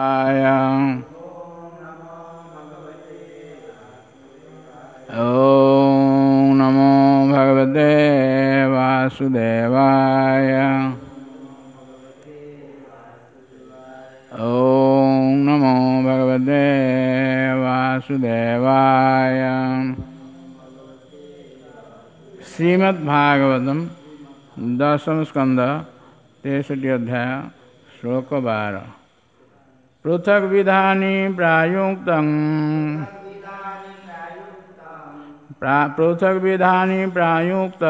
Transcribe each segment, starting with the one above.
ॐ नमो भगवते वासुदेवाय। ॐ नमो भगवते वासुदेवाय। श्रीमद्भागवतम दशम स्कंद 63 अध्याय श्लोक 12। पृथक विधानी प्रायुक्तं पृथक विधानी प्रायुक्त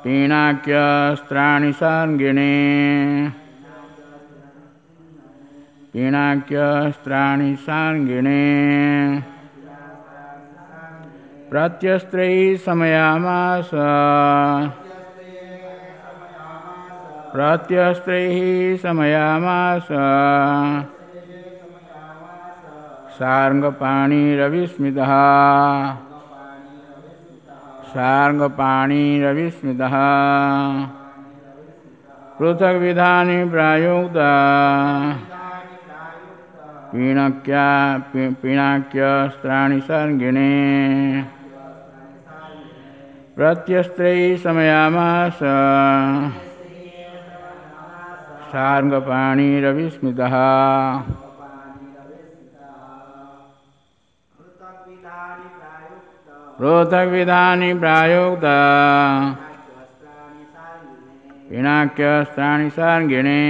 पिनाक्यस्त्राणि सार्गिणे पिनाक्यस्त्राणि सार्गिणे प्रत्यस्त्रैः समयामास प्रत्यस्त्रैः समयामास सार्ङ्गपाणिरविस्मितः सार्ङ्गपाणिरविस्मितः। पृथग्विधानि प्रायुक्त पिनाक्यस्त्राणि सार्ङ्गिणे प्रत्यस्त्रैः समयामास सार्ङ्गपाणिरविस्मितः। पृथग्विधानि प्रायुक्त पिनाक्यस्त्राणि सार्ङ्गिणे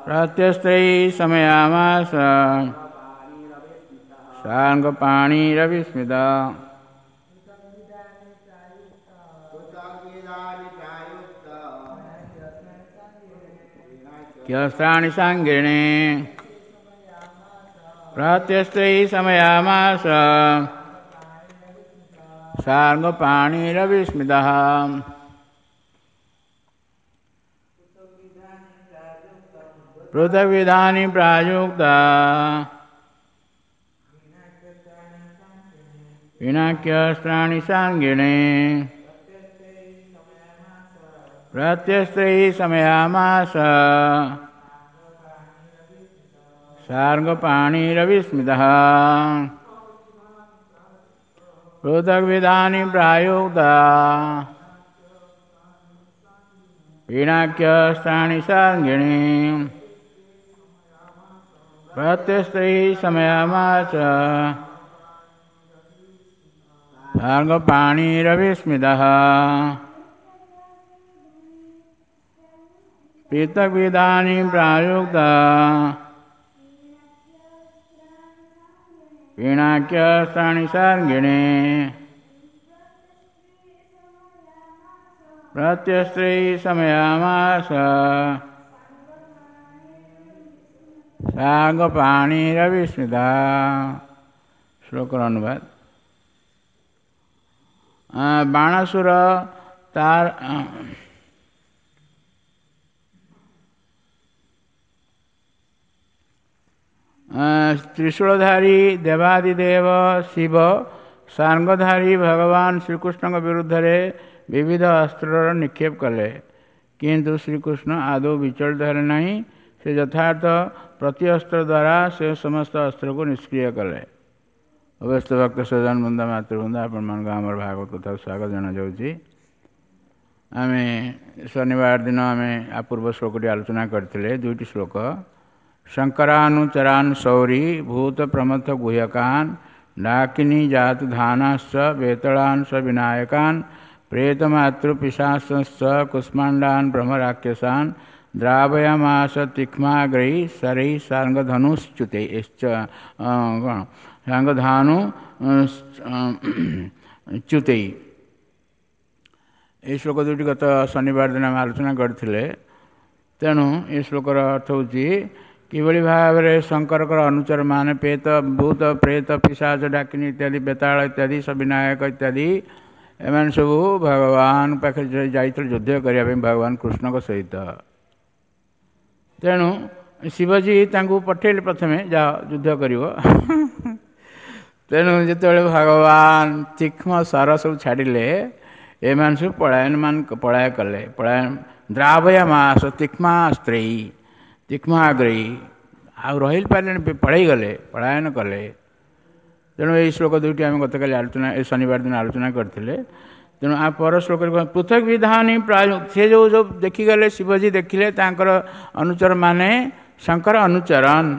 प्रत्यस्त्रैः समयामास सार्ङ्गपाणिरविस्मितः। क्यस्त्राणि सार्ङ्गिणे प्रत्यस्त्रैः समयामास सार्ङ्गपाणिरविस्मितः। पृथग्विधानि प्रायुक्त पिनाक्यस्त्राणि सार्ङ्गिणे प्रत्यस्त्रैः समयामास सार्ङ्गपाणिरविस्मितः। पृथग्विधानि प्रायुक्त पिनाक्यस्त्राणि सार्ङ्गिणे प्रत्यस्त्रैः समयामास सार्ङ्गपाणिरविस्मितः। पृथग्विधानि प्रायुक्त पिनाक्यस्त्राणि सार्ङ्गिणे प्रत्यस्त्रैः समयामास सार्ङ्गपाणिरविस्मितः। ଶ୍ଲୋକର ଅନୁବାଦ। ବାଣାସୁର ତାର ତ୍ରିଶୂଳଧାରୀ ଦେବାଦିଦେବ ଶିବ ସାର୍ଙ୍ଗଧାରୀ ଭଗବାନ ଶ୍ରୀକୃଷ୍ଣଙ୍କ ବିରୁଦ୍ଧରେ ବିବିଧ ଅସ୍ତ୍ରର ନିକ୍ଷେପ କଲେ, କିନ୍ତୁ ଶ୍ରୀକୃଷ୍ଣ ଆଦୌ ବିଚଳିତ ହେଲେ ନାହିଁ। ସେ ଯଥାର୍ଥ ପ୍ରତିଅସ୍ତ୍ର ଦ୍ୱାରା ସେ ସମସ୍ତ ଅସ୍ତ୍ରକୁ ନିଷ୍କ୍ରିୟ କଲେ। ଅବସ୍ଥ ଭକ୍ତ ସଜନ ବୃନ୍ଦ ମାତୃବୃନ୍ଦ, ଆପଣମାନଙ୍କୁ ଆମର ଭାଗବତ କଥାକୁ ସ୍ୱାଗତ ଜଣାଯାଉଛି। ଆମେ ଶନିବାର ଦିନ ଆମେ ପୂର୍ବ ଶ୍ଲୋକଟି ଆଲୋଚନା କରିଥିଲେ, ଦୁଇଟି ଶ୍ଲୋକ। ଶଙ୍କରାନୁଚରାନ୍ ସୌରୀ ଭୂତ ପ୍ରମଥ ଗୁହ୍ୟକାନ୍ ଡାକିନୀ ଜାତ ଧାନାଶ୍ଚ ବେତଳାନ୍ ସ ବିନାୟକାନ୍ ପ୍ରେତମାତୃପିଶାଚଶ୍ଚ କୁଷ୍ମାଣ୍ଡାନ୍ ବ୍ରହ୍ମରାକ୍ଷସାନ୍ ଦ୍ରାବୟାମାସ ତୀକ୍ଷ୍ମାଗ୍ରୈ ଶରୈ ସାର୍ଙ୍ଗଧନୁଶ୍ଚୁତୈ କ'ଣ ସାର୍ଙ୍ଗଧାନୁ ଚ୍ୟୁତୈ। ଏହି ଶ୍ଲୋକ ଦୁଇଟି ଗତ ଶନିବାର ଦିନ ଆମେ ଆଲୋଚନା କରିଥିଲେ। ତେଣୁ ଏ ଶ୍ଲୋକର ଅର୍ଥ ହେଉଛି କିଭଳି ଭାବରେ ଶଙ୍କରଙ୍କର ଅନୁଚରମାନେ ପେତ ଭୂତ ପ୍ରେତ ପିଶାଚ ଡାକିନୀ ଇତ୍ୟାଦି ବେତାଳ ଇତ୍ୟାଦି ସବିନାୟକ ଇତ୍ୟାଦି ଏମାନେ ସବୁ ଭଗବାନ ପାଖରେ ଯାଇଥିଲେ ଯୁଦ୍ଧ କରିବା ପାଇଁ ଭଗବାନ କୃଷ୍ଣଙ୍କ ସହିତ। ତେଣୁ ଶିବଜୀ ତାଙ୍କୁ ପଠେଇଲେ ପ୍ରଥମେ ଯାଅ ଯୁଦ୍ଧ କରିବ। ତେଣୁ ଯେତେବେଳେ ଭଗବାନ ତୀକ୍ଷ୍ମ ସର ସବୁ ଛାଡ଼ିଲେ, ଏମାନେ ସବୁ ପଳାୟନ ପଳାୟ କଲେ, ପଳାୟନ ଦ୍ରାବୟାମାସ ତୀକ୍ଷ୍ମାସ୍ତ୍ରେଇ ତୀକ୍ଷ୍ମାଗ୍ରେଇ, ଆଉ ରହି ପାରିଲେନି, ପଳେଇଗଲେ, ପଳାୟନ କଲେ। ତେଣୁ ଏଇ ଶ୍ଲୋକ ଦୁଇଟି ଆମେ ଗତକାଲି ଆଲୋଚନା, ଏ ଶନିବାର ଦିନ ଆଲୋଚନା କରିଥିଲେ। ତେଣୁ ଆ ପର ଶ୍ଲୋକରେ ପୃଥକ ବିଧାନୀ ପ୍ରାୟ ସେ ଯେଉଁ ଯେଉଁ ଦେଖିଗଲେ, ଶିବଜୀ ଦେଖିଲେ ତାଙ୍କର ଅନୁଚରମାନେ, ଶଙ୍କର ଅନୁଚରନ୍,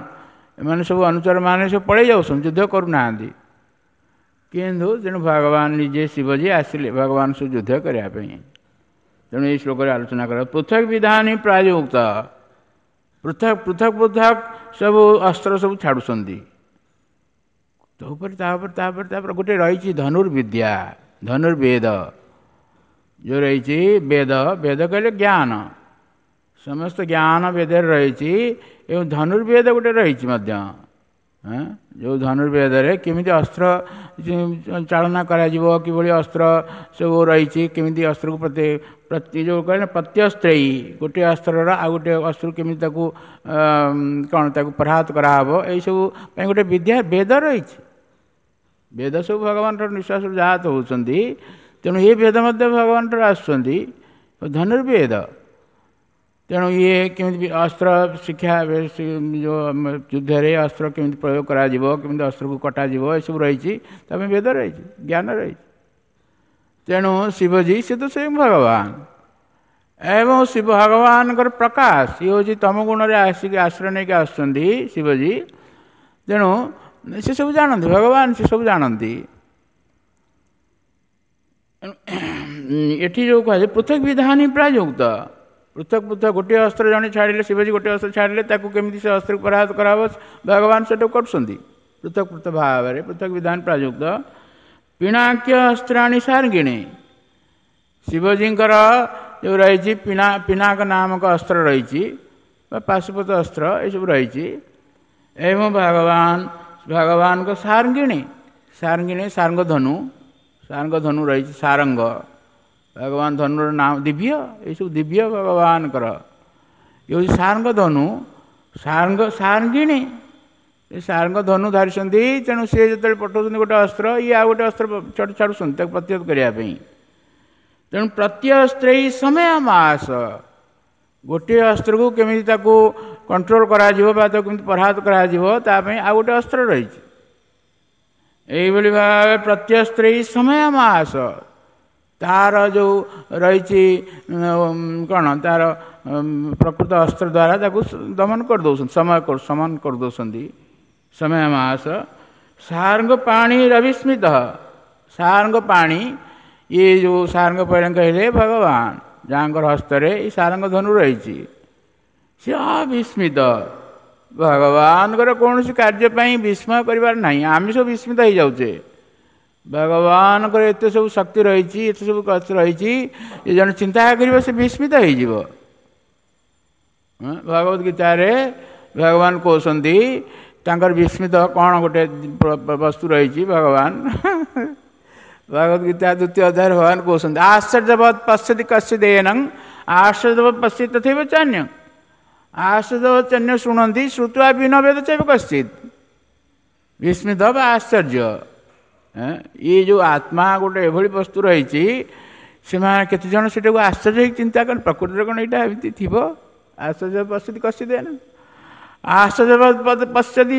ଏମାନେ ସବୁ ଅନୁଚରମାନେ ସବୁ ପଳେଇ ଯାଉଛନ୍ତି, ଯୁଦ୍ଧ କରୁନାହାନ୍ତି। କିନ୍ତୁ ତେଣୁ ଭଗବାନ ନିଜେ ଶିବଜୀ ଆସିଲେ ଭଗବାନ ସବୁ ଯୁଦ୍ଧ କରିବା ପାଇଁ। ତେଣୁ ଏଇ ଶ୍ଲୋକରେ ଆଲୋଚନା କରା ପୃଥକ ବିଧାନୀ ପ୍ରାୟଯୁକ୍ତ, ପୃଥକ ପୃଥକ ପୃଥକ ସବୁ ଅସ୍ତ୍ର ସବୁ ଛାଡ଼ୁଛନ୍ତି, ତା ଉପରେ ତାପରେ ତାପରେ ତାପରେ ଗୋଟେ ରହିଛି ଧନୁର୍ବିଦ୍ୟା, ଧନୁର୍ବେଦ ଯେଉଁ ରହିଛି। ବେଦ, ବେଦ କହିଲେ ଜ୍ଞାନ, ସମସ୍ତ ଜ୍ଞାନ ବେଦରେ ରହିଛି। ଏବଂ ଧନୁର୍ବେଦ ଗୋଟେ ରହିଛି ମଧ୍ୟ, ଯେଉଁ ଧନୁର୍ବେଦରେ କେମିତି ଅସ୍ତ୍ର ଚାଳନା କରାଯିବ, କିଭଳି ଅସ୍ତ୍ର ସବୁ ରହିଛି, କେମିତି ଅସ୍ତ୍ରକୁ ପ୍ରତି ପ୍ରତି ଯେଉଁ କହିଲେ ପ୍ରତ୍ୟସ୍ତ୍ରେୟୀ, ଗୋଟିଏ ଅସ୍ତ୍ରର ଆଉ ଗୋଟିଏ ଅସ୍ତ୍ରକୁ କେମିତି ତାକୁ କ'ଣ ତାକୁ ପରାହତ କରାହେବ, ଏଇସବୁ ପାଇଁ ଗୋଟେ ବିଦ୍ୟା ବେଦ ରହିଛି। ବେଦ ସବୁ ଭଗବାନଙ୍କର ନିଶ୍ୱାସରୁ ଜାତ ହେଉଛନ୍ତି, ତେଣୁ ଏ ବେଦ ମଧ୍ୟ ଭଗବାନଠାରୁ ଆସୁଛନ୍ତି, ଧନୁର୍ବେଦ। ତେଣୁ ଇଏ କେମିତି ଅସ୍ତ୍ର ଶିକ୍ଷା, ଯେଉଁ ଯୁଦ୍ଧରେ ଅସ୍ତ୍ର କେମିତି ପ୍ରୟୋଗ କରାଯିବ, କେମିତି ଅସ୍ତ୍ରକୁ କଟାଯିବ, ଏସବୁ ରହିଛି, ତା ପାଇଁ ବେଦ ରହିଛି, ଜ୍ଞାନ ରହିଛି। ତେଣୁ ଶିବଜୀ ସେ ତ ସ୍ୱୟଂ ଭଗବାନ, ଏବଂ ଶିବ ଭଗବାନଙ୍କର ପ୍ରକାଶ, ଇଏ ହେଉଛି ତମ ଗୁଣରେ ଆସିକି ଆଶ୍ରୟ ନେଇକି ଆସୁଛନ୍ତି ଶିବଜୀ। ତେଣୁ ସେ ସବୁ ଜାଣନ୍ତି, ଭଗବାନ ସେ ସବୁ ଜାଣନ୍ତି। ଏଠି ଯେଉଁ କୁହାଯାଏ ପୃଥକ ବିଧାନୀ ପ୍ରାୟଯୁକ୍ତ, ପୃଥକ ପୃଥକ ଗୋଟିଏ ଅସ୍ତ୍ର ଜଣେ ଛାଡ଼ିଲେ, ଶିବଜୀ ଗୋଟିଏ ଅସ୍ତ୍ର ଛାଡ଼ିଲେ, ତାକୁ କେମିତି ସେ ଅସ୍ତ୍ରକୁ ପରାହତ କରାହେବ ଭଗବାନ ସେଟାକୁ କରୁଛନ୍ତି ପୃଥକ ପୃଥକ ଭାବରେ, ପୃଥକ ବିଧାନ ପ୍ରାଯୁକ୍ତ। ପିଣାକ୍ୟ ଅସ୍ତ୍ରାଣୀ ସାର୍ଗିଣୀ, ଶିବଜୀଙ୍କର ଯେଉଁ ରହିଛି ପିନାକ ନାମକ ଅସ୍ତ୍ର ରହିଛି ବା ପାଶୁପତ ଅସ୍ତ୍ର, ଏସବୁ ରହିଛି। ଏବଂ ଭଗବାନ ଭଗବାନଙ୍କ ସାର୍ଗିଣୀ, ସାର୍ଗିଣୀ ସାର୍ଙ୍ଗ ଧନୁ, ସାର୍ଙ୍ଗ ଧନୁ ରହିଛି, ସାରଙ୍ଗ ଭଗବାନ ଧନୁର ନାମ ଦିବ୍ୟ, ଏସବୁ ଦିବ୍ୟ ଭଗବାନଙ୍କର। ଇଏ ହେଉଛି ସାର୍ଙ୍ଗ ଧନୁ, ସାର୍ଙ୍ଗ ସାର୍ଙ୍ଗିଣୀ, ଏ ସାର୍ଙ୍ଗ ଧନୁ ଧରିଛନ୍ତି। ତେଣୁ ସିଏ ଯେତେବେଳେ ପଠାଉଛନ୍ତି ଗୋଟେ ଅସ୍ତ୍ର, ଇଏ ଆଉ ଗୋଟେ ଅସ୍ତ୍ର ଛାଡ଼ୁଛନ୍ତି ତାକୁ ପ୍ରତିହତ କରିବା ପାଇଁ। ତେଣୁ ପ୍ରତ୍ୟସ୍ତ୍ରେଇ ସମୟ ମାସ, ଗୋଟିଏ ଅସ୍ତ୍ରକୁ କେମିତି ତାକୁ କଣ୍ଟ୍ରୋଲ କରାଯିବ ବା ତାକୁ କେମିତି ପରାହତ କରାଯିବ, ତା ପାଇଁ ଆଉ ଗୋଟେ ଅସ୍ତ୍ର ରହିଛି। ଏଇଭଳି ଭାବେ ପ୍ରତ୍ୟସ୍ତ୍ରେଇ ସମୟ ମାସ, ତାର ଯେଉଁ ରହିଛି କ'ଣ ତାର ପ୍ରକୃତ ଅସ୍ତ୍ର ଦ୍ୱାରା ତାକୁ ଦମନ କରିଦେଉଛନ୍ତି, ସମୟ ସମନ କରିଦେଉଛନ୍ତି। ସମୟ ମାସ ସାରଙ୍ଗ ପାଣି ରବିସ୍ମିତ, ସାରଙ୍ଗ ପାଣି, ଇଏ ଯେଉଁ ସାରଙ୍ଗ ପାଣି କହିଲେ ଭଗବାନ, ଯାହାଙ୍କର ହସ୍ତରେ ଏଇ ସାରଙ୍ଗ ଧନୁ ରହିଛି, ସେ ଅବିସ୍ମିତ। ଭଗବାନଙ୍କର କୌଣସି କାର୍ଯ୍ୟ ପାଇଁ ବିସ୍ମୟ କରିବାର ନାହିଁ। ଆମେ ସବୁ ବିସ୍ମିତ ହେଇଯାଉଛେ, ଭଗବାନଙ୍କର ଏତେ ସବୁ ଶକ୍ତି ରହିଛି, ଏତେ ସବୁ କଥା ରହିଛି, ଏ ଜଣେ ଚିନ୍ତା କରିବ ସେ ବିସ୍ମିତ ହେଇଯିବ। ଭଗବତ ଗୀତାରେ ଭଗବାନ କହୁଛନ୍ତି ତାଙ୍କର ବିସ୍ମିତ କ'ଣ ଗୋଟେ ବସ୍ତୁ ରହିଛି। ଭଗବାନ ଭଗବତ ଗୀତା ଦ୍ୱିତୀୟ ଅଧ୍ୟାୟରେ ଭଗବାନ କହୁଛନ୍ତି ଆଶ୍ଚର୍ଯ୍ୟବତ୍ ପଶ୍ୟତି କଶ୍ଚିଦ୍ ଏନଂ ଆଶ୍ଚର୍ଯ୍ୟବତ୍ ପଶ୍ୟତି ତଥୈବ ଚାନ୍ୟ, ଆଶ୍ଚର୍ଯ୍ୟବତ୍ ଚାନ୍ୟ ଶୁଣନ୍ତି ଶ୍ରୁତ୍ୱା ବିନ ବେଦ ଚୈବ କଶ୍ଚିତ୍। ବିସ୍ମିତ ବା ଆଶ୍ଚର୍ଯ୍ୟ, ଇଏ ଯେଉଁ ଆତ୍ମା ଗୋଟେ ଏଭଳି ବସ୍ତୁ ରହିଛି, ସେମାନେ କେତେଜଣ ସେଟାକୁ ଆଶ୍ଚର୍ଯ୍ୟ ହେଇକି ଚିନ୍ତା କଲେ ପ୍ରକୃତିରେ କ'ଣ ଏଇଟା ଏମିତି ଥିବ। ଆଶ୍ଚର୍ଯ୍ୟ ପଶ୍ୟତି କଶ୍ଚିଦ୍ ଏନଂ, ଆଶ୍ଚର୍ଯ୍ୟ ପଶ୍ୟତି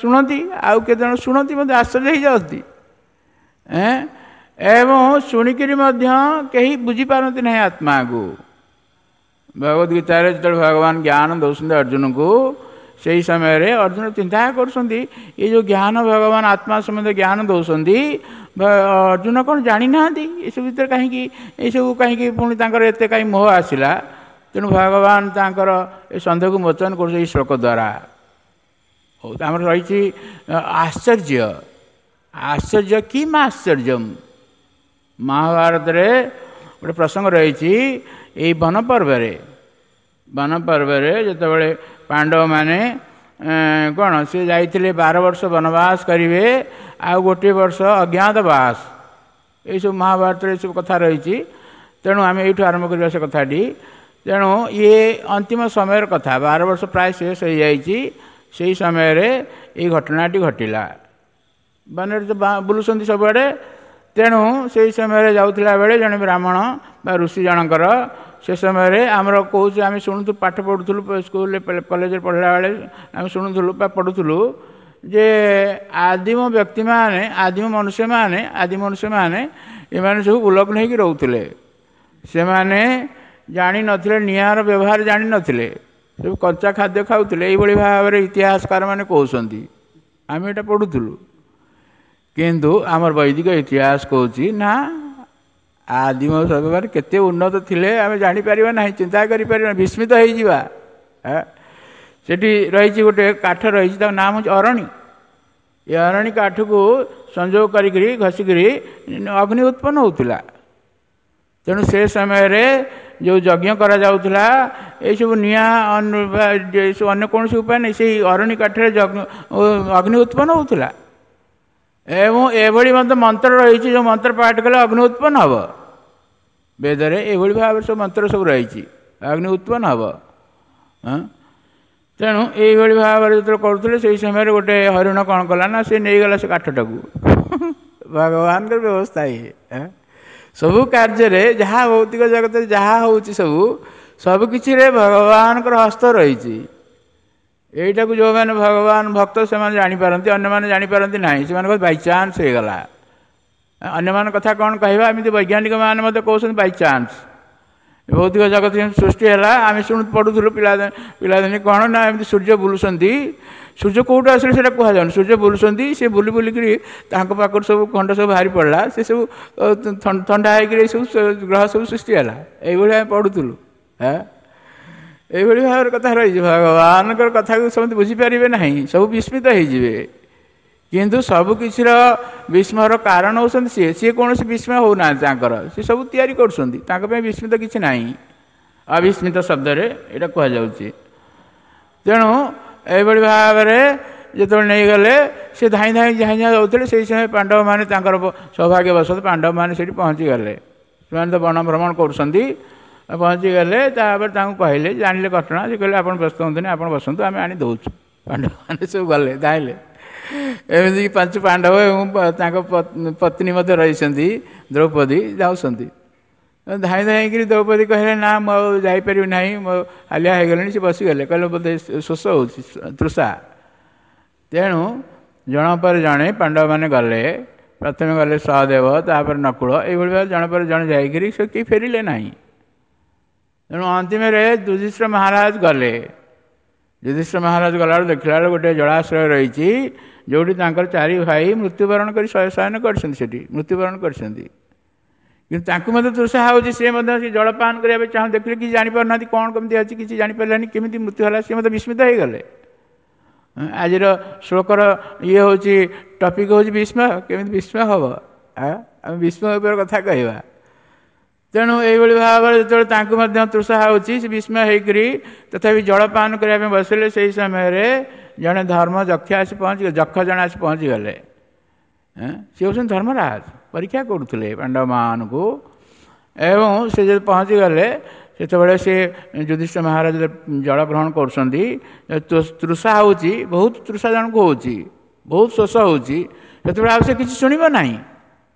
ଶୁଣନ୍ତି, ଆଉ କେତେଜଣ ଶୁଣନ୍ତି ମଧ୍ୟ ଆଶ୍ଚର୍ଯ୍ୟ ହେଇଯାଆନ୍ତି, ଏବଂ ଶୁଣିକିରି ମଧ୍ୟ କେହି ବୁଝିପାରନ୍ତି ନାହିଁ ଆତ୍ମାକୁ। ଭଗବତ ଗୀତାରେ ଯେତେବେଳେ ଭଗବାନ ଜ୍ଞାନ ଦେଉଛନ୍ତି ଅର୍ଜୁନଙ୍କୁ, ସେଇ ସମୟରେ ଅର୍ଜୁନ ଚିନ୍ତା କରୁଛନ୍ତି ଏ ଯେଉଁ ଜ୍ଞାନ ଭଗବାନ ଆତ୍ମା ସମ୍ବନ୍ଧରେ ଜ୍ଞାନ ଦେଉଛନ୍ତି, ଅର୍ଜୁନ କ'ଣ ଜାଣିନାହାନ୍ତି ଏସବୁ ଭିତରେ କାହିଁକି ଏସବୁ କାହିଁକି ପୁଣି ତାଙ୍କର ଏତେ କାହିଁ ମୋହ ଆସିଲା। ତେଣୁ ଭଗବାନ ତାଙ୍କର ଏ ସନ୍ଦେହକୁ ମୋଚନ କରୁଛନ୍ତି ଏଇ ଶ୍ଲୋକ ଦ୍ୱାରା। ହଉ, ଆମର ରହିଛି ଆଶ୍ଚର୍ଯ୍ୟ, ଆଶ୍ଚର୍ଯ୍ୟ କିମ୍ ଆଶ୍ଚର୍ଯ୍ୟମ୍। ମହାଭାରତରେ ଗୋଟେ ପ୍ରସଙ୍ଗ ରହିଛି ଏଇ ବନପର୍ବରେ, ବନପର୍ବରେ ଯେତେବେଳେ ପାଣ୍ଡବମାନେ କ'ଣ ସେ ଯାଇଥିଲେ 12 ବର୍ଷ ବନବାସ କରିବେ, ଆଉ 1 ବର୍ଷ ଅଜ୍ଞାତବାସ, ଏଇସବୁ ମହାଭାରତରେ ଏସବୁ କଥା ରହିଛି। ତେଣୁ ଆମେ ଏଇଠୁ ଆରମ୍ଭ କରିବା ସେ କଥାଟି। ତେଣୁ ଇଏ ଅନ୍ତିମ ସମୟର କଥା, 12 ବର୍ଷ ପ୍ରାୟ ଶେଷ ହୋଇଯାଇଛି, ସେଇ ସମୟରେ ଏଇ ଘଟଣାଟି ଘଟିଲା। ବନରେ ତ ବୁଲୁଛନ୍ତି ସବୁଆଡ଼େ। ତେଣୁ ସେଇ ସମୟରେ ଯାଉଥିଲା ବେଳେ ଜଣେ ବ୍ରାହ୍ମଣ ବା ଋଷି ଜଣଙ୍କର ସେ ସମୟରେ ଆମର କହୁଛୁ, ଆମେ ଶୁଣୁଥିଲୁ, ପାଠ ପଢ଼ୁଥିଲୁ ସ୍କୁଲରେ, କଲେଜରେ ପଢ଼ିଲା ବେଳେ ଆମେ ଶୁଣୁଥିଲୁ ବା ପଢ଼ୁଥିଲୁ ଯେ ଆଦିମ ବ୍ୟକ୍ତିମାନେ, ଆଦିମ ମନୁଷ୍ୟମାନେ, ଆଦିମ ମନୁଷ୍ୟମାନେ ଏମାନେ ସବୁ ଉଲଗ୍ନ ହେଇକି ରହୁଥିଲେ। ସେମାନେ ଜାଣିନଥିଲେ, ନିଆଁର ବ୍ୟବହାର ଜାଣିନଥିଲେ, ସବୁ କଞ୍ଚା ଖାଦ୍ୟ ଖାଉଥିଲେ। ଏଇଭଳି ଭାବରେ ଇତିହାସକାରମାନେ କହୁଛନ୍ତି, ଆମେ ଏଇଟା ପଢ଼ୁଥିଲୁ। କିନ୍ତୁ ଆମର ବୈଦିକ ଇତିହାସ କହୁଛି ନା, ଆଦିମ ସଭ୍ୟମାନେ କେତେ ଉନ୍ନତ ଥିଲେ ଆମେ ଜାଣିପାରିବା ନାହିଁ, ଚିନ୍ତା କରିପାରିବା, ବିସ୍ମିତ ହେଇଯିବା। ସେଠି ରହିଛି ଗୋଟେ କାଠ ରହିଛି, ତା ନାମ ହେଉଛି ଅରଣୀ। ଏ ଅରଣୀ କାଠକୁ ସଂଯୋଗ କରିକିରି ଘଷିକିରି ଅଗ୍ନି ଉତ୍ପନ୍ନ ହେଉଥିଲା। ତେଣୁ ସେ ସମୟରେ ଯେଉଁ ଯଜ୍ଞ କରାଯାଉଥିଲା, ଏଇସବୁ ନିଆଁ, ଏସବୁ ଅନ୍ୟ କୌଣସି ଉପାୟ ନାହିଁ, ସେଇ ଅରଣୀ କାଠରେ ଅଗ୍ନି ଉତ୍ପନ୍ନ ହେଉଥିଲା। ଏବଂ ଏଭଳି ମଧ୍ୟ ମନ୍ତ୍ର ରହିଛି, ଯେଉଁ ମନ୍ତ୍ର ପାଠ କଲେ ଅଗ୍ନି ଉତ୍ପନ୍ନ ହେବ। ବେଦରେ ଏଭଳି ଭାବରେ ସବୁ ମନ୍ତ୍ର ସବୁ ରହିଛି, ଅଗ୍ନି ଉତ୍ପନ୍ନ ହେବ। ତେଣୁ ଏଇଭଳି ଭାବରେ ଯେତେବେଳେ କରୁଥିଲେ, ସେଇ ସମୟରେ ଗୋଟେ ହରିଣ କ'ଣ କଲା ନା, ସେ ନେଇଗଲା ସେ କାଠଟାକୁ। ଭଗବାନଙ୍କର ବ୍ୟବସ୍ଥା ଇଏ। ସବୁ କାର୍ଯ୍ୟରେ, ଯାହା ଭୌତିକ ଜଗତରେ ଯାହା ହେଉଛି, ସବୁ ସବୁକିଛିରେ ଭଗବାନଙ୍କର ହସ୍ତ ରହିଛି। ଏଇଟାକୁ ଯେଉଁମାନେ ଭଗବାନ ଭକ୍ତ ସେମାନେ ଜାଣିପାରନ୍ତି, ଅନ୍ୟମାନେ ଜାଣିପାରନ୍ତି ନାହିଁ। ସେମାନଙ୍କ ବାଇଚାନ୍ସ ହେଇଗଲା। ଅନ୍ୟମାନଙ୍କ କଥା କ'ଣ କହିବା? ଏମିତି ବୈଜ୍ଞାନିକମାନେ ମଧ୍ୟ କହୁଛନ୍ତି ବାଇଚାନ୍ସ ଭୌତିକ ଜଗତ ସୃଷ୍ଟି ହେଲା। ଆମେ ଶୁଣୁ, ପଢ଼ୁଥିଲୁ ପିଲା ପିଲାଦିନେ କ'ଣ ନା, ଏମିତି ସୂର୍ଯ୍ୟ ବୁଲୁଛନ୍ତି। ସୂର୍ଯ୍ୟ କେଉଁଠୁ ଆସିଲେ ସେଇଟା କୁହାଯାଉନି। ସୂର୍ଯ୍ୟ ବୁଲୁଛନ୍ତି, ସେ ବୁଲି ବୁଲିକିରି ତାଙ୍କ ପାଖରୁ ସବୁ ଖଣ୍ଡ ସବୁ ବାହାରି ପଡ଼ିଲା, ସେ ସବୁ ଥଣ୍ଡା ହେଇକିରି ସବୁ ଗ୍ରହ ସବୁ ସୃଷ୍ଟି ହେଲା। ଏଇଭଳି ଆମେ ପଢ଼ୁଥିଲୁ। ଏଇଭଳି ଭାବରେ କଥା ରହିଛି। ଭଗବାନଙ୍କର କଥାକୁ ସମସ୍ତେ ବୁଝିପାରିବେ ନାହିଁ, ସବୁ ବିସ୍ମିତ ହେଇଯିବେ। କିନ୍ତୁ ସବୁକିଛିର ବିସ୍ମୟର କାରଣ ହେଉଛନ୍ତି ସିଏ। ସିଏ କୌଣସି ବିସ୍ମୟ ହେଉନାହାନ୍ତି ତାଙ୍କର, ସେ ସବୁ ତିଆରି କରୁଛନ୍ତି, ତାଙ୍କ ପାଇଁ ବିସ୍ମିତ କିଛି ନାହିଁ। ଅବିସ୍ମିତ ଶବ୍ଦରେ ଏଇଟା କୁହାଯାଉଛି। ତେଣୁ ଏଇଭଳି ଭାବରେ ଯେତେବେଳେ ନେଇଗଲେ, ସେ ଧାଇଁ ଧାଇଁ ଧାଇଁ ଧାଇଁ ଯାଉଥିଲେ। ସେଇ ସମୟ ପାଣ୍ଡବମାନେ, ତାଙ୍କର ସୌଭାଗ୍ୟବଶତଃ ପାଣ୍ଡବମାନେ ସେଇଠି ପହଞ୍ଚିଗଲେ। ସେମାନେ ତ ବନ ଭ୍ରମଣ କରୁଛନ୍ତି, ପହଞ୍ଚିଗଲେ। ତାପରେ ତାଙ୍କୁ କହିଲେ, ଜାଣିଲେ ଘଟଣା। ସେ କହିଲେ, ଆପଣ ବ୍ୟସ୍ତ ହୁଅନ୍ତୁନି, ଆପଣ ବସନ୍ତୁ, ଆମେ ଆଣି ଦେଉଛୁ। ପାଣ୍ଡବମାନେ ସବୁ ଗଲେ, ଧାଇଁଲେ। ଏମିତିକି ପାଞ୍ଚ ପାଣ୍ଡବ ଏବଂ ତାଙ୍କ ପତ୍ନୀ ମଧ୍ୟ ରହିଛନ୍ତି ଦ୍ରୌପଦୀ, ଯାଉଛନ୍ତି ଧାଇଁ ଧାଇଁକିରି। ଦ୍ରୌପଦୀ କହିଲେ, ନା, ମୁଁ ଆଉ ଯାଇପାରିବି ନାହିଁ, ମୋ ହାଲିଆ ହେଇଗଲେଣି। ସେ ବସିଗଲେ, କହିଲେ ବୋଧେ ଶୋଷ ହେଉଛି, ତୃଷା। ତେଣୁ ଜଣ ପରେ ଜଣେ ପାଣ୍ଡବମାନେ ଗଲେ। ପ୍ରଥମେ ଗଲେ ସହଦେବ, ତାପରେ ନକୁଳ, ଏଇଭଳି ଭାବେ ଜଣେ ପରେ ଜଣେ ଯାଇକିରି ସେ କେହି ଫେରିଲେ ନାହିଁ। ତେଣୁ ଅନ୍ତିମରେ ଯୁଧିଷ୍ଠିର ମହାରାଜ ଗଲେ। ଯୁଧିଷ୍ଠିର ମହାରାଜ ଗଲାବେଳକୁ ଦେଖିଲା ବେଳକୁ ଗୋଟେ ଜଳାଶ୍ରୟ ରହିଛି, ଯେଉଁଠି ତାଙ୍କର ଚାରି ଭାଇ ମୃତ୍ୟୁବରଣ କରି ଶୟନ କରିଛନ୍ତି, ସେଠି ମୃତ୍ୟୁବରଣ କରିଛନ୍ତି। କିନ୍ତୁ ତାଙ୍କୁ ମଧ୍ୟ ତୃଷା ହେଉଛି, ସେ ମଧ୍ୟ ସେ ଜଳପାନ କରିବା ପାଇଁ ଚାହୁଁ। ଦେଖିଲେ କିଛି ଜାଣିପାରୁନାହାନ୍ତି, କ'ଣ କେମିତି ଅଛି କିଛି ଜାଣିପାରିଲାନି, କେମିତି ମୃତ୍ୟୁ ହେଲା। ସେ ମଧ୍ୟ ବିସ୍ମିତ ହେଇଗଲେ। ଆଜିର ଶ୍ଲୋକର ଇଏ ହେଉଛି, ଟପିକ୍ ହେଉଛି ବିସ୍ମୟ। କେମିତି ବିସ୍ମୟ ହେବ? ଆମେ ବିସ୍ମୟ ଉପରେ କଥା କହିବା। ତେଣୁ ଏଇଭଳି ଭାବରେ ଯେତେବେଳେ ତାଙ୍କୁ ମଧ୍ୟ ତୃଷା ହେଉଛି, ସେ ବିସ୍ମୟ ହେଇକରି ତଥାପି ଜଳପାନ କରିବା ପାଇଁ ବସିଲେ। ସେଇ ସମୟରେ ଜଣେ ଧର୍ମ ଯକ୍ଷ ଆସି ପହଞ୍ଚି, ଯକ୍ଷ ଜଣେ ଆସି ପହଞ୍ଚିଗଲେ। ସେ ହେଉଛନ୍ତି ଧର୍ମରାଜ, ପରୀକ୍ଷା କରୁଥିଲେ ପାଣ୍ଡବମାନଙ୍କୁ। ଏବଂ ସେ ଯଦି ପହଞ୍ଚିଗଲେ, ସେତେବେଳେ ସେ ଯୁଧିଷ୍ଠିର ମହାରାଜ ଜଳ ଗ୍ରହଣ କରୁଛନ୍ତି। ତୃଷା ହେଉଛି, ବହୁତ ତୃଷା ଜଣକୁ ହେଉଛି, ବହୁତ ଶୋଷ ହେଉଛି, ସେତେବେଳେ ଆଉ ସେ କିଛି ଶୁଣିବ ନାହିଁ,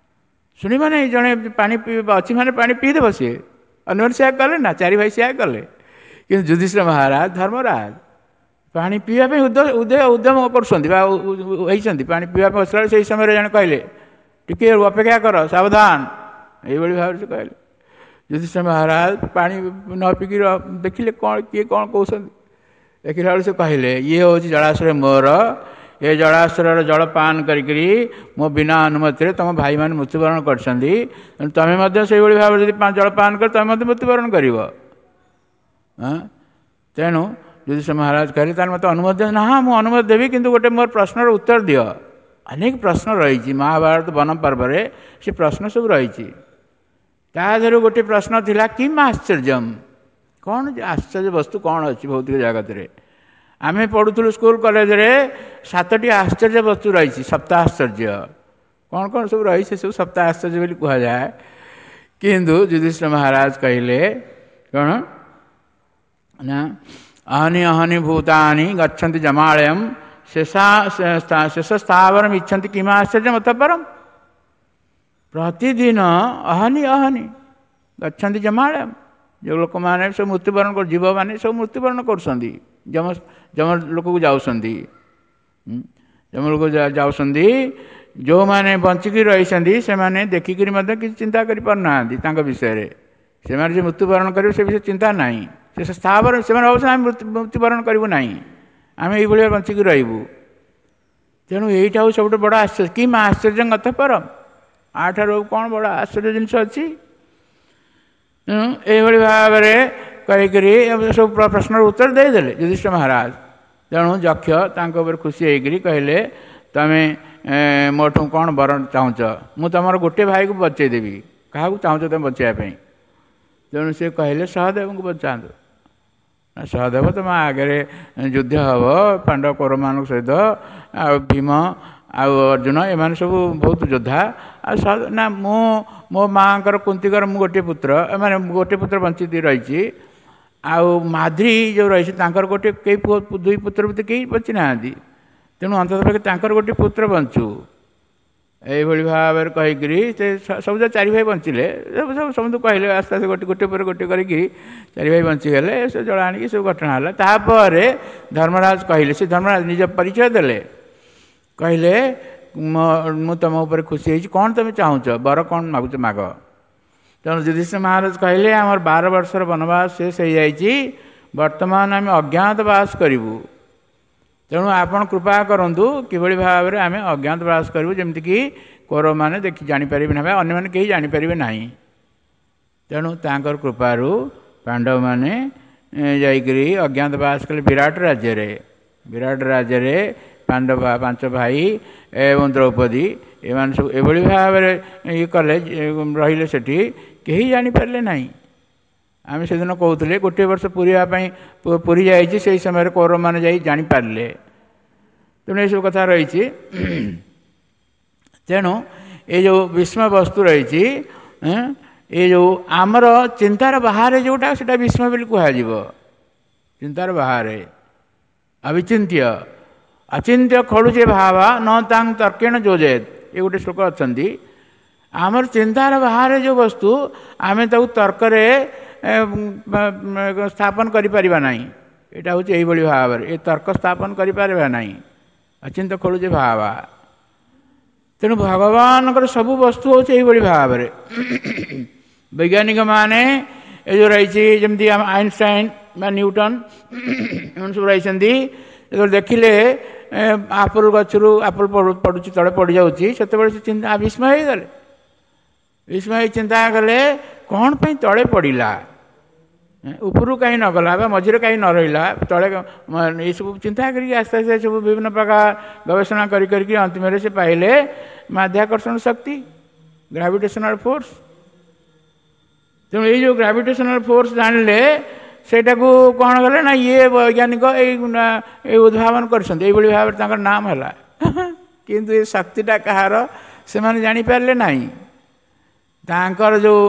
ଶୁଣିବ ନାହିଁ। ଜଣେ ପାଣି ଅଛି ମାନେ ପାଣି ପିଇଦେବ ସିଏ। ଅନ୍ୟମାନେ ସେୟା କଲେ ନା, ଚାରି ଭାଇ ସେୟା କଲେ। କିନ୍ତୁ ଯୁଧିଷ୍ଠିର ମହାରାଜ ଧର୍ମରାଜ ପାଣି ପିଇବା ପାଇଁ ଉଦ୍ୟମ କରୁଛନ୍ତି ବା ହେଇଛନ୍ତି, ପାଣି ପିଇବା ପାଇଁ ବସିଲା ବେଳେ ସେଇ ସମୟରେ ଜଣେ କହିଲେ, ଟିକେ ଅପେକ୍ଷା କର, ସାବଧାନ। ଏଇଭଳି ଭାବରେ ସେ କହିଲେ। ଯୁଧିଷ୍ଠିର ମହାରାଜ ପାଣି ନ ପିଇକି ଦେଖିଲେ କ'ଣ, କିଏ କ'ଣ କହୁଛନ୍ତି। ଦେଖିଲା ବେଳକୁ ସେ କହିଲେ, ଇଏ ହେଉଛି ଜଳାଶ୍ରୟ ମୋର, ଏ ଜଳାଶ୍ରୟର ଜଳ ପାନ କରିକିରି ମୋ ବିନା ଅନୁମତିରେ ତୁମ ଭାଇମାନେ ମୃତ୍ୟୁବରଣ କରିଛନ୍ତି। ତେଣୁ ତୁମେ ମଧ୍ୟ ସେଇଭଳି ଭାବରେ ଯଦି ଜଳପାନ କର, ତୁମେ ମଧ୍ୟ ମୃତ୍ୟୁବରଣ କରିବ। ତେଣୁ ଯୁଧିଷ୍ଠିର ମହାରାଜ କହିଲେ, ତାହେଲେ ମୋତେ ଅନୁମତି ଦିଅ। ନା, ମୁଁ ଅନୁମତି ଦେବି, କିନ୍ତୁ ଗୋଟେ ମୋର ପ୍ରଶ୍ନର ଉତ୍ତର ଦିଅ। ଅନେକ ପ୍ରଶ୍ନ ରହିଛି ମହାଭାରତ ବନ ପର୍ବରେ, ସେ ପ୍ରଶ୍ନ ସବୁ ରହିଛି। ତା ଦେହରୁ ଗୋଟେ ପ୍ରଶ୍ନ ଥିଲା, କିମ୍ ଆଶ୍ଚର୍ଯ୍ୟମ୍, କ'ଣ ଆଶ୍ଚର୍ଯ୍ୟ ବସ୍ତୁ କ'ଣ ଅଛି ଭୌତିକ ଜଗତରେ? ଆମେ ପଢ଼ୁଥିଲୁ ସ୍କୁଲ କଲେଜରେ, 7ଟି ଆଶ୍ଚର୍ଯ୍ୟ ବସ୍ତୁ ରହିଛି, ସପ୍ତାଶ୍ଚର୍ଯ୍ୟ। କ'ଣ କ'ଣ ସବୁ ରହିଛି, ସେ ସବୁ ସପ୍ତାଶ୍ଚର୍ଯ୍ୟ ବୋଲି କୁହାଯାଏ। କିନ୍ତୁ ଯୁଧିଷ୍ଠିର ମହାରାଜ କହିଲେ କ'ଣ ନା, ଅହନି ଅହନି ଭୂତାନି ଗଚ୍ଛନ୍ତି ଜମାଳୟମ୍ ଶେଷା ଶେଷ ସ୍ଥାବରମ୍ ଇଚ୍ଛନ୍ତି କିମା ଆଶ୍ଚର୍ଯ୍ୟ ମତ ପରମ। ପ୍ରତିଦିନ ଅହନି ଅହନି ଗଚ୍ଛନ୍ତି ଜମାଳୟମ୍, ଯେଉଁ ଲୋକମାନେ ସବୁ ମୃତ୍ୟୁବରଣ ଜୀବମାନେ ସବୁ ମୃତ୍ୟୁବରଣ କରୁଛନ୍ତି, ଯମ ଯମ ଲୋକକୁ ଯାଉଛନ୍ତି, ଯମ ଲୋକ ଯାଉଛନ୍ତି। ଯେଉଁମାନେ ବଞ୍ଚିକି ରହିଛନ୍ତି ସେମାନେ ଦେଖିକିରି ମଧ୍ୟ କିଛି ଚିନ୍ତା କରିପାରୁନାହାନ୍ତି ତାଙ୍କ ବିଷୟରେ। ସେମାନେ ଯେ ମୃତ୍ୟୁବରଣ କରିବେ ସେ ବିଷୟରେ ଚିନ୍ତା ନାହିଁ। ସେ ସ୍ଥାବର, ସେମାନେ ଭାବୁଛନ୍ତି ଆମେ ମୃତ୍ୟୁବରଣ କରିବୁ ନାହିଁ, ଆମେ ଏଇଭଳିଆ ବଞ୍ଚିକି ରହିବୁ। ତେଣୁ ଏଇଟା ହେଉଛି ସବୁଠୁ ବଡ଼ ଆଶ୍ଚର୍ଯ୍ୟ। କି ମା ଆଶ୍ଚର୍ଯ୍ୟ କଥା ପରମ, ଆଠାରୁ କ'ଣ ବଡ଼ ଆଶ୍ଚର୍ଯ୍ୟ ଜିନିଷ ଅଛି? ତେଣୁ ଏଇଭଳି ଭାବରେ କହିକରି ସବୁ ପ୍ରଶ୍ନର ଉତ୍ତର ଦେଇଦେଲେ ଯୁଧିଷ୍ଠିର ମହାରାଜ। ତେଣୁ ଯକ୍ଷ ତାଙ୍କ ଉପରେ ଖୁସି ହେଇକରି କହିଲେ, ତମେ ମୋଠୁ କ'ଣ ବର ଚାହୁଁଛ? ମୁଁ ତୁମର ଗୋଟିଏ ଭାଇକୁ ବଞ୍ଚେଇଦେବି, କାହାକୁ ଚାହୁଁଛ ତୁମେ ବଞ୍ଚେଇବା ପାଇଁ? ତେଣୁ ସେ କହିଲେ ସହଦେବଙ୍କୁ ବଞ୍ଚାନ୍ତୁ। ନା, ସହଦେବ ତୁମ ଆଗରେ ଯୁଦ୍ଧ ହେବ ପାଣ୍ଡବ କୌରବମାନଙ୍କ ସହିତ, ଆଉ ଭୀମ ଆଉ ଅର୍ଜୁନ ଏମାନେ ସବୁ ବହୁତ ଯୋଦ୍ଧା। ଆଉ ନା, ମୁଁ ମୋ ମାଆଙ୍କର କୁନ୍ତିଙ୍କର ମୁଁ ଗୋଟିଏ ପୁତ୍ର, ଏମାନେ ଗୋଟିଏ ପୁତ୍ର ବଞ୍ଚିତ ରହିଛି। ଆଉ ମାଦ୍ରୀ ଯେଉଁ ରହିଛି ତାଙ୍କର ଗୋଟିଏ କେହି ପୁଅ, ଦୁଇ ପୁତ୍ର ଭିତରେ କେହି ବଞ୍ଚି ନାହାନ୍ତି। ତେଣୁ ଅନ୍ତତଃ ପକ୍ଷେ ତାଙ୍କର ଗୋଟିଏ ପୁତ୍ର ବଞ୍ଚୁ। ଏଇଭଳି ଭାବରେ କହିକିରି ସେ ସବୁ ଚାରି ଭାଇ ବଞ୍ଚିଲେ। ସବୁ ସମସ୍ତଙ୍କୁ କହିଲେ, ଆସ୍ତେ ଆସ୍ତେ ଗୋଟେ ଗୋଟେ ପରେ ଗୋଟେ କରିକି ଚାରି ଭାଇ ବଞ୍ଚିଗଲେ। ସେ ଜଳ ଆଣିକି ସବୁ ଘଟଣା ହେଲା। ତାପରେ ଧର୍ମରାଜ କହିଲେ, ସେ ଧର୍ମରାଜ ନିଜ ପରିଚୟ ଦେଲେ, କହିଲେ ମୁଁ ତୁମ ଉପରେ ଖୁସି ହେଇଛି, କ'ଣ ତୁମେ ଚାହୁଁଛ, ବର କ'ଣ ମାଗୁଛ ମାଗ। ତେଣୁ ଯୁଧିଷ୍ଠିର ମହାରାଜ କହିଲେ, ଆମର 12 ବର୍ଷର ବନବାସ ଶେଷ ହେଇଯାଇଛି, ବର୍ତ୍ତମାନ ଆମେ ଅଜ୍ଞାତ ବାସ କରିବୁ। ତେଣୁ ଆପଣ କୃପା କରନ୍ତୁ କିଭଳି ଭାବରେ ଆମେ ଅଜ୍ଞାତ ବାସ କରିବୁ, ଯେମିତିକି କୌରବମାନେ ଦେଖି ଜାଣିପାରିବେ ନାହିଁ, ଅନ୍ୟମାନେ କେହି ଜାଣିପାରିବେ ନାହିଁ। ତେଣୁ ତାଙ୍କର କୃପାରୁ ପାଣ୍ଡବମାନେ ଯାଇକରି ଅଜ୍ଞାତ ବାସ କଲେ ବିରାଟ ରାଜ୍ୟରେ। ବିରାଟ ରାଜ୍ୟରେ ପାଣ୍ଡବ 5 ଭାଇ ଏବଂ ଦ୍ରୌପଦୀ ଏମାନେ ସବୁ ଏଭଳି ଭାବରେ ଇଏ କଲେ, ରହିଲେ ସେଠି, କେହି ଜାଣିପାରିଲେ ନାହିଁ। ଆମେ ସେଦିନ କହୁଥିଲେ ଗୋଟିଏ ବର୍ଷ ପୁରିବା ପାଇଁ ପୁରୀ ଯାଇଛି, ସେଇ ସମୟରେ କୌରବମାନେ ଯାଇ ଜାଣିପାରିଲେ। ତେଣୁ ଏସବୁ କଥା ରହିଛି। ତେଣୁ ଏ ଯେଉଁ ବିସ୍ମୟ ବସ୍ତୁ ରହିଛି, ଏ ଯେଉଁ ଆମର ଚିନ୍ତାର ବାହାରେ ଯେଉଁଟା, ସେଇଟା ବିସ୍ମୟ ବୋଲି କୁହାଯିବ। ଚିନ୍ତାର ବାହାରେ ଅବିଚିନ୍ତ୍ୟ, ଅଚିନ୍ତ୍ୟ ଖଳୁଚେ ଭାବା ନ ତାଂ ତର୍କେଣ ଯୋଜେତ, ଏ ଗୋଟେ ଶ୍ଲୋକ ଅଛନ୍ତି। ଆମର ଚିନ୍ତାର ବାହାରେ ଯେଉଁ ବସ୍ତୁ ଆମେ ତାକୁ ତର୍କରେ ସ୍ଥାପନ କରିପାରିବା ନାହିଁ। ଏଇଟା ହେଉଛି ଏଇଭଳି ଭାବରେ ଏ ତର୍କ ସ୍ଥାପନ କରିପାରିବା ନାହିଁ। ଅଚିନ୍ତ ଖଳୁଚେ ଭାବା। ତେଣୁ ଭଗବାନଙ୍କର ସବୁ ବସ୍ତୁ ହେଉଛି ଏଇଭଳି ଭାବରେ। ବୈଜ୍ଞାନିକମାନେ ଏ ଯେଉଁ ରହିଛି, ଯେମିତି ଆମ ଆଇନଷ୍ଟାଇନ୍ ବା ନ୍ୟୁଟନ୍ ଏମାନେ ସବୁ ରହିଛନ୍ତି, ଯେତେବେଳେ ଦେଖିଲେ ଆପଲ୍ ଗଛରୁ ଆପଲ୍ ପଡ଼ୁଛି, ତଳେ ପଡ଼ିଯାଉଛି, ସେତେବେଳେ ସେ ଚିନ୍ତା ବିସ୍ମୟ ହେଇଗଲେ। ବିସ୍ମୟ ହେଇ ଚିନ୍ତା କଲେ କ'ଣ ପାଇଁ ତଳେ ପଡ଼ିଲା, ଉପରକୁ କାହିଁ ନଗଲା ବା ମଝିରେ କାହିଁ ନ ରହିଲା ତଳେ, ଏସବୁ ଚିନ୍ତା କରିକି ଆସ୍ତେ ଆସ୍ତେ ସବୁ ବିଭିନ୍ନ ପ୍ରକାର ଗବେଷଣା କରି କରିକି ଅନ୍ତିମରେ ସେ ପାଇଲେ ମାଧ୍ୟାକର୍ଷଣ ଶକ୍ତି, ଗ୍ରାଭିଟେସନାଲ ଫୋର୍ସ। ତେଣୁ ଏଇ ଯେଉଁ ଗ୍ରାଭିଟେସନାଲ ଫୋର୍ସ ଜାଣିଲେ, ସେଇଟାକୁ କ'ଣ କଲେ ନା ଇଏ ବୈଜ୍ଞାନିକ ଏଇ ଉଦ୍ଭାବନ କରିଛନ୍ତି, ଏଇଭଳି ଭାବରେ ତାଙ୍କର ନାମ ହେଲା। କିନ୍ତୁ ଏ ଶକ୍ତିଟା କାହାର ସେମାନେ ଜାଣିପାରିଲେ ନାହିଁ। ତାଙ୍କର ଯେଉଁ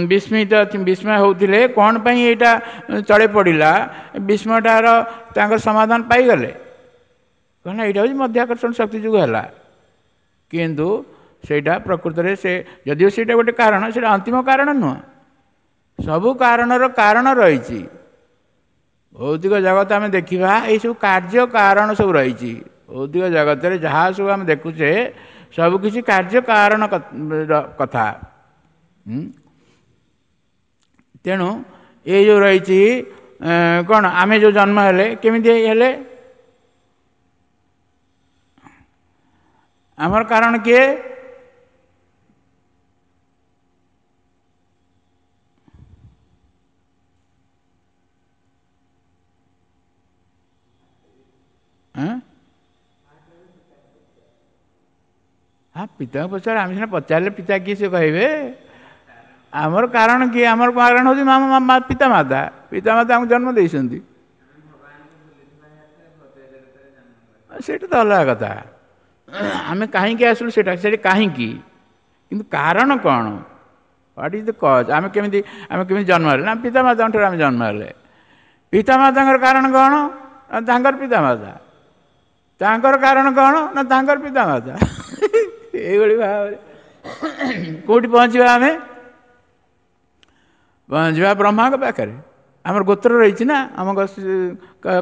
ବିସ୍ମିତ ବିସ୍ମୟ ହେଉଥିଲେ କ'ଣ ପାଇଁ ଏଇଟା ତଳେ ପଡ଼ିଲା, ବିସ୍ମୟଟାର ତାଙ୍କର ସମାଧାନ ପାଇଗଲେ, କାରଣ ଏଇଟା ହେଉଛି ମଧ୍ୟାକର୍ଷଣ ଶକ୍ତି ଯୋଗୁଁ ହେଲା। କିନ୍ତୁ ସେଇଟା ପ୍ରକୃତରେ ସେ ଯଦିଓ ସେଇଟା ଗୋଟେ କାରଣ, ସେଇଟା ଅନ୍ତିମ କାରଣ ନୁହଁ। ସବୁ କାରଣର କାରଣ ରହିଛି। ଭୌତିକ ଜଗତ ଆମେ ଦେଖିବା, ଏଇସବୁ କାର୍ଯ୍ୟ କାରଣ ସବୁ ରହିଛି। ଭୌତିକ ଜଗତରେ ଯାହା ସବୁ ଆମେ ଦେଖୁଛେ ସବୁକିଛି କାର୍ଯ୍ୟ କାରଣ କଥା। ତେଣୁ ଏଇ ଯେଉଁ ରହିଛି କ'ଣ, ଆମେ ଯେଉଁ ଜନ୍ମ ହେଲେ କେମିତି ହେଲେ, ଆମର କାରଣ କିଏ? ହଁ, ପିତାଙ୍କୁ ପଚାର। ଆମେ ସିନା ପଚାରିଲେ ପିତା କିଏ ସେ କହିବେ। ଆମର କାରଣ କିଏ? ଆମର କାରଣ ହେଉଛି ପିତା ମାତା। ପିତା ମାତା ଆମକୁ ଜନ୍ମ ଦେଇଛନ୍ତି, ସେଇଟା ତ ଅଲଗା କଥା। ଆମେ କାହିଁକି ଆସିଲୁ ସେଇଟା, ସେଇଟା କାହିଁକି, କିନ୍ତୁ କାରଣ କ'ଣ? What is the cause? ଆମେ କେମିତି ଜନ୍ମ ହେଲେ? ନା ପିତା ମାତାଙ୍କ ଠାରୁ ଆମେ ଜନ୍ମ ହେଲେ। ପିତା ମାତାଙ୍କର କାରଣ କ'ଣ? ନା ତାଙ୍କର ପିତା ମାତା। ତାଙ୍କର କାରଣ କ'ଣ? ନା ତାଙ୍କର ପିତା ମାତା। ଏଇଭଳି ଭାବରେ କେଉଁଠି ପହଞ୍ଚିବା ଆମେ? ପହଞ୍ଚିବା ବ୍ରହ୍ମାଙ୍କ ପାଖରେ। ଆମର ଗୋତ୍ର ରହିଛି ନା, ଆମ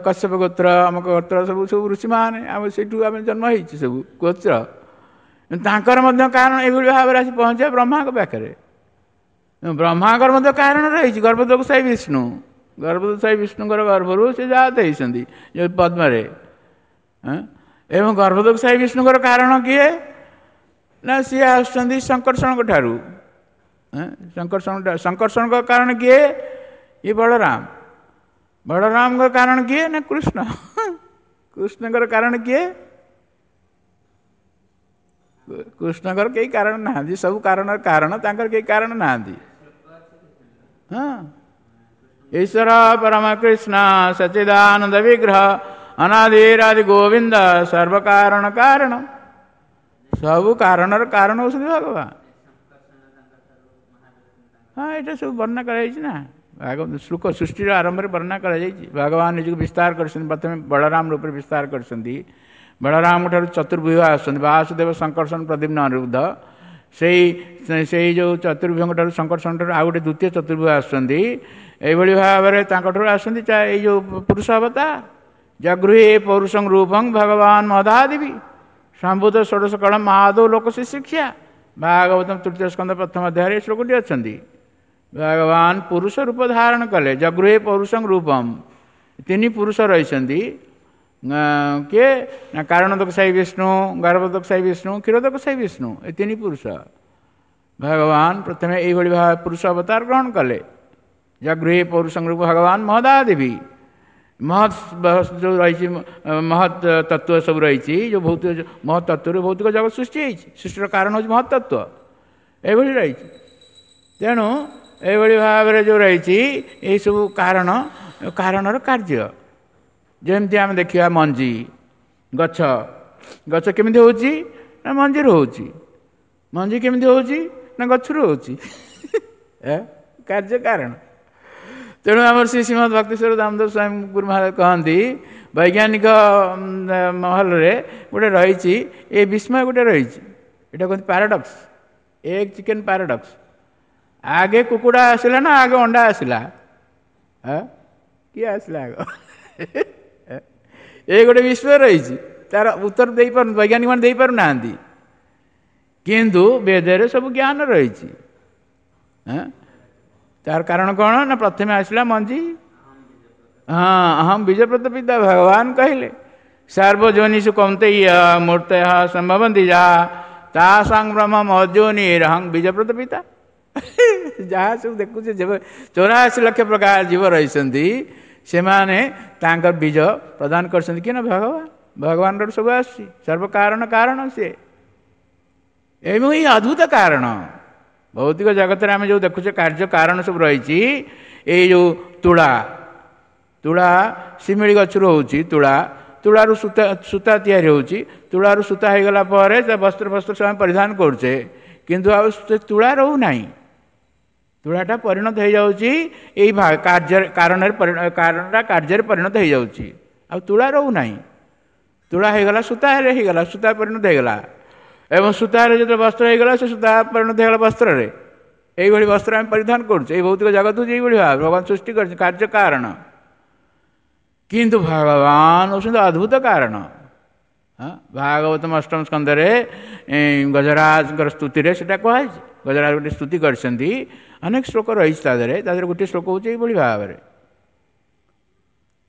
କଶ୍ୟପ ଗୋତ୍ର, ଆମ ଗୋତ୍ର ସବୁ ସବୁ ଋଷିମାନେ, ଆମ ସେଇଠୁ ଆମେ ଜନ୍ମ ହେଇଛୁ ସବୁ ଗୋତ୍ର। ତାଙ୍କର ମଧ୍ୟ କାରଣ ଏଇଭଳି ଭାବରେ ଆସି ପହଞ୍ଚିବା ବ୍ରହ୍ମାଙ୍କ ପାଖରେ। ବ୍ରହ୍ମାଙ୍କର ମଧ୍ୟ କାରଣ ରହିଛି, ଗର୍ଭୋଦକଶାୟୀ ବିଷ୍ଣୁ। ଗର୍ଭୋଦକଶାୟୀ ବିଷ୍ଣୁଙ୍କର ଗର୍ଭରୁ ସେ ଜାତ ହେଇଛନ୍ତି ଯେଉଁ ପଦ୍ମରେ। ଏବଂ ଗର୍ଭୋଦକଶାୟୀ ବିଷ୍ଣୁଙ୍କର କାରଣ କିଏ ନା, ସିଏ ଆସୁଛନ୍ତି ଶଙ୍କର୍ଷଣଙ୍କ ଠାରୁ। ଶଙ୍କର୍ଷଣଙ୍କ କାରଣ କିଏ? ଇଏ ବଳରାମ। ବଳରାମଙ୍କ କାରଣ କିଏ ନା କୃଷ୍ଣ। କୃଷ୍ଣଙ୍କର କାରଣ କିଏ? କୃଷ୍ଣଙ୍କର କେହି କାରଣ ନାହାନ୍ତି। ସବୁ କାରଣର କାରଣ, ତାଙ୍କର କେହି କାରଣ ନାହାନ୍ତି। ହଁ, ଈଶ୍ୱର ପରମ କୃଷ୍ଣ ସଚିଦାନନ୍ଦ ବିଗ୍ରହ ଅନାଦିରାଦି ଗୋବିନ୍ଦ ସର୍ବକାରଣ କାରଣ। ସବୁ କାରଣର କାରଣ ହେଉଛନ୍ତି ଭଗବାନ। ହଁ, ଏଇଟା ସବୁ ବର୍ଣ୍ଣନା କରାଯାଇଛି ନା, ଶ୍ଲୋକ ସୃଷ୍ଟିର ଆରମ୍ଭରେ ବର୍ଣ୍ଣନା କରାଯାଇଛି। ଭଗବାନ ନିଜକୁ ବିସ୍ତାର କରିଛନ୍ତି, ପ୍ରଥମେ ବଳରାମ ରୂପରେ ବିସ୍ତାର କରିଛନ୍ତି। ବଳରାମଙ୍କ ଠାରୁ ଚତୁର୍ବ୍ୟୁହ ଆସୁଛନ୍ତି, ବାସୁଦେବ, ଶଙ୍କର୍ଷଣ, ପ୍ରଦ୍ୟୁମ୍ନ, ଅନିରୁଦ୍ଧ। ସେଇ ଯେଉଁ ଚତୁର୍ବ୍ୟୁହଙ୍କ ଠାରୁ, ଶଙ୍କର୍ଷଣ ଠାରୁ ଆଉ ଗୋଟେ ଦ୍ୱିତୀୟ ଚତୁର୍ବ୍ୟୁହ ଆସୁଛନ୍ତି। ଏଇଭଳି ଭାବରେ ତାଙ୍କଠାରୁ ଆସନ୍ତି ଏଇ ଯେଉଁ ପୁରୁଷ ଅବତାର। ଜଗୃହେ ପୌରୁଷଂ ରୂପଂ ଭଗବାନ ମହଦାଦେବୀ ସମ୍ଭୂତ ଷୋଡ଼ଶ କଳ ମାଧବ ଲୋକ ଶିକ୍ଷା। ଭାଗବତମ ତୃତୀୟ ସ୍କନ୍ଧ ପ୍ରଥମ ଅଧ୍ୟାୟରେ ଶ୍ଲୋକଟି ଅଛନ୍ତି। ଭଗବାନ ପୁରୁଷ ରୂପ ଧାରଣ କଲେ, ଜଗୃହେ ପୌରୁଷଂ ରୂପಂ। ତିନି ପୁରୁଷ ରହିଛନ୍ତି, କିଏ ନା କାରଣୋଦକଶାୟୀ ବିଷ୍ଣୁ, ଗର୍ଭୋଦକଶାୟୀ ବିଷ୍ଣୁ, କ୍ଷୀରୋଦକଶାୟୀ ବିଷ୍ଣୁ, ଏ ତିନି ପୁରୁଷ। ଭଗବାନ ପ୍ରଥମେ ଏଇଭଳି ଭାବେ ପୁରୁଷ ଅବତାର ଗ୍ରହଣ କଲେ। ଜଗୃହେ ପୌରୁଷଂ ରୂପ ଭଗବାନ ମହଦାଦେବୀ। ମହତ୍ ଯେଉଁ ରହିଛି, ମହତ୍ ତତ୍ତ୍ୱ ସବୁ ରହିଛି, ଯେଉଁ ଭୌତିକ ମହତ୍ ତତ୍ତ୍ୱରୁ ଭୌତିକ ଜଗତ ସୃଷ୍ଟି ହେଇଛି। ସୃଷ୍ଟିର କାରଣ ହେଉଛି ମହତ୍ ତତ୍ତ୍ୱ, ଏଇଭଳି ରହିଛି। ତେଣୁ ଏଇଭଳି ଭାବରେ ଯେଉଁ ରହିଛି ଏଇସବୁ କାରଣ, କାରଣର କାର୍ଯ୍ୟ। ଯେମିତି ଆମେ ଦେଖିବା ମଞ୍ଜି, ଗଛ, ଗଛ କେମିତି ହେଉଛି ନା ମଞ୍ଜିରୁ ହେଉଛି। ମଞ୍ଜି କେମିତି ହେଉଛି ନା ଗଛରୁ ହେଉଛି। କାର୍ଯ୍ୟ କାରଣ। ତେଣୁ ଆମର ଶ୍ରୀ ଶ୍ରୀମଦ୍ ଭକ୍ତିଶ୍ୱର ଦାମୋଦର ସ୍ୱାମୀ ଗୁରୁ ମହାରାଜ କହନ୍ତି, ବୈଜ୍ଞାନିକ ମହଲରେ ଗୋଟେ ରହିଛି ଏ ବିସ୍ମୟ ଗୋଟେ ରହିଛି, ଏଇଟା କୁହନ୍ତି ପାରାଡକ୍ସ, ଏଗ୍ ଚିକେନ୍ ପାରାଡକ୍ସ। ଆଗେ କୁକୁଡ଼ା ଆସିଲା ନା ଆଗେ ଅଣ୍ଡା ଆସିଲା? କିଏ ଆସିଲା ଆଗ? ଏ ଗୋଟେ ବିସ୍ମୟ ରହିଛି, ତାର ଉତ୍ତର ଦେଇପାରୁ ବୈଜ୍ଞାନିକ ମାନେ ଦେଇପାରୁନାହାନ୍ତି, କିନ୍ତୁ ବେଦରେ ସବୁ ଜ୍ଞାନ ରହିଛି। ତାର କାରଣ କ'ଣ ନା ପ୍ରଥମେ ଆସିଲା ମଞ୍ଜି। ହଁ, ଅହಂ ବୀଜପ୍ରଦ ପିତା ଭଗବାନ କହିଲେ, ସର୍ବଯୋନିଷୁ କୌନ୍ତେୟ ମୂର୍ତ୍ତୟଃ ସମ୍ଭବନ୍ତି ଯାହା ତାସାଂ ବ୍ରହ୍ମ ମହଦ୍ଯୋନିରହଂ ବୀଜପ୍ରଦ ପିତା। ଯାହା ସବୁ ଦେଖୁଛେ, 84 ଲକ୍ଷ ପ୍ରକାର ଜୀବ ରହିଛନ୍ତି, ସେମାନେ ତାଙ୍କର ବୀଜ ପ୍ରଦାନ କରିଛନ୍ତି କିଏ ନା ଭଗବାନ। ଭଗବାନଙ୍କର ସବୁ ଆସୁଛି, ସର୍ବକାରଣ କାରଣ ସିଏ। ଏବଂ ଏଇ ଅଦ୍ଭୁତ କାରଣ ଭୌତିକ ଜଗତରେ ଆମେ ଯେଉଁ ଦେଖୁଛେ କାର୍ଯ୍ୟ କାରଣ ସବୁ ରହିଛି। ଏଇ ଯେଉଁ ତୁଳା, ତୁଳା ଶିମିଳି ଗଛରୁ ହେଉଛି ତୁଳା, ତୁଳାରୁ ସୂତା, ସୂତା ତିଆରି ହେଉଛି। ତୁଳାରୁ ସୂତା ହେଇଗଲା ପରେ ସେ ବସ୍ତ୍ର ଫସ୍ତ୍ର ସବୁ ଆମେ ପରିଧାନ କରୁଛେ, କିନ୍ତୁ ଆଉ ସେ ତୁଳା ରହୁନାହିଁ। ତୁଳାଟା ପରିଣତ ହେଇଯାଉଛି ଏଇ କାର୍ଯ୍ୟରେ, କାରଣରେ, କାରଣଟା କାର୍ଯ୍ୟରେ ପରିଣତ ହେଇଯାଉଛି, ଆଉ ତୁଳା ରହୁନାହିଁ। ତୁଳା ହେଇଗଲା ସୂତାରେ ହେଇଗଲା, ସୂତା ପରିଣତ ହେଇଗଲା। ଏବଂ ସୂତାରେ ଯେତେବେଳେ ବସ୍ତ୍ର ହେଇଗଲା, ସେ ସୂତା ପରିଣତ ହେଇଗଲା ବସ୍ତ୍ରରେ। ଏଇଭଳି ବସ୍ତ୍ର ଆମେ ପରିଧାନ କରୁଛେ। ଏଇ ଭୌତିକ ଜଗତ ହେଉଛି ଏଇଭଳି ଭାବେ ଭଗବାନ ସୃଷ୍ଟି କରିଛନ୍ତି କାର୍ଯ୍ୟ କାରଣ। କିନ୍ତୁ ଭଗବାନ ହେଉଛନ୍ତି ଅଦ୍ଭୁତ କାରଣ। ଭାଗବତମ ଅଷ୍ଟମ ସ୍କନ୍ଧରେ ଗଜରାଜଙ୍କର ସ୍ତୁତିରେ ସେଟା କୁହାଯାଇଛି। ଗଜରାଜ ଗୋଟେ ସ୍ତୁତି କରିଛନ୍ତି, ଅନେକ ଶ୍ଲୋକ ରହିଛି ତା ଦେହରେ। ତା ଦେହରେ ଗୋଟିଏ ଶ୍ଲୋକ ହେଉଛି ଏଇଭଳି ଭାବରେ।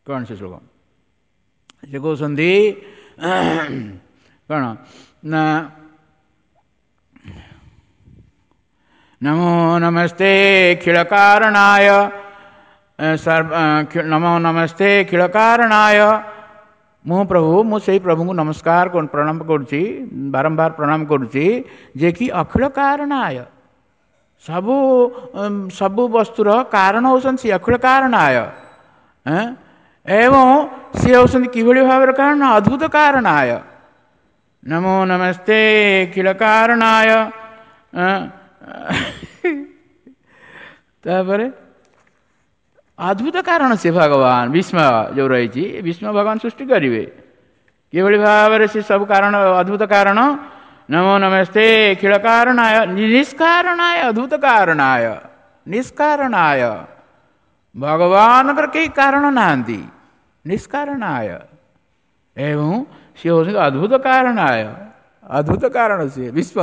କ'ଣ ସେ ଶ୍ଲୋକ? ସେ କହୁଛନ୍ତି କ'ଣ ନା, ନମୋ ନମସ୍ତେ ଖିଳକାରଣାୟ, ନମୋ ନମସ୍ତେ ଖିଳକାରଣାୟ। ମୁଁ ପ୍ରଭୁ, ମୁଁ ସେଇ ପ୍ରଭୁଙ୍କୁ ନମସ୍କାର ପ୍ରଣାମ କରୁଛି, ବାରମ୍ବାର ପ୍ରଣାମ କରୁଛି, ଯେ କି ଅଖିଳ କାରଣାୟ, ସବୁ ସବୁ ବସ୍ତୁର କାରଣ ହେଉଛନ୍ତି ସିଏ, ଅଖିଳ କାରଣାୟ। ଏବଂ ସିଏ ହେଉଛନ୍ତି କିଭଳି ଭାବରେ କାରଣ? ଅଦ୍ଭୁତ କାରଣାୟ। ନମୋ ନମସ୍ତେ ଅଖିଳ କାରଣାୟ। ତାପରେ ଅଦ୍ଭୁତ କାରଣ ସେ ଭଗବାନ, ବିସ୍ମୟ ଯେଉଁ ରହିଛି, ବିସ୍ମୟ ଭଗବାନ ସୃଷ୍ଟି କରିବେ କିଭଳି ଭାବରେ ସେ ସବୁ କାରଣ, ଅଦ୍ଭୁତ କାରଣ। ନମୋ ନମସ୍ତେ ଅଖିଳ କାରଣାୟ ନିଷ୍କାରଣାୟ ଅଦ୍ଭୁତ କାରଣାୟ। ନିଷ୍କାରଣାୟ। ଭଗବାନଙ୍କର କେହି କାରଣ ନାହାନ୍ତି, ନିଷ୍କାରଣାୟ। ଏବଂ ସିଏ ହେଉଛନ୍ତି ଅଦ୍ଭୁତ କାରଣାୟ, ଅଦ୍ଭୁତ କାରଣ ସିଏ ବିଶ୍ୱ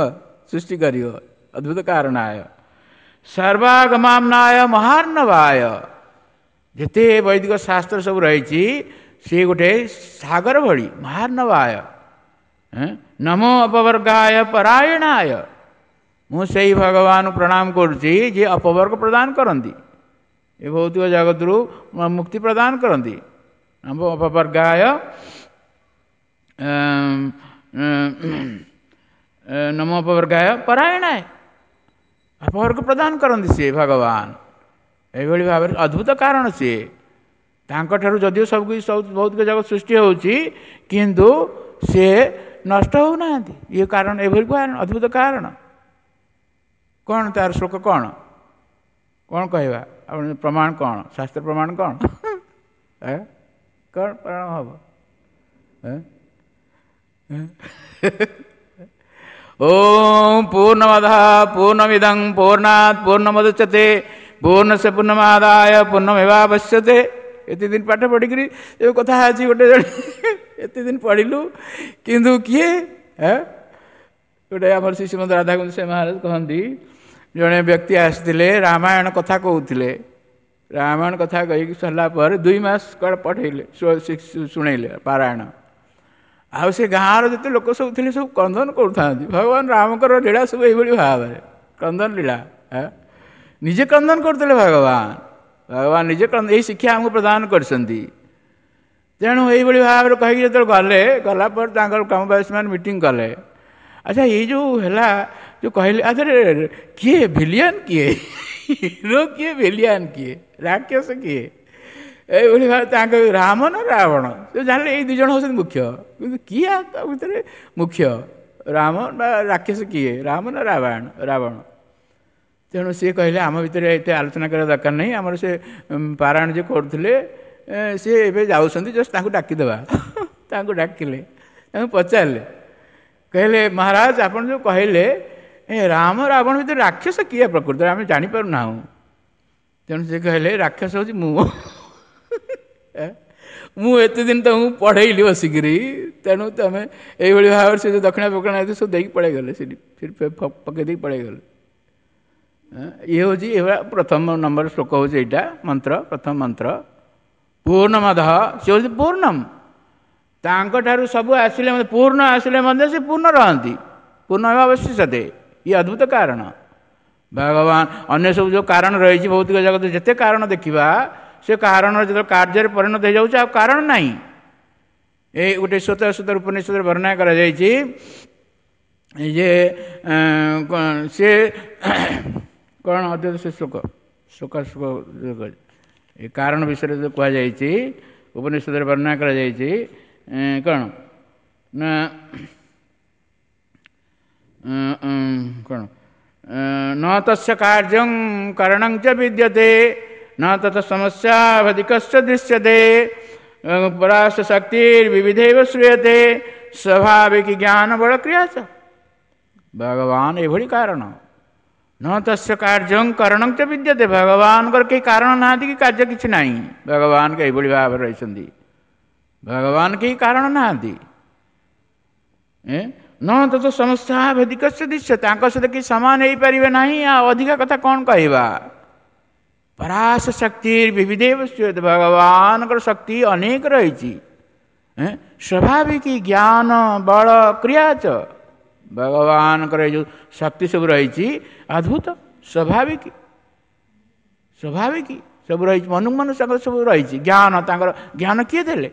ସୃଷ୍ଟି କରିବ, ଅଦ୍ଭୁତ କାରଣାୟ। ସର୍ବାଗମାମ୍ନାୟ ମହାର୍ଣ୍ଣବାୟ। ଯେତେ ବୈଦିକ ଶାସ୍ତ୍ର ସବୁ ରହିଛି ସିଏ ଗୋଟେ ସାଗର ଭଳି, ମହାର୍ଣ୍ଣବାୟ। ନମୋ ଅପବର୍ଗାୟ ପରାୟଣାୟ। ମୁଁ ସେଇ ଭଗବାନ ପ୍ରଣାମ କରୁଛି ଯିଏ ଅପବର୍ଗ ପ୍ରଦାନ କରନ୍ତି, ଏ ଭୌତିକ ଜଗତରୁ ମୁକ୍ତି ପ୍ରଦାନ କରନ୍ତି। ନମୋ ଅପବର୍ଗାୟ, ନମୋ ଅପବର୍ଗାୟ ପରାୟଣାୟ, ଅପବର୍ଗ ପ୍ରଦାନ କରନ୍ତି ସିଏ ଭଗବାନ। ଏଇଭଳି ଭାବରେ ଅଦ୍ଭୁତ କାରଣ ସିଏ। ତାଙ୍କଠାରୁ ଯଦିଓ ସବୁ କିଛି ସବୁ ଭୌତିକ ଜଗତ ସୃଷ୍ଟି ହେଉଛି, କିନ୍ତୁ ସିଏ ନଷ୍ଟ ହେଉନାହାନ୍ତି। ଇଏ କାରଣ, ଏଭଳି କାରଣ, ଅଦ୍ଭୁତ କାରଣ। କ'ଣ ତାର ଶ୍ଲୋକ କ'ଣ କ'ଣ କହିବା? ଆପଣ ପ୍ରମାଣ କ'ଣ? ଶାସ୍ତ୍ର ପ୍ରମାଣ କ'ଣ? କ'ଣ ପ୍ରମାଣ ହେବ? ଓଁ ପୂର୍ଣ୍ଣମଦଃ ପୂର୍ଣ୍ଣମିଦଂ ପୂର୍ଣ୍ଣାତ୍ ପୂର୍ଣ୍ଣମୁଦଚ୍ୟତେ ପୂର୍ଣ୍ଣସ୍ୟ ପୂର୍ଣ୍ଣମାଦାୟ ପୂର୍ଣ୍ଣମେବାବଶ୍ୟତେ। ଏତେ ଦିନ ପାଠ ପଢ଼ିକିରି ଏ କଥା ଅଛି ଗୋଟେ ଜଣେ, ଏତେ ଦିନ ପଢ଼ିଲୁ କିନ୍ତୁ କିଏ ଗୋଟେ ଆମର ଶ୍ରୀ ଶ୍ରୀମନ୍ତ ରାଧାକୁଣ୍ଡ ସେ ମହାରାଜ କହନ୍ତି, ଜଣେ ବ୍ୟକ୍ତି ଆସିଥିଲେ ରାମାୟଣ କଥା କହୁଥିଲେ। ରାମାୟଣ କଥା କହିକି ସରିଲା ପରେ 2 ମାସ କୁଆଡ଼େ ପଠେଇଲେ, ଶୁଣେଇଲେ ପାରାୟଣ। ଆଉ ସେ ଗାଁର ଯେତେ ଲୋକ ସବୁ ଥିଲେ ସବୁ କ୍ରନ୍ଦନ କରୁଥାନ୍ତି। ଭଗବାନ ରାମଙ୍କର ଲୀଳା ସବୁ ଏଇଭଳି ଭାବରେ କ୍ରନ୍ଦନ ଲୀଳା, ନିଜେ କ୍ରନ୍ଦନ କରୁଥିଲେ ଭଗବାନ। ଭଗବାନ ନିଜେ ଏଇ ଶିକ୍ଷା ଆମକୁ ପ୍ରଦାନ କରିଛନ୍ତି। ତେଣୁ ଏଇଭଳି ଭାବରେ କହିକି ଯେତେବେଳେ ଗଲେ, ଗଲା ପରେ ତାଙ୍କର ଗ୍ରାମବାସୀମାନେ ମିଟିଂ କଲେ। ଆଚ୍ଛା ଏଇ ଯେଉଁ ହେଲା ଯେଉଁ କହିଲେ, ଆଚ୍ଛା କିଏ ଭିଲିଆନ, କିଏ ହିରୋ, କିଏ ଭିଲିଆନ, କିଏ ରାକ୍ଷସ, କିଏ? ଏଇଭଳି ଭାବେ ତାଙ୍କ ରାମ ନା ରାବଣ ସେ ଜାଣିଲେ ଏଇ 2 ଜଣ ହେଉଛନ୍ତି ମୁଖ୍ୟ, କିନ୍ତୁ କିଏ ତା ଭିତରେ ମୁଖ୍ୟ, ରାମ ନା ରାକ୍ଷସ, କିଏ ରାମ ନା ରାବଣ? ରାବଣ। ତେଣୁ ସିଏ କହିଲେ ଆମ ଭିତରେ ଏତେ ଆଲୋଚନା କରିବା ଦରକାର ନାହିଁ, ଆମର ସେ ପାରାୟଣ ଯିଏ କରୁଥିଲେ ସିଏ ଏବେ ଯାଉଛନ୍ତି, ଜଷ୍ଟ ତାଙ୍କୁ ଡାକିଦେବା। ତାଙ୍କୁ ଡାକିଲେ, ତାଙ୍କୁ ପଚାରିଲେ, କହିଲେ ମହାରାଜ ଆପଣ ଯେଉଁ କହିଲେ ଏ ରାମ ରାବଣ ଭିତରେ ରାକ୍ଷସ କିଏ ପ୍ରକୃତରେ ଆମେ ଜାଣିପାରୁନାହୁଁ। ତେଣୁ ସେ କହିଲେ ରାକ୍ଷସ ହେଉଛି ମୁଁ, ମୁଁ ଏତେ ଦିନ ତମକୁ ପଢ଼େଇଲି ବସିକିରି, ତେଣୁ ତମେ ଏଇଭଳି ଭାବରେ ସେ ଯେଉଁ ଦକ୍ଷିଣା ଫକ୍ଷିଣା ସବୁ ଦେଇକି ପଳେଇଗଲେ, ସେଠି ପକେଇ ଦେଇକି ପଳେଇଗଲେ। ଇଏ ହେଉଛି ଏଭଳିଆ ପ୍ରଥମ ନମ୍ବର ଶ୍ଲୋକ ହେଉଛି ଏଇଟା ମନ୍ତ୍ର, ପ୍ରଥମ ମନ୍ତ୍ର ପୂର୍ଣ୍ଣମଦଃ। ସେ ହେଉଛି ପୂର୍ଣ୍ଣମ, ତାଙ୍କଠାରୁ ସବୁ ଆସିଲେ ମଧ୍ୟ ପୂର୍ଣ୍ଣ ଆସିଲେ ମଧ୍ୟ ସେ ପୂର୍ଣ୍ଣ ରହନ୍ତି, ପୂର୍ଣ୍ଣ ହେବା ଅବଶିଷ୍ୟତେ। ଇଏ ଅଦ୍ଭୁତ କାରଣ ଭଗବାନ। ଅନ୍ୟ ସବୁ ଯେଉଁ କାରଣ ରହିଛି ଭୌତିକ ଜଗତ ଯେତେ କାରଣ ଦେଖିବା, ସେ କାରଣ ଯେତେବେଳେ କାର୍ଯ୍ୟରେ ପରିଣତ ହେଇଯାଉଛି ଆଉ କାରଣ ନାହିଁ। ଏଇ ଗୋଟେ ସ୍ୱତଃ ଉପନିଷଦରେ ବର୍ଣ୍ଣନା କରାଯାଇଛି ଯେ ସେ କ'ଣ ଅଦ୍ଭୁତ ସେ ଶ୍ଲୋକ, ଶ୍ଲୋକ ଶ୍ଲୋକ ଏ କାରଣ ବିଷୟରେ ଯେଉଁ କୁହାଯାଇଛି ଉପନିଷଦରେ ବର୍ଣ୍ଣନା କରାଯାଇଛି କ'ଣ ନା କ'ଣ ନ ତସ୍ୟ କାର୍ଯ୍ୟଂ କରଣଂ ଚ ବିଦ୍ୟତେ ନ ତତ ସମସ୍ୟାବଧିକସ୍ୟ ଦୃଶ୍ୟତେ ପରାଶ ଶକ୍ତିର୍ବିବିଧୈବ ଶ୍ରୂୟତେ ସ୍ୱାଭାବିକ ଜ୍ଞାନ ବଳ କ୍ରିୟା ଚ। ଭଗବାନ ଏଭଳି କାରଣ, ନ ତସ୍ୟ କାର୍ଯ୍ୟଂ କରଣଂ ଚ ବିଦ୍ୟତେ। ଭଗବାନଙ୍କର କେହି କାରଣ ନାହାନ୍ତି କି କାର୍ଯ୍ୟ କିଛି ନାହିଁ। ଭଗବାନଙ୍କ ଏଇଭଳି ଭାବରେ ରହିଛନ୍ତି, ଭଗବାନ କେହି କାରଣ ନାହାନ୍ତି। ନ ତତ ସମସ୍ୟାଭେଦିକସ୍ୟ ଦୃଶ୍ୟ, ତାଙ୍କ ସହିତ କେହି ସମାନ ହେଇପାରିବେ ନାହିଁ। ଆଉ ଅଧିକା କଥା କ'ଣ କହିବା? ପରାଶ ଶକ୍ତି ବିବିଧୈବ ଶ୍ରୂୟତେ। ଭଗବାନଙ୍କର ଶକ୍ତି ଅନେକ ରହିଛି। ସ୍ୱାଭାବିକ ଜ୍ଞାନ ବଳ କ୍ରିୟା ଚ। ଭଗବାନଙ୍କର ଏ ଯେଉଁ ଶକ୍ତି ସବୁ ରହିଛି ଅଦ୍ଭୁତ, ସ୍ୱାଭାବିକ, ସ୍ୱାଭାବିକ ସବୁ ରହିଛି, ମନକୁ ମନ ତାଙ୍କର ସବୁ ରହିଛି। ଜ୍ଞାନ ତାଙ୍କର ଜ୍ଞାନ କିଏ ଦେଲେ?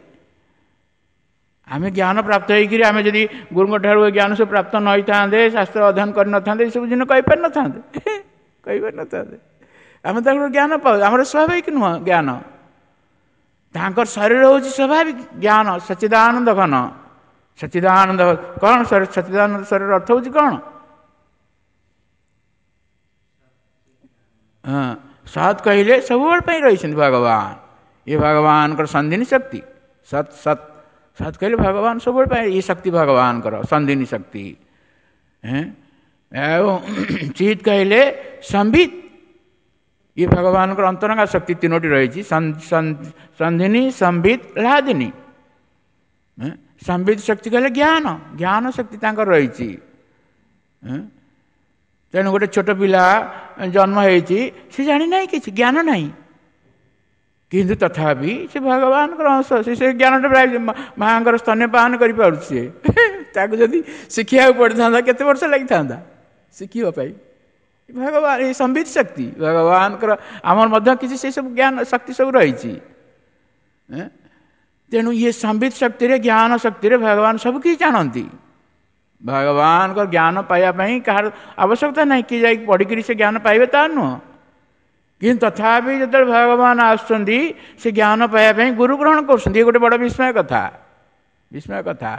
ଆମେ ଜ୍ଞାନ ପ୍ରାପ୍ତ ହେଇକିରି ଆମେ ଯଦି ଗୁରୁଙ୍କ ଠାରୁ ଏ ଜ୍ଞାନ ସବୁ ପ୍ରାପ୍ତ ନ ହେଇଥାନ୍ତେ, ଶାସ୍ତ୍ର ଅଧ୍ୟୟନ କରିନଥାନ୍ତେ, ଏସବୁ ଜିନିଷ କହିପାରିନଥାନ୍ତେ, କହିପାରିନଥାନ୍ତେ। ଆମେ ତାଙ୍କର ଜ୍ଞାନ ପାଉ, ଆମର ସ୍ୱାଭାବିକ ନୁହଁ ଜ୍ଞାନ। ତାଙ୍କର ଶରୀର ହେଉଛି ସ୍ୱାଭାବିକ ଜ୍ଞାନ, ସଚ୍ଚିଦାନନ୍ଦ ଘନ। ସଚ୍ଚିଦାନନ୍ଦ କ'ଣ? ସଚ୍ଚିଦାନନ୍ଦ ଶରୀର ଅର୍ଥ ହେଉଛି କ'ଣ? ହଁ, ସତ୍ କହିଲେ ସବୁବେଳେ ପାଇଁ ରହିଛନ୍ତି ଭଗବାନ। ଇଏ ଭଗବାନଙ୍କର ସନ୍ଧିନୀ ଶକ୍ତି। ସତ୍ ସତ୍ ସତ୍ କହିଲେ ଭଗବାନ ସବୁବେଳେ ପାଇଁ, ଏ ଶକ୍ତି ଭଗବାନଙ୍କର ସନ୍ଧିନୀ ଶକ୍ତି। ଏବଂ ଚିତ୍ କହିଲେ ସମ୍ବିତ, ଇଏ ଭଗବାନଙ୍କର ଅନ୍ତରଙ୍ଗା ଶକ୍ତି ତିନୋଟି ରହିଛି, ସନ୍ଧିନୀ, ସମ୍ବିତ, ହ୍ଲାଦିନୀ। ସମ୍ବିତ ଶକ୍ତି କହିଲେ ଜ୍ଞାନ, ଜ୍ଞାନ ଶକ୍ତି ତାଙ୍କର ରହିଛି। ତେଣୁ ଗୋଟେ ଛୋଟ ପିଲା ଜନ୍ମ ହେଇଛି, ସେ ଜାଣିନାହିଁ କିଛି, ଜ୍ଞାନ ନାହିଁ, କିନ୍ତୁ ତଥାପି ସେ ଭଗବାନଙ୍କର ଅଂଶ। ସେ ଜ୍ଞାନଟା ପ୍ରାୟ ମାଆଙ୍କର ସ୍ତନ୍ୟପାନ କରିପାରୁଛି। ସେ ତାକୁ ଯଦି ଶିଖିବାକୁ ପଡ଼ିଥାନ୍ତା କେତେ ବର୍ଷ ଲାଗିଥାନ୍ତା ଶିଖିବା ପାଇଁ। ଭଗବାନ ଏ ସମ୍ବିତ ଶକ୍ତି ଭଗବାନଙ୍କର, ଆମର ମଧ୍ୟ କିଛି ସେସବୁ ଜ୍ଞାନ ଶକ୍ତି ସବୁ ରହିଛି। ତେଣୁ ଇଏ ସମ୍ବିତ ଶକ୍ତିରେ, ଜ୍ଞାନ ଶକ୍ତିରେ ଭଗବାନ ସବୁ କିଛି ଜାଣନ୍ତି। ଭଗବାନଙ୍କ ଜ୍ଞାନ ପାଇବା ପାଇଁ କାହାର ଆବଶ୍ୟକତା ନାହିଁ, କିଏ ଯାଇକି ପଢ଼ିକିରି ସେ ଜ୍ଞାନ ପାଇବେ ତା ନୁହଁ। କିନ୍ତୁ ତଥାପି ଯେତେବେଳେ ଭଗବାନ ଆସୁଛନ୍ତି, ସେ ଜ୍ଞାନ ପାଇବା ପାଇଁ ଗୁରୁ ଗ୍ରହଣ କରୁଛନ୍ତି। ଇଏ ଗୋଟେ ବଡ଼ ବିସ୍ମୟ କଥା, ବିସ୍ମୟ କଥା।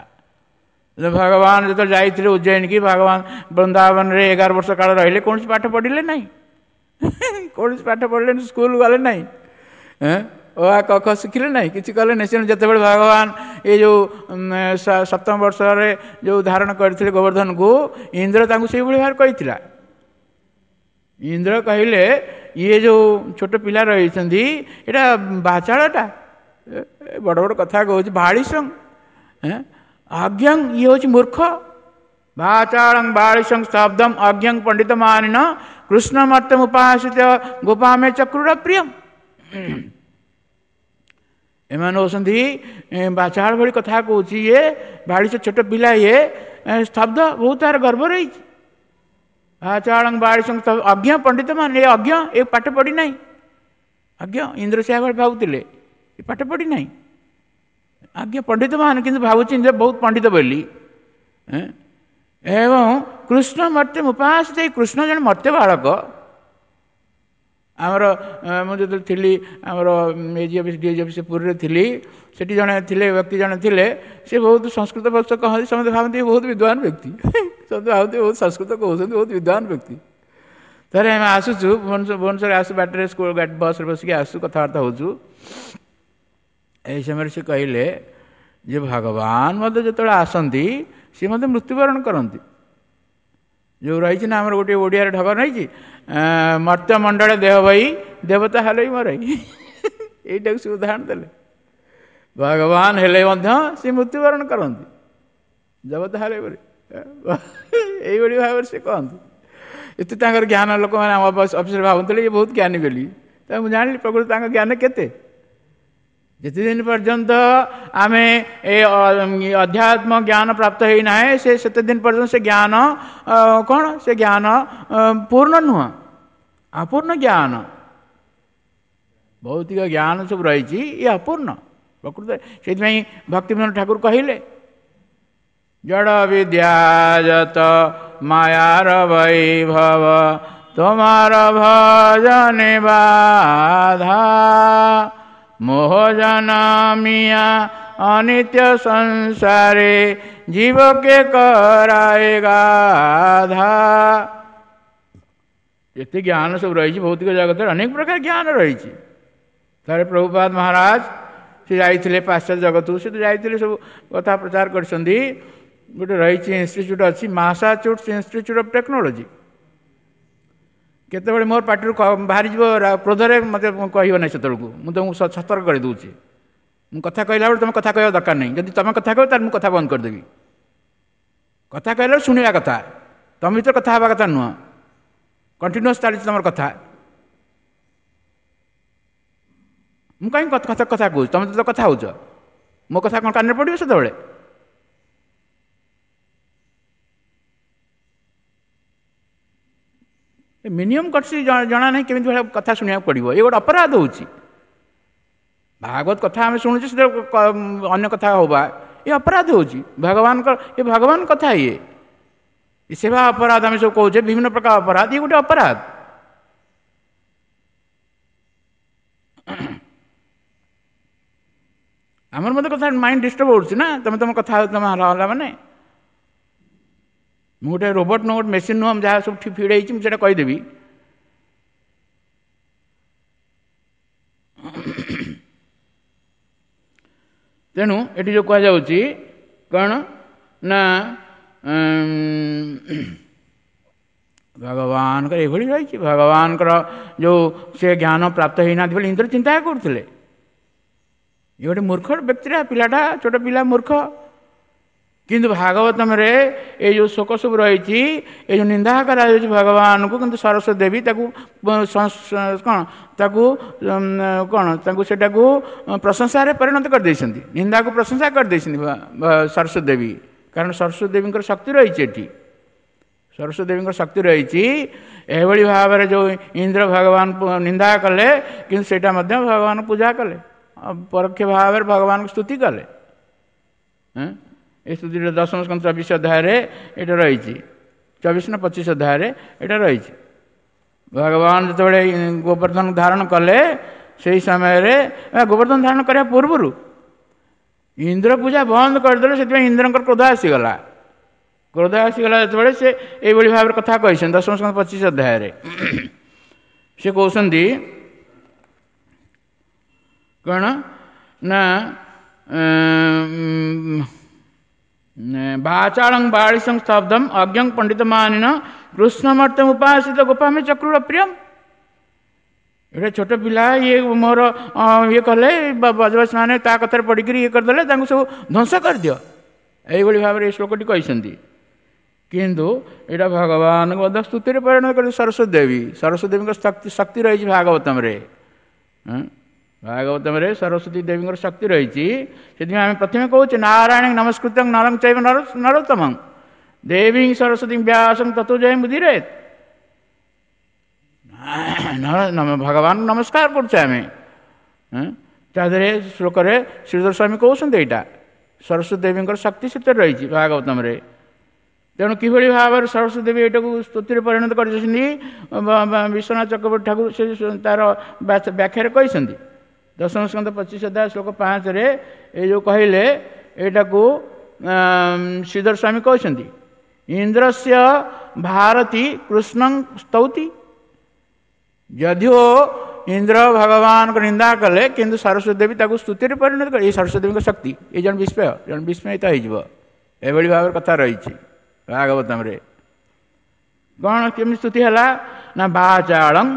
ଭଗବାନ ଯେତେବେଳେ ଯାଇଥିଲେ ଉଜ୍ଜୟିନୀ, ଭଗବାନ ବୃନ୍ଦାବନରେ 11 ବର୍ଷ କାଳ ରହିଲେ, କୌଣସି ପାଠ ପଢ଼ିଲେ ନାହିଁ, କୌଣସି ପାଠ ପଢ଼ିଲେନି, ସ୍କୁଲ ଗଲେ ନାହିଁ, ଓ ଆ କ ଖ ଶିଖିଲେ ନାହିଁ, କିଛି କଲେ ନାହିଁ। ତେଣୁ ଯେତେବେଳେ ଭଗବାନ ଏ ଯେଉଁ ସପ୍ତମ ବର୍ଷରେ ଯେଉଁ ଧାରଣ କରିଥିଲେ ଗୋବର୍ଦ୍ଧନକୁ, ଇନ୍ଦ୍ର ତାଙ୍କୁ ସେଇଭଳି ଭାବରେ କହିଥିଲା। ଇନ୍ଦ୍ର କହିଲେ, ଇଏ ଯେଉଁ ଛୋଟ ପିଲା ରହିଛନ୍ତି, ଏଇଟା ବାଚାଳଟା, ବଡ଼ ବଡ଼ କଥା କହୁଛି, ବାଳିସଂ ଅଜ୍ଞଂ, ଇଏ ହେଉଛି ମୂର୍ଖ। ବାଚାଳଂ ବାଳିସଂ ସ୍ତବ୍ଧମ ଅଜ୍ଞଂ ପଣ୍ଡିତ ମାନିନ କୃଷ୍ଣ ମର୍ତ୍ତମ ଉପାସିତ ଗୋପାମେ ଚକ୍ରୁର ପ୍ରିୟମ। ଏମାନେ ହେଉଛନ୍ତି ବାଚାଳ ଭଳି କଥା କହୁଛି ଇଏ, ବାଳିଶ ଛୋଟ ପିଲା ଇଏ, ସ୍ତବ୍ଧ, ବହୁତ ତାର ଗର୍ବ ରହିଛି। ବାଚାଳଂ ବାଳିସଂ ଅଜ୍ଞ ପଣ୍ଡିତ ମାନେ, ଏ ଅଜ୍ଞ, ଏ ପାଠ ପଢ଼ି ନାହିଁ, ଅଜ୍ଞ। ଇନ୍ଦ୍ର ସେୟା ଭଳି ଭାବୁଥିଲେ, ଏ ପାଠ ପଢ଼ି ନାହିଁ, ଆଜ୍ଞା ପଣ୍ଡିତ ମାନେ, କିନ୍ତୁ ଭାବୁଛି ଇନ୍ଦ୍ର ବହୁତ ପଣ୍ଡିତ ବୋଲି। ଏବଂ କୃଷ୍ଣ ମର୍ତ୍ତ୍ୟ ଉପାସିତ, ଏଇ କୃଷ୍ଣ ଜଣେ ମର୍ତ୍ତ୍ୟ ବାଳକ। ଆମର ମୁଁ ଯେତେବେଳେ ଥିଲି ଆମର ଏଜି ଅଫିସ୍, ଡିଏଜି ଅଫିସ୍ ପୁରୀରେ ଥିଲି, ସେଠି ଜଣେ ଥିଲେ ବ୍ୟକ୍ତି ଜଣେ ଥିଲେ, ସେ ବହୁତ ସଂସ୍କୃତ ଭକ୍ତ କହନ୍ତି, ସମସ୍ତେ ଭାବନ୍ତି ବହୁତ ବିଦ୍ୱାନ ବ୍ୟକ୍ତି, ସମସ୍ତେ ଭାବନ୍ତି ବହୁତ ସଂସ୍କୃତ କହୁଛନ୍ତି, ବହୁତ ବିଦ୍ୱାନ ବ୍ୟକ୍ତି। ଥରେ ଆମେ ଆସୁଛୁ ଭୁବନେଶ୍ୱର, ଆସୁ ବାଟରେ ସ୍କୁଲ ଗାଡ଼ି ବସ୍ରେ ବସିକି ଆସୁ, କଥାବାର୍ତ୍ତା ହେଉଛୁ। ଏହି ସମୟରେ ସେ କହିଲେ ଯେ ଭଗବାନ ମଧ୍ୟ ଯେତେବେଳେ ଆସନ୍ତି, ସେ ମଧ୍ୟ ମୃତ୍ୟୁବରଣ କରନ୍ତି। ଯେଉଁ ରହିଛି ନା ଆମର ଗୋଟିଏ ଓଡ଼ିଆରେ ଢଗ ରହିଛି, ମର୍ତ୍ତ୍ୟମଣ୍ଡଳେ ଦେହ ବହି ଦେବତା ହେଲେ ବି ମରଇ। ଏଇଟାକୁ ସେ ଉଦାହରଣ ଦେଲେ, ଭଗବାନ ହେଲେ ମଧ୍ୟ ସେ ମୃତ୍ୟୁବରଣ କରନ୍ତି, ଦେବତା ହେଲେ ବୋଲି ଏଇଭଳି ଭାବରେ ସେ କହନ୍ତି। ଏତେ ତାଙ୍କର ଜ୍ଞାନ, ଲୋକମାନେ ଆମ ଅଫିସରେ ଭାବୁଥିଲେ ଇଏ ବହୁତ ଜ୍ଞାନୀ ବୋଲି। ତ ମୁଁ ଜାଣିଲି ପ୍ରକୃତ ତାଙ୍କ ଜ୍ଞାନ କେତେ। ଯେତେ ଦିନ ପର୍ଯ୍ୟନ୍ତ ଆମେ ଏ ଅଧ୍ୟାତ୍ମ ଜ୍ଞାନ ପ୍ରାପ୍ତ ହେଇନାହିଁ, ସେ ସେତେ ଦିନ ପର୍ଯ୍ୟନ୍ତ ସେ ଜ୍ଞାନ କ'ଣ? ସେ ଜ୍ଞାନ ପୂର୍ଣ୍ଣ ନୁହଁ, ଅପୂର୍ଣ୍ଣ ଜ୍ଞାନ। ଭୌତିକ ଜ୍ଞାନ ସବୁ ରହିଛି, ଇଏ ଅପୂର୍ଣ୍ଣ ପ୍ରକୃତ। ସେଇଥିପାଇଁ ଭକ୍ତିବିନୋଦ ଠାକୁର କହିଲେ, ଜଡ଼ ବିଦ୍ୟାଜତ ମାୟାର ବୈଭବ ତୁମାର ଭଜନେ ବାଧା, ମୋହ ଜନମିଆ ଅନିତ୍ୟ ସଂସାରେ ଜୀବକେ କରାଏ ଗାଧା। ଏତେ ଜ୍ଞାନ ସବୁ ରହିଛି ଭୌତିକ ଜଗତରେ, ଅନେକ ପ୍ରକାର ଜ୍ଞାନ ରହିଛି। ଥରେ ପ୍ରଭୁପାଦ ମହାରାଜ ସେ ଯାଇଥିଲେ ପାଶ୍ଚାତ୍ୟ ଜଗତକୁ, ସେ ତ ଯାଇଥିଲେ, ସବୁ କଥା ପ୍ରଚାର କରିଛନ୍ତି। ଗୋଟେ ରହିଛି ଇନଷ୍ଟିଚ୍ୟୁଟ୍ ଅଛି, ମାସାଚୁଟ୍ସ ଇନଷ୍ଟିଚ୍ୟୁଟ୍ ଅଫ୍ ଟେକ୍ନୋଲୋଜି। କେତେବେଳେ ମୋର ପାଟିରୁ ବାହାରିଯିବ କ୍ରୋଧରେ, ମୋତେ କହିବ ନାହିଁ ସେତେବେଳକୁ, ମୁଁ ତୁମକୁ ସତର୍କ କରିଦେଉଛି। ମୁଁ କଥା କହିଲା ବେଳେ ତୁମେ କଥା କହିବା ଦରକାର ନାହିଁ। ଯଦି ତୁମେ କଥା କହିବ, ତାହେଲେ ମୁଁ କଥା ବନ୍ଦ କରିଦେବି। କଥା କହିଲା ବେଳେ ଶୁଣିବା କଥା, ତୁମ ଭିତରେ କଥା ହେବା କଥା ନୁହଁ। କଣ୍ଟିନ୍ୟୁଅସ୍ ଚାଲିଛି ତୁମର କଥା, ମୁଁ କାହିଁକି କଥା କଥା କହୁଛି? ତୁମେ ତ କଥା ହେଉଛ, ମୋ କଥା କ'ଣ କାନରେ ପଡ଼ିବ ସେତେବେଳେ? ମିନିମମ୍ କଟ୍ସି ଜଣା ନାହିଁ, କେମିତି ଭଳିଆ କଥା ଶୁଣିବାକୁ ପଡ଼ିବ? ଏ ଗୋଟେ ଅପରାଧ ହେଉଛି। ଭାଗବତ କଥା ଆମେ ଶୁଣୁଛୁ, ସେଥିରେ ଅନ୍ୟ କଥା ହେବା ଏ ଅପରାଧ ହେଉଛି ଭଗବାନଙ୍କର। ଏ ଭଗବାନ କଥା, ଇଏ ସେବା ଅପରାଧ। ଆମେ ସବୁ କହୁଛେ ବିଭିନ୍ନ ପ୍ରକାର ଅପରାଧ, ଇଏ ଗୋଟେ ଅପରାଧ। ଆମର ମଧ୍ୟ କଥା ମାଇଣ୍ଡ ଡିଷ୍ଟର୍ବ ହେଉଛି ନା, ତମେ ତମ କଥା ତମେ ହେଲା ମାନେ। ମୁଁ ଗୋଟେ ରୋବୋଟ ନୁହଁ, ଗୋଟେ ମେସିନ୍ ନୁହଁ, ଯାହା ସବୁ ଫିଡ୍ ହେଇଛି ମୁଁ ସେଇଟା କହିଦେବି। ତେଣୁ ଏଠି ଯେଉଁ କୁହାଯାଉଛି କ'ଣ ନା, ଭଗବାନଙ୍କର ଏଇଭଳି ରହିଛି। ଭଗବାନଙ୍କର ଯେଉଁ ସେ ଜ୍ଞାନ ପ୍ରାପ୍ତ ହେଇନାହାନ୍ତି ବୋଲି ଇନ୍ଦ୍ର ଚିନ୍ତା କରୁଥିଲେ। ଇଏ ଗୋଟେ ମୂର୍ଖ ବ୍ୟକ୍ତିଟା, ପିଲାଟା ଛୋଟ ପିଲା, ମୂର୍ଖ। କିନ୍ତୁ ଭାଗବତମରେ ଏଇ ଯେଉଁ ଶୋକ ସବୁ ରହିଛି, ଏଇ ଯେଉଁ ନିନ୍ଦା କରାଯାଉଛି ଭଗବାନଙ୍କୁ, କିନ୍ତୁ ସରସ୍ୱତୀ ଦେବୀ ତାକୁ କ'ଣ, ତାକୁ କ'ଣ, ତାଙ୍କୁ ସେଟାକୁ ପ୍ରଶଂସାରେ ପରିଣତ କରିଦେଇଛନ୍ତି, ନିନ୍ଦାକୁ ପ୍ରଶଂସା କରିଦେଇଛନ୍ତି ସରସ୍ୱତୀ ଦେବୀ। କାରଣ ସରସ୍ୱତୀ ଦେବୀଙ୍କର ଶକ୍ତି ରହିଛି ଏଠି, ସରସ୍ୱତୀ ଦେବୀଙ୍କର ଶକ୍ତି ରହିଛି। ଏଭଳି ଭାବରେ ଯେଉଁ ଇନ୍ଦ୍ର ଭଗବାନ ନିନ୍ଦା କଲେ, କିନ୍ତୁ ସେଇଟା ମଧ୍ୟ ଭଗବାନ ପୂଜା କଲେ, ପରୋକ୍ଷ ଭାବରେ ଭଗବାନଙ୍କୁ ସ୍ତୁତି କଲେ। ଏ ସ୍ତୁତିଟା ଦଶମ ସ୍କନ୍ଧ 24 ଅଧ୍ୟାୟରେ ଏଇଟା ରହିଛି, 24 ନା 25 ଅଧ୍ୟାୟରେ ଏଇଟା ରହିଛି। ଭଗବାନ ଯେତେବେଳେ ଗୋବର୍ଦ୍ଧନ ଧାରଣ କଲେ, ସେଇ ସମୟରେ ଗୋବର୍ଦ୍ଧନ ଧାରଣ କରିବା ପୂର୍ବରୁ ଇନ୍ଦ୍ର ପୂଜା ବନ୍ଦ କରିଦେଲେ। ସେଥିପାଇଁ ଇନ୍ଦ୍ରଙ୍କର କ୍ରୋଧ ଆସିଗଲା। କ୍ରୋଧ ଆସିଗଲା ଯେତେବେଳେ ସେ ଏଇଭଳି ଭାବରେ କଥା କହିଛନ୍ତି ଦଶମ ସ୍କନ୍ଧ 25 ଅଧ୍ୟାୟରେ। ସେ କହୁଛନ୍ତି କ'ଣ ନା, ବାଚାଳଂ ବାଳିଶଂ ସ୍ତବ୍ଧം ଅଜ୍ଞଂ ପଣ୍ଡିତମାନିନ କୃଷ୍ଣମର୍ତ୍ତମ ଉପାସିତ ଗୋପାମେ ଚକ୍ରୁର ପ୍ରିୟମ। ଏଇଟା ଛୋଟ ପିଲା, ଇଏ ମୋର ଇଏ କଲେ, ବଜବାସ ମାନେ ତା କଥାରେ ପଡ଼ିକିରି ଇଏ କରିଦେଲେ, ତାଙ୍କୁ ସବୁ ଧ୍ୱଂସ କରିଦିଅ। ଏଇଭଳି ଭାବରେ ଏଇ ଶ୍ଲୋକଟି କହିଛନ୍ତି। କିନ୍ତୁ ଏଇଟା ଭଗବାନଙ୍କ ମଧ୍ୟ ସ୍ତୁତିରେ ପରିଣତ କରି ସରସ୍ୱତୀ ଦେବୀ, ସରସ୍ୱତୀ ଦେବୀଙ୍କ ଶକ୍ତି ରହିଛି ଭାଗବତମରେ। ଭାଗବତମରେ ସରସ୍ୱତୀ ଦେବୀଙ୍କର ଶକ୍ତି ରହିଛି। ସେଥିପାଇଁ ଆମେ ପ୍ରଥମେ କହୁଛେ ନାରାୟଣ ନମସ୍କୃତଂ ନରଂ ଚୈବ ନରୋତ୍ତମଂ ଦେବୀ ସରସ୍ୱତୀ ବ୍ୟାସଂ ତତ୍ତ୍ୱ ଜୟ ମୁଦିରେତ। ଭଗବାନ ନମସ୍କାର କରୁଛେ ଆମେ। ତା ଦେହରେ ଶ୍ଲୋକରେ ଶ୍ରୀଧର ସ୍ୱାମୀ କହୁଛନ୍ତି ଏଇଟା ସରସ୍ୱତୀ ଦେବୀଙ୍କର ଶକ୍ତି ସେଥିରେ ରହିଛି ଭାଗବତମରେ। ତେଣୁ କିଭଳି ଭାବରେ ସରସ୍ୱତୀ ଦେବୀ ଏଇଟାକୁ ସ୍ତୁତିରେ ପରିଣତ କରିଛନ୍ତି, ବିଶ୍ୱନାଥ ଚକ୍ରବର୍ତ୍ତୀ ଠାକୁର ସେ ତାର ବ୍ୟାଖ୍ୟାରେ କହିଛନ୍ତି। ଦଶମ ସ୍କନ୍ଧ 25 ଅଧ୍ୟାୟ ଶ୍ଲୋକ 5ରେ ଏଇ ଯେଉଁ କହିଲେ, ଏଇଟାକୁ ଶ୍ରୀଧର ସ୍ୱାମୀ କହୁଛନ୍ତି, ଇନ୍ଦ୍ରସ୍ୟ ଭାରତୀ କୃଷ୍ଣଂ ସ୍ତୌତି। ଯଦିଓ ଇନ୍ଦ୍ର ଭଗବାନଙ୍କ ନିନ୍ଦା କଲେ, କିନ୍ତୁ ସରସ୍ୱତୀ ଦେବୀ ତାକୁ ସ୍ତୁତିରେ ପରିଣତ କଲେ। ଏଇ ସରସ୍ୱତୀ ଦେବୀଙ୍କ ଶକ୍ତି, ଏଇ ଜଣେ ବିସ୍ମୟ, ଜଣେ ବିସ୍ମୟିତ ହେଇଯିବ। ଏଭଳି ଭାବରେ କଥା ରହିଛି ଭାଗବତମରେ। କ'ଣ କେମିତି ସ୍ତୁତି ହେଲା ନା, ବାଚାଳଂ,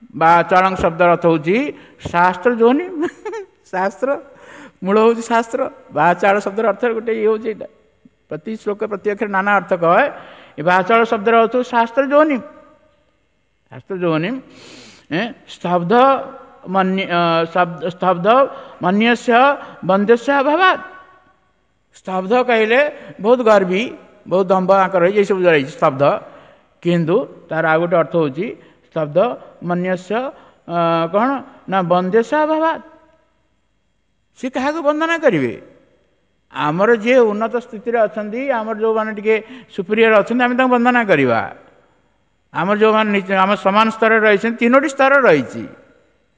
ବାଚାଳଂ ଶବ୍ଦର ଅର୍ଥ ହେଉଛି ଶାସ୍ତ୍ର ଯୋନି, ଶାସ୍ତ୍ର ମୂଳ ହେଉଛି ଶାସ୍ତ୍ର। ବାଚାଳ ଶବ୍ଦର ଅର୍ଥ ଗୋଟେ ଇଏ ହେଉଛି ଏଇଟା, ପ୍ରତି ଶ୍ଲୋକ ପ୍ରତି ଅକ୍ଷର ନାନା ଅର୍ଥ କହେ। ଏ ବାଚାଳ ଶବ୍ଦର ଅର୍ଥ ଶାସ୍ତ୍ର ଯୋନି, ଶାସ୍ତ୍ର ଯୋନି। ସ୍ତବ୍ଧ ମନ୍ୟ, ସ୍ତବ୍ଧ ମନ୍ୟସ୍ୟ ବନ୍ଦ୍ୟସ୍ୟ ଅଭାବାତ୍। ସ୍ତବ୍ଧ କହିଲେ ବହୁତ ଗର୍ବୀ, ବହୁତ ଦମ୍ଭ ଆଙ୍କର ରହିଛି, ଏସବୁ ରହିଛି ସ୍ତବ୍ଧ। କିନ୍ତୁ ତାର ଆଉ ଗୋଟେ ଅର୍ଥ ହେଉଛି ସ୍ତବ୍ଧ ମନ୍ୟସ୍ୟ କ'ଣ ନା ବନ୍ଦ୍ୟସ୍ୟ ଅଭାବାତ୍। ସେ କାହାକୁ ବନ୍ଦନା କରିବେ? ଆମର ଯିଏ ଉନ୍ନତ ସ୍ଥିତିରେ ଅଛନ୍ତି, ଆମର ଯେଉଁମାନେ ଟିକେ ସୁପିରିୟର ଅଛନ୍ତି, ଆମେ ତାଙ୍କୁ ବନ୍ଦନା କରିବା। ଆମର ଯେଉଁମାନେ ଆମ ସମାନ ସ୍ତରରେ ରହିଛନ୍ତି, ତିନୋଟି ସ୍ତର ରହିଛି।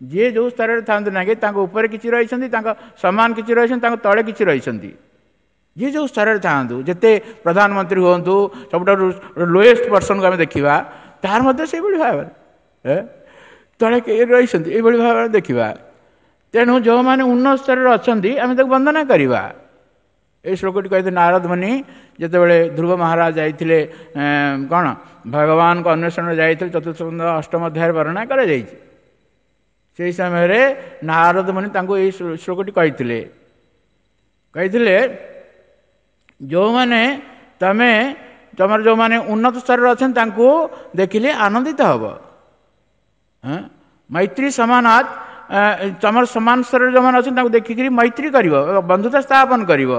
ଯିଏ ଯେଉଁ ସ୍ତରରେ ଥାଆନ୍ତୁ ନା କି, ତାଙ୍କ ଉପରେ କିଛି ରହିଛନ୍ତି, ତାଙ୍କ ସମାନ କିଛି ରହିଛନ୍ତି, ତାଙ୍କ ତଳେ କିଛି ରହିଛନ୍ତି। ଯିଏ ଯେଉଁ ସ୍ତରରେ ଥାଆନ୍ତୁ, ଯେତେ ପ୍ରଧାନମନ୍ତ୍ରୀ ହୁଅନ୍ତୁ, ସବୁଠାରୁ ଲୋଏଷ୍ଟ ପର୍ସନକୁ ଆମେ ଦେଖିବା, ତାର ମଧ୍ୟ ସେଇଭଳି ଭାବରେ ତଳେ ରହିଛନ୍ତି, ଏଇଭଳି ଭାବରେ ଦେଖିବା। ତେଣୁ ଯେଉଁମାନେ ଉନ୍ନତ ସ୍ତରରେ ଅଛନ୍ତି, ଆମେ ତାକୁ ବନ୍ଦନା କରିବା। ଏଇ ଶ୍ଲୋକଟି କହିଥିଲେ ନାରଦ ମୁନି ଯେତେବେଳେ ଧ୍ରୁବ ମହାରାଜ ଯାଇଥିଲେ କ'ଣ ଭଗବାନଙ୍କ ଅନ୍ୱେଷଣରେ ଯାଇଥିଲେ, ଚତୁର୍ଥ ସ୍କନ୍ଧ ଅଷ୍ଟମ ଅଧ୍ୟାୟରେ ବର୍ଣ୍ଣନା କରାଯାଇଛି। ସେହି ସମୟରେ ନାରଦ ମୁନି ତାଙ୍କୁ ଏଇ ଶ୍ଲୋକଟି କହିଥିଲେ। କହିଥିଲେ ଯେଉଁମାନେ ତମେ ତମର ଯେଉଁମାନେ ଉନ୍ନତ ସ୍ତରରେ ଅଛନ୍ତି ତାଙ୍କୁ ଦେଖିଲେ ଆନନ୍ଦିତ ହେବ। ମୈତ୍ରୀ ସମାନାତ, ତମର ସମାନ ସ୍ତରରେ ଯେଉଁମାନେ ଅଛନ୍ତି ତାଙ୍କୁ ଦେଖିକିରି ମୈତ୍ରୀ କରିବ, ବନ୍ଧୁତା ସ୍ଥାପନ କରିବ।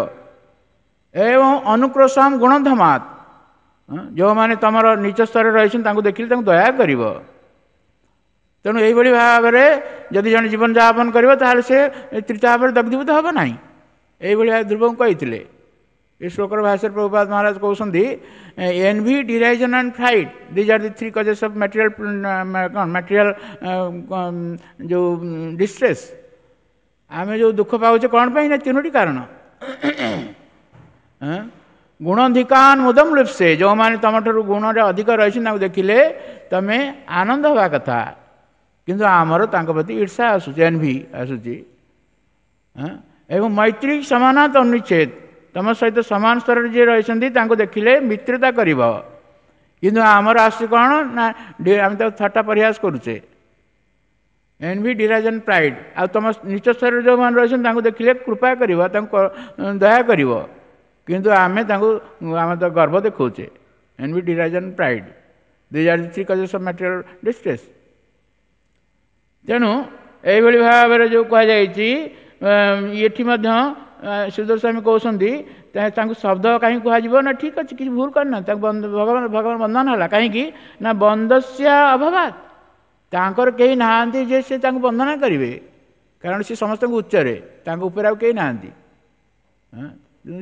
ଏବଂ ଅନୁକ୍ରୋଶମ ଗୁଣଧମାତ, ଯେଉଁମାନେ ତମର ନିଚ ସ୍ତରରେ ରହିଛନ୍ତି ତାଙ୍କୁ ଦେଖିଲେ ତାଙ୍କୁ ଦୟା କରିବ। ତେଣୁ ଏଇଭଳି ଭାବରେ ଯଦି ଜଣେ ଜୀବନଯାପନ କରିବ, ତାହେଲେ ସେ ତ୍ରିତାପରେ ଦଗ୍ଧୀଭୂତ ହେବ ନାହିଁ। ଏଇଭଳି ଭାବେ ଧ୍ରୁବଙ୍କୁ କହିଥିଲେ। ଏ ଶ୍ଲୋକର ଭାଷ୍ୟରେ ପ୍ରଭୁପାଦ ମହାରାଜ କହୁଛନ୍ତି, envy, derision and pride, these are the three causes of material କ'ଣ ମ୍ୟାଟେରିଆଲ ଯେଉଁ ଡିଷ୍ଟ୍ରେସ୍। ଆମେ ଯେଉଁ ଦୁଃଖ ପାଉଛେ କ'ଣ ପାଇଁ ନା ତିନୋଟି କାରଣ। ଗୁଣଧିକାନ ମୁଦମ ଲିପ୍ସେ, ଯେଉଁମାନେ ତୁମଠାରୁ ଗୁଣରେ ଅଧିକ ରହିଛନ୍ତି ତାଙ୍କୁ ଦେଖିଲେ ତୁମେ ଆନନ୍ଦ ହେବା କଥା, କିନ୍ତୁ ଆମର ତାଙ୍କ ପ୍ରତି ଈର୍ଷା ଆସୁଛି, ଏନଭି ଆସୁଛି। ଏବଂ ମୈତ୍ରୀ ସମାନାତ ଅନୁଚ୍ଛେଦ, ତୁମ ସହିତ ସମାନ ସ୍ତରରେ ଯିଏ ରହିଛନ୍ତି ତାଙ୍କୁ ଦେଖିଲେ ମିତ୍ରତା କରିବ, କିନ୍ତୁ ଆମର ଆସୁଛି କ'ଣ ନା ଆମେ ତାକୁ ଥଟ୍ଟା ପରିହାସ କରୁଛେ। Envy, derision, pride. ଆଉ ତୁମ ନିଚ ସ୍ତରରେ ଯେଉଁମାନେ ରହିଛନ୍ତି ତାଙ୍କୁ ଦେଖିଲେ କୃପା କରିବ, ତାଙ୍କୁ ଦୟା କରିବ, କିନ୍ତୁ ଆମେ ତାଙ୍କୁ ଆମେ ତ ଗର୍ବ ଦେଖାଉଛେ। Envy, derision, pride, these are three causes of material distress. ତେଣୁ ଏଇଭଳି ଭାବରେ ଯେଉଁ କୁହାଯାଇଛି ଏଠି ମଧ୍ୟ ସୁଦର୍ଶନ ସ୍ୱାମୀ କହୁଛନ୍ତି ତାଙ୍କୁ ଶବ୍ଦ କାହିଁକି କୁହାଯିବ ନା, ଠିକ୍ ଅଛି, କିଛି ଭୁଲ କରିନାହାନ୍ତି, ତାଙ୍କୁ ଭଗବାନ ଭଗବାନ ବନ୍ଦନ ହେଲା କାହିଁକି ନା ବନ୍ଦସ୍ୟ ଅଭାବାତ, ତାଙ୍କର କେହି ନାହାନ୍ତି ଯେ ସେ ତାଙ୍କୁ ବନ୍ଦନା କରିବେ, କାରଣ ସେ ସମସ୍ତଙ୍କୁ ଉଚ୍ଚରେ, ତାଙ୍କ ଉପରେ ଆଉ କେହି ନାହାନ୍ତି,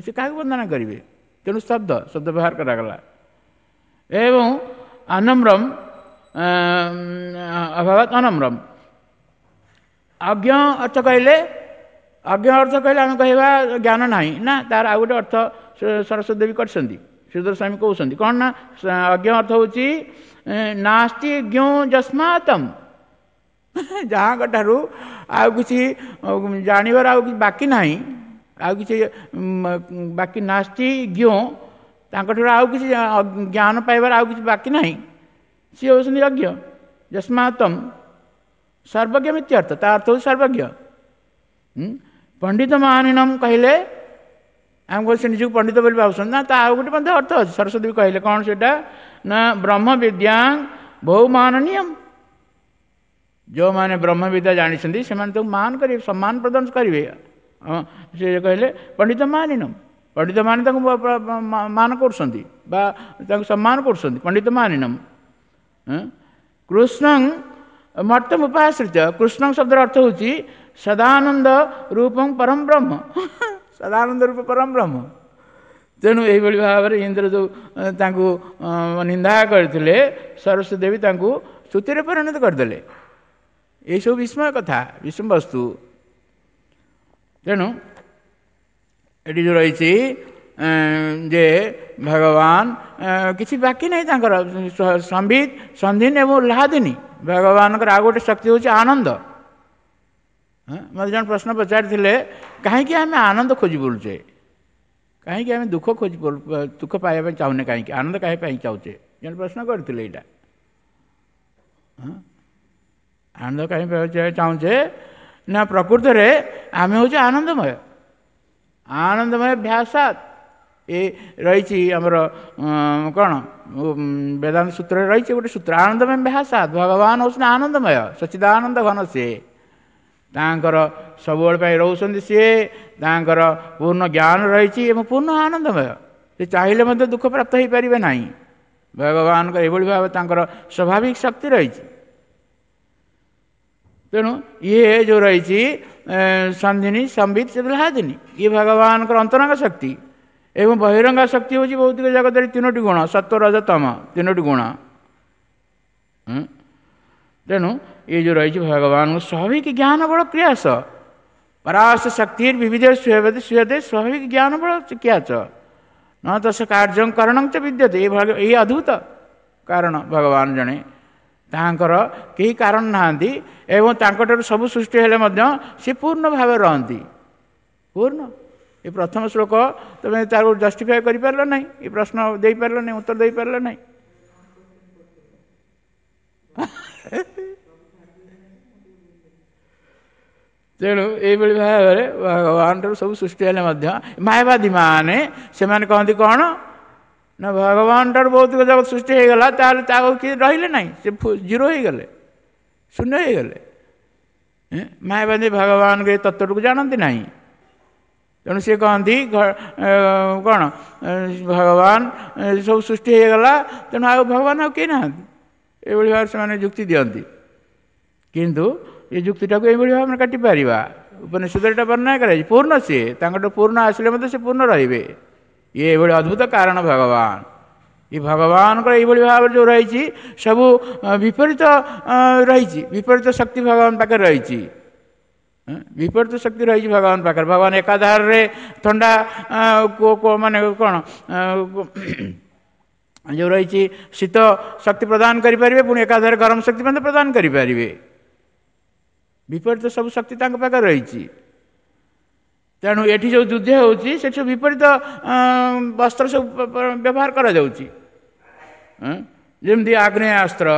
ସେ କାହାକୁ ବନ୍ଦନା କରିବେ? ତେଣୁ ଶବ୍ଦ ଶବ୍ଦ ବ୍ୟବହାର କରାଗଲା। ଏବଂ ଅନମ୍ରମ ଅଭାବାତ ଅନମ୍ରମ। ଅଜ୍ଞ ଅର୍ଥ କହିଲେ, ଅଜ୍ଞ ଅର୍ଥ କହିଲେ ଆମେ କହିବା ଜ୍ଞାନ ନାହିଁ ନା, ତାର ଆଉ ଗୋଟେ ଅର୍ଥ ସରସ୍ୱତୀ ଦେବୀ କରିଛନ୍ତି, ଶ୍ରୀଧର ସ୍ୱାମୀ କହୁଛନ୍ତି କ'ଣ ନା ଅଜ୍ଞ ଅର୍ଥ ହେଉଛି ନାସ୍ତି ଜ୍ଞ ଯସ୍ମାତମ୍, ଯାହାଙ୍କ ଠାରୁ ଆଉ କିଛି ଜାଣିବାର ଆଉ କିଛି ବାକି ନାହିଁ, ଆଉ କିଛି ବାକି ନାସ୍ତି ଜ୍ଞ, ତାଙ୍କଠାରୁ ଆଉ କିଛି ଜ୍ଞାନ ପାଇବାର ଆଉ କିଛି ବାକି ନାହିଁ, ସିଏ ହେଉଛନ୍ତି ଅଜ୍ଞ। ଯସ୍ମାତମ୍ ସର୍ବଜ୍ଞ ମିତ୍ୟର୍ଥ, ତା ଅର୍ଥ ହେଉଛି ସର୍ବଜ୍ଞ। ପଣ୍ଡିତ ମାନିନମ୍ କହିଲେ ଆମେ ସେ ନିଜକୁ ପଣ୍ଡିତ ବୋଲି ଭାବୁଛନ୍ତି ନା, ତା ଆଉ ଗୋଟେ ମଧ୍ୟ ଅର୍ଥ ଅଛି। ସରସ୍ୱତୀ ବି କହିଲେ କ'ଣ ସେଇଟା ନା ବ୍ରହ୍ମ ବିଦ୍ୟା ବହୁମାନନୀୟମ, ଯେଉଁମାନେ ବ୍ରହ୍ମବିଦ୍ୟା ଜାଣିଛନ୍ତି ସେମାନେ ତାକୁ ମାନ କରିବେ, ସମ୍ମାନ ପ୍ରଦାନ କରିବେ। ସେ କହିଲେ ପଣ୍ଡିତ ମାନିନମ୍, ପଣ୍ଡିତମାନେ ତାଙ୍କୁ ମାନ କରୁଛନ୍ତି ବା ତାଙ୍କୁ ସମ୍ମାନ କରୁଛନ୍ତି, ପଣ୍ଡିତ ମାନିନମ୍। କୃଷ୍ଣଂ ମର୍ତ୍ତମ ଉପାଶ୍ରିତ, କୃଷ୍ଣଂ ଶବ୍ଦର ଅର୍ଥ ହେଉଛି ସଦାନନ୍ଦ ରୂପଂ ପରମ ବ୍ରହ୍ମ, ସଦାନନ୍ଦ ରୂପ ପରମ ବ୍ରହ୍ମ। ତେଣୁ ଏଇଭଳି ଭାବରେ ଇନ୍ଦ୍ର ଯେଉଁ ତାଙ୍କୁ ନିନ୍ଦା କରିଥିଲେ, ସରସ୍ୱତୀ ଦେବୀ ତାଙ୍କୁ ସ୍ତୁତିରେ ପରିଣତ କରିଦେଲେ। ଏଇସବୁ ବିସ୍ମୟ କଥା, ବିଷମ ବସ୍ତୁ। ତେଣୁ ଏଠି ଯେଉଁ ରହିଛି ଯେ ଭଗବାନ କିଛି ବାକି ନାହିଁ ତାଙ୍କର, ସମ୍ବିତ ସନ୍ଧିନୀ ଏବଂ ଲାଦିନୀ। ଭଗବାନଙ୍କର ଆଉ ଗୋଟେ ଶକ୍ତି ହେଉଛି ଆନନ୍ଦ। ମୋତେ ଜଣେ ପ୍ରଶ୍ନ ପଚାରିଥିଲେ, କାହିଁକି ଆମେ ଆନନ୍ଦ ଖୋଜି ବୁଲୁଛେ, କାହିଁକି ଆମେ ଦୁଃଖ ଖୋଜି ଦୁଃଖ ପାଇବା ପାଇଁ ଚାହୁଁନେ, କାହିଁକି ଆନନ୍ଦ କାହିଁ ପାଇଁ ଚାହୁଁଛେ? ଜଣେ ପ୍ରଶ୍ନ କରିଥିଲେ ଏଇଟା, ଆନନ୍ଦ କାହିଁ ଚାହୁଁଛେ ନା, ପ୍ରକୃତରେ ଆମେ ହେଉଛେ ଆନନ୍ଦମୟ, ଆନନ୍ଦମୟ ଭ୍ୟାସାତ ଏ ରହିଛି ଆମର କ'ଣ ବେଦାନ୍ତ ସୂତ୍ରରେ ରହିଛି ଗୋଟେ ସୂତ୍ର, ଆନନ୍ଦମୟ ଭ୍ୟାସାତ। ଭଗବାନ ହେଉଛନ୍ତି ଆନନ୍ଦମୟ, ସଚ୍ଚିଦାନନ୍ଦ ଘନ ସିଏ, ତାଙ୍କର ସବୁବେଳେ ପାଇଁ ରହୁଛନ୍ତି ସିଏ, ତାଙ୍କର ପୂର୍ଣ୍ଣ ଜ୍ଞାନ ରହିଛି ଏବଂ ପୂର୍ଣ୍ଣ ଆନନ୍ଦମୟ। ସେ ଚାହିଁଲେ ମଧ୍ୟ ଦୁଃଖ ପ୍ରାପ୍ତ ହୋଇପାରିବେ ନାହିଁ। ଭଗବାନଙ୍କର ଏଭଳି ଭାବେ ତାଙ୍କର ସ୍ୱାଭାବିକ ଶକ୍ତି ରହିଛି। ତେଣୁ ଇଏ ଯେଉଁ ରହିଛି ସନ୍ଧିନୀ ସମ୍ବିତ ଲାଦିନୀ, ଇଏ ଭଗବାନଙ୍କର ଅନ୍ତରଙ୍ଗ ଶକ୍ତି। ଏବଂ ବହିରଙ୍ଗ ଶକ୍ତି ହେଉଛି ଭୌତିକ ଜଗତରେ ତିନୋଟି ଗୁଣ, ସତ୍ୱ ରଜ ତମ, ତିନୋଟି ଗୁଣ। ତେଣୁ ଏ ଯେଉଁ ରହିଛି ଭଗବାନଙ୍କ ସ୍ୱାଭାବିକ ଜ୍ଞାନ ବଳ କ୍ରିୟାସ ପରାଶ ଶକ୍ତି ବିବିଧ ସୁୟତେ ସ୍ୱାଭାବିକ ଜ୍ଞାନ ବଳ କ୍ରିୟାଚ ନ ତସ କାର୍ଯ୍ୟ କରଣ ଚ ବିଦ୍ୟତେ। ଏଇ ଅଦ୍ଭୁତ କାରଣ ଭଗବାନ ଜଣେ, ତାଙ୍କର କେହି କାରଣ ନାହାନ୍ତି ଏବଂ ତାଙ୍କଠାରୁ ସବୁ ସୃଷ୍ଟି ହେଲେ ମଧ୍ୟ ସେ ପୂର୍ଣ୍ଣ ଭାବରେ ରହନ୍ତି, ପୂର୍ଣ୍ଣ। ଏ ପ୍ରଥମ ଶ୍ଲୋକ ତୁମେ ତାକୁ ଜଷ୍ଟିଫାଏ କରିପାରିଲ ନାହିଁ, ଏ ପ୍ରଶ୍ନ ଦେଇପାରିଲ ନାହିଁ, ଉତ୍ତର ଦେଇପାରିଲ ନାହିଁ। ତେଣୁ ଏଇଭଳି ଭାବରେ ଭଗବାନଠାରୁ ସବୁ ସୃଷ୍ଟି ହେଲେ ମଧ୍ୟ ମାୟାବାଦୀମାନେ ସେମାନେ କହନ୍ତି କ'ଣ ନା ଭଗବାନଠାରୁ ଭୌତିକ ଜଗତ ସୃଷ୍ଟି ହେଇଗଲା, ତାହେଲେ ତାକୁ କିଏ ରହିଲେ ନାହିଁ, ସେ ଜିରୋ ହେଇଗଲେ, ଶୂନ୍ୟ ହେଇଗଲେ। ମାୟାବାଦୀ ଭଗବାନଙ୍କ ଏ ତତ୍ତ୍ୱଟିକୁ ଜାଣନ୍ତି ନାହିଁ। ତେଣୁ ସେ କହନ୍ତି କ'ଣ ଭଗବାନ ସବୁ ସୃଷ୍ଟି ହେଇଗଲା, ତେଣୁ ଆଉ ଭଗବାନ ଆଉ କେହି ନାହାନ୍ତି। ଏଇଭଳି ଭାବରେ ସେମାନେ ଯୁକ୍ତି ଦିଅନ୍ତି। କିନ୍ତୁ ଏ ଯୁକ୍ତିଟାକୁ ଏଇଭଳି ଭାବରେ କାଟିପାରିବା। ଉପନିଷଦରେ ଏଇଟା ବର୍ଣ୍ଣନା କରାଯାଇଛି, ପୂର୍ଣ୍ଣ ସିଏ, ତାଙ୍କଠୁ ପୂର୍ଣ୍ଣ ଆସିଲେ ମଧ୍ୟ ସେ ପୂର୍ଣ୍ଣ ରହିବେ। ଇଏ ଏଇଭଳି ଅଦ୍ଭୁତ କାରଣ ଭଗବାନ। ଏ ଭଗବାନଙ୍କର ଏଇଭଳି ଭାବରେ ଯେଉଁ ରହିଛି ସବୁ ବିପରୀତ ରହିଛି, ବିପରୀତ ଶକ୍ତି ଭଗବାନ ପାଖରେ ରହିଛି, ବିପରୀତ ଶକ୍ତି ରହିଛି ଭଗବାନ ପାଖରେ। ଭଗବାନ ଏକାଧାରରେ ଥଣ୍ଡା ମାନେ କ'ଣ ଯେଉଁ ରହିଛି ଶୀତ ଶକ୍ତି ପ୍ରଦାନ କରିପାରିବେ, ପୁଣି ଏକାଧାରେ ଗରମ ଶକ୍ତି ମଧ୍ୟ ପ୍ରଦାନ କରିପାରିବେ। ବିପରୀତ ସବୁ ଶକ୍ତି ତାଙ୍କ ପାଖରେ ରହିଛି। ତେଣୁ ଏଠି ଯେଉଁ ଯୁଦ୍ଧ ହେଉଛି ସେଠି ସବୁ ବିପରୀତ ବସ୍ତ୍ର ସବୁ ବ୍ୟବହାର କରାଯାଉଛି। ଯେମିତି ଆଗ୍ନେୟାସ୍ତ୍ର,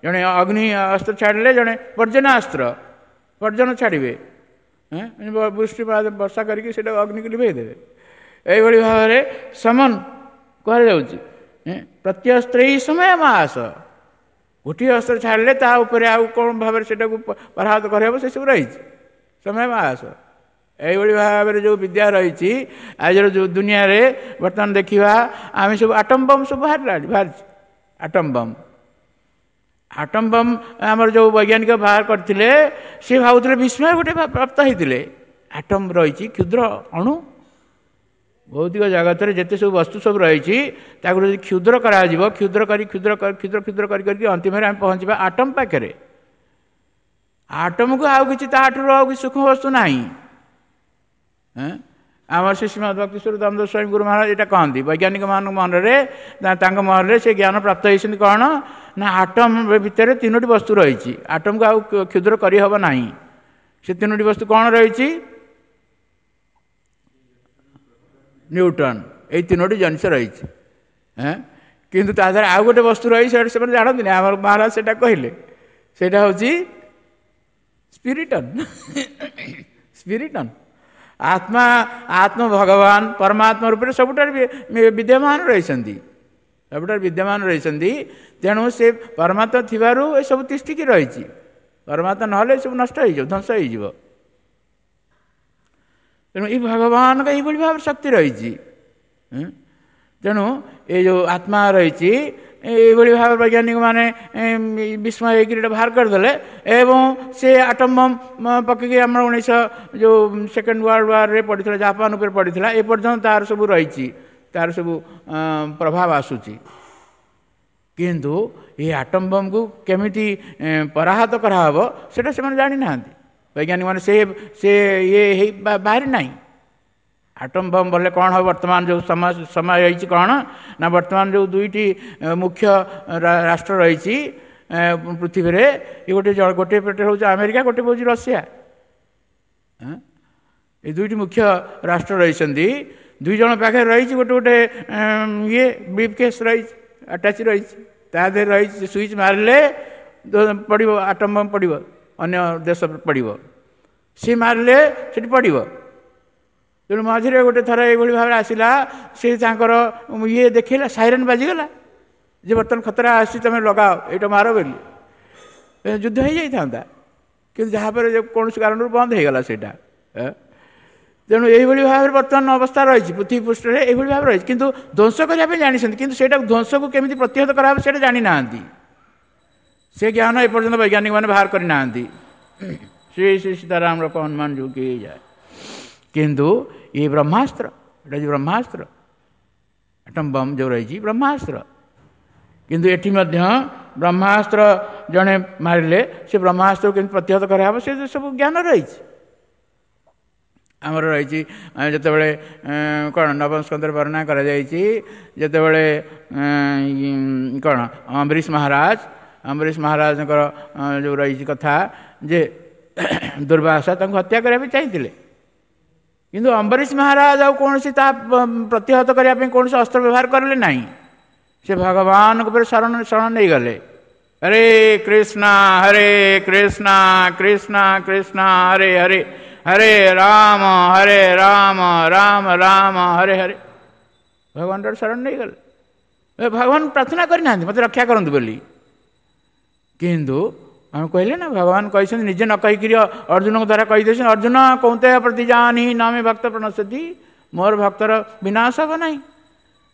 ଜଣେ ଅଗ୍ନି ଅସ୍ତ୍ର ଛାଡ଼ିଲେ, ଜଣେ ପର୍ଜନାସ୍ତ୍ର, ପର୍ଜନ ଛାଡ଼ିବେ, ବୃଷ୍ଟିପାତ ବର୍ଷା କରିକି ସେଇଟା ଅଗ୍ନିକୁ ଲିଭେଇ ଦେବେ। ଏଇଭଳି ଭାବରେ ସମାନ କୁହାଯାଉଛି, ପ୍ରତ୍ୟସ୍ତ୍ରଇ ସମୟ ମାସ। ଗୋଟିଏ ଅସ୍ତ୍ର ଛାଡ଼ିଲେ ତା ଉପରେ ଆଉ କ'ଣ ଭାବରେ ସେଇଟାକୁ ପରାହତ କରିହେବ, ସେସବୁ ରହିଛି ସମୟ ମାସ। ଏଇଭଳି ଭାବରେ ଯେଉଁ ବିଦ୍ୟା ରହିଛି ଆଜିର ଯେଉଁ ଦୁନିଆରେ ବର୍ତ୍ତମାନ ଦେଖିବା ଆମେ, ସବୁ ଆଟମ୍ ବମ୍ ସବୁ ବାହାରିଲାଣି, ବାହାରିଛି ଆଟମ୍ ବମ୍। ଆଟମ୍ ବମ୍ ଆମର ଯେଉଁ ବୈଜ୍ଞାନିକ ବାହାର କରିଥିଲେ, ସେ ଭାବୁଥିଲେ, ବିସ୍ମୟ ଗୋଟେ ପ୍ରାପ୍ତ ହେଇଥିଲେ, ଆଟମ୍ ରହିଛି କ୍ଷୁଦ୍ର ଅଣୁ। ଭୌତିକ ଜଗତରେ ଯେତେ ସବୁ ବସ୍ତୁ ସବୁ ରହିଛି, ତାକୁ ଯଦି କ୍ଷୁଦ୍ର କରାଯିବ, କ୍ଷୁଦ୍ର କରି କ୍ଷୁଦ୍ର କ୍ଷୁଦ୍ର କ୍ଷୁଦ୍ର କରି କରିକି ଅନ୍ତିମରେ ଆମେ ପହଞ୍ଚିବା ଆଟମ୍ ପାଖରେ। ଆଟମ୍କୁ ଆଉ କିଛି ତାଠାରୁ ଆଉ କିଛି ସୂକ୍ଷ୍ମ ବସ୍ତୁ ନାହିଁ। ଆମର ଶ୍ରୀ ଶ୍ରୀମଦ ଭକ୍ତିସ୍ୱରୂପ ଦାମୋଦର ସ୍ୱାମୀ ଗୁରୁ ମହାରାଜ ଏଇଟା କହନ୍ତି, ବୈଜ୍ଞାନିକମାନଙ୍କ ମନରେ, ତାଙ୍କ ମନରେ ସେ ଜ୍ଞାନ ପ୍ରାପ୍ତ ହେଇଛନ୍ତି। କ'ଣ ନା ଆଟମ୍ ଭିତରେ ତିନୋଟି ବସ୍ତୁ ରହିଛି, ଆଟମ୍କୁ ଆଉ କ୍ଷୁଦ୍ର କରିହେବ ନାହିଁ। ସେ ତିନୋଟି ବସ୍ତୁ କ'ଣ ରହିଛି? ନ୍ୟୁଟନ୍, ଏଇ ତିନୋଟି ଜିନିଷ ରହିଛି। କିନ୍ତୁ ତା ଦେହରେ ଆଉ ଗୋଟେ ବସ୍ତୁ ରହିଛି, ସେଇଟା ସେମାନେ ଜାଣନ୍ତିନି। ଆମର ମହାରାଜ ସେଇଟା କହିଲେ, ସେଇଟା ହେଉଛି ସ୍ପିରିଟନ୍। ସ୍ପିରିଟନ୍ ଆତ୍ମା, ଆତ୍ମ ଭଗବାନ ପରମାତ୍ମା ରୂପରେ ସବୁଠାରୁ ବିଦ୍ୟମାନ ରହିଛନ୍ତି, ସବୁଠାରୁ ବିଦ୍ୟମାନ ରହିଛନ୍ତି। ତେଣୁ ସେ ପରମାତ୍ମା ଥିବାରୁ ଏସବୁ ତିଷ୍ଠିକି ରହିଛି। ପରମାତ୍ମା ନହେଲେ ଏସବୁ ନଷ୍ଟ ହେଇଯିବ, ଧ୍ୱଂସ ହେଇଯିବ। ତେଣୁ ଏଇ ଭଗବାନଙ୍କ ଏଇଭଳି ଭାବରେ ଶକ୍ତି ରହିଛି। ତେଣୁ ଏ ଯେଉଁ ଆତ୍ମା ରହିଛି, ଏଇଭଳି ଭାବରେ ବୈଜ୍ଞାନିକମାନେ ବିସ୍ମୟ ହେଇକରି ଏଇଟା ବାହାର କରିଦେଲେ ଏବଂ ସେ ଆଟମ୍ ବମ୍ ପକେଇକି ଆମର 19 ଯେଉଁ ସେକେଣ୍ଡ ୱାର୍ଲଡ ୱାର୍ରେ ପଡ଼ିଥିଲା, ଜାପାନ ଉପରେ ପଡ଼ିଥିଲା, ଏପର୍ଯ୍ୟନ୍ତ ତାର ସବୁ ରହିଛି, ତାର ସବୁ ପ୍ରଭାବ ଆସୁଛି। କିନ୍ତୁ ଏ ଆଟମ୍ ବମ୍କୁ କେମିତି ପରାହତ କରାହେବ, ସେଇଟା ସେମାନେ ଜାଣିନାହାନ୍ତି ବୈଜ୍ଞାନିକମାନେ। ସେ ଇଏ ହେଇ ବାହାରି ନାହିଁ। ଆଟମ୍ ବମ୍ ବୋଲେ କ'ଣ ହେବ? ବର୍ତ୍ତମାନ ଯେଉଁ ସମୟ ହେଇଛି, କ'ଣ ନା ବର୍ତ୍ତମାନ ଯେଉଁ ଦୁଇଟି ମୁଖ୍ୟ ରାଷ୍ଟ୍ର ରହିଛି ପୃଥିବୀରେ, ଏ ଗୋଟେ ପଟେ ହେଉଛି ଆମେରିକା, ଗୋଟେ ହେଉଛି ରଷିଆ। ଏ ଦୁଇଟି ମୁଖ୍ୟ ରାଷ୍ଟ୍ର ରହିଛନ୍ତି। ଦୁଇ ଜଣ ପାଖରେ ରହିଛି ଗୋଟେ ଗୋଟେ ଇଏ ବ୍ରିଫ୍ କେସ୍ ରହିଛି, ଆଟାଚ୍ ରହିଛି, ତା ଦେହରେ ରହିଛି, ସୁଇଚ୍ ମାରିଲେ ପଡ଼ିବ, ଆଟମ୍ ବମ୍ ପଡ଼ିବ, ଅନ୍ୟ ଦେଶ ପଡ଼ିବ, ସିଏ ମାରିଲେ ସେଠି ପଡ଼ିବ। ତେଣୁ ମଝିରେ ଗୋଟେ ଥର ଏଇଭଳି ଭାବରେ ଆସିଲା, ସେ ତାଙ୍କର ଇଏ ଦେଖେଇଲା, ସାଇରନ୍ ବାଜିଗଲା ଯେ ବର୍ତ୍ତମାନ ଖତରା ଆସିଛି, ତୁମେ ଲଗାଅ, ଏଇଟା ମାର ବୋଲି। ଯୁଦ୍ଧ ହେଇଯାଇଥାନ୍ତା, କିନ୍ତୁ ଯାହାପରେ କୌଣସି କାରଣରୁ ବନ୍ଦ ହେଇଗଲା ସେଇଟା। ତେଣୁ ଏଇଭଳି ଭାବରେ ବର୍ତ୍ତମାନ ଅବସ୍ଥା ରହିଛି ପୃଥିବୀ ପୃଷ୍ଠରେ, ଏଇଭଳି ଭାବରେ ରହିଛି। କିନ୍ତୁ ଧ୍ୱଂସ କରିବା ପାଇଁ ଜାଣିଛନ୍ତି, କିନ୍ତୁ ସେଇଟାକୁ ଧ୍ୱଂସକୁ କେମିତି ପ୍ରତିହତ କରାହେବ ସେଇଟା ଜାଣିନାହାନ୍ତି। ସେ ଜ୍ଞାନ ଏପର୍ଯ୍ୟନ୍ତ ବୈଜ୍ଞାନିକମାନେ ବାହାର କରିନାହାନ୍ତି। ଶ୍ରୀ ଶ୍ରୀ ସୀତାରାମ ରକ ହନୁମାନ ଯୋଗୀ ଯାଏ। କିନ୍ତୁ ଇଏ ବ୍ରହ୍ମାସ୍ତ୍ର, ଏଇଟା ହେଉଛି ବ୍ରହ୍ମାସ୍ତ୍ର, ଆଟମ୍ ବମ୍ ଯେଉଁ ରହିଛି ବ୍ରହ୍ମାସ୍ତ୍ର। କିନ୍ତୁ ଏଠି ମଧ୍ୟ ବ୍ରହ୍ମାସ୍ତ୍ର ଜଣେ ମାରିଲେ ସେ ବ୍ରହ୍ମାସ୍ତ୍ରକୁ କେମିତି ପ୍ରତିହତ କରାହେବ, ସେ ସବୁ ଜ୍ଞାନ ରହିଛି ଆମର ରହିଛି। ଯେତେବେଳେ କ'ଣ ନବମ ସ୍କନ୍ଧରେ ବର୍ଣ୍ଣନା କରାଯାଇଛି, ଯେତେବେଳେ କ'ଣ ଅମ୍ବରୀଶ ମହାରାଜ, ଅମ୍ବରୀଶ ମହାରାଜଙ୍କର ଯେଉଁ ରହିଛି କଥା ଯେ ଦୁର୍ବାସା ତାଙ୍କୁ ହତ୍ୟା କରିବା ପାଇଁ ଚାହିଁଥିଲେ, କିନ୍ତୁ ଅମ୍ବରୀଶ ମହାରାଜ ଆଉ କୌଣସି ତା ପ୍ରତିହତ କରିବା ପାଇଁ କୌଣସି ଅସ୍ତ୍ର ବ୍ୟବହାର କରିଲେ ନାହିଁ। ସେ ଭଗବାନଙ୍କ ଉପରେ ଶରଣ ନେଇଗଲେ। ହରେ କୃଷ୍ଣ ହରେ କୃଷ୍ଣ କୃଷ୍ଣ କୃଷ୍ଣ ହରେ ହରେ, ହରେ ରାମ ହରେ ରାମ ରାମ ରାମ ହରେ ହରେ। ଭଗବାନଙ୍କର ଶରଣ ନେଇଗଲେ। ଭଗବାନ ପ୍ରାର୍ଥନା କରିନାହାନ୍ତି ମୋତେ ରକ୍ଷା କରନ୍ତୁ ବୋଲି, କିନ୍ତୁ ଆମେ କହିଲେ ନା ଭଗବାନ କହିଛନ୍ତି, ନିଜେ ନ କହିକିରି ଅର୍ଜୁନଙ୍କ ଦ୍ୱାରା କହିଦେଇଛନ୍ତି, ଅର୍ଜୁନ କୌନ୍ତେୟ ପ୍ରତି ଜାନି ନାମେ ଭକ୍ତ ପ୍ରଣଶ୍ୟତି, ମୋର ଭକ୍ତର ବିନାଶ ହେବ ନାହିଁ।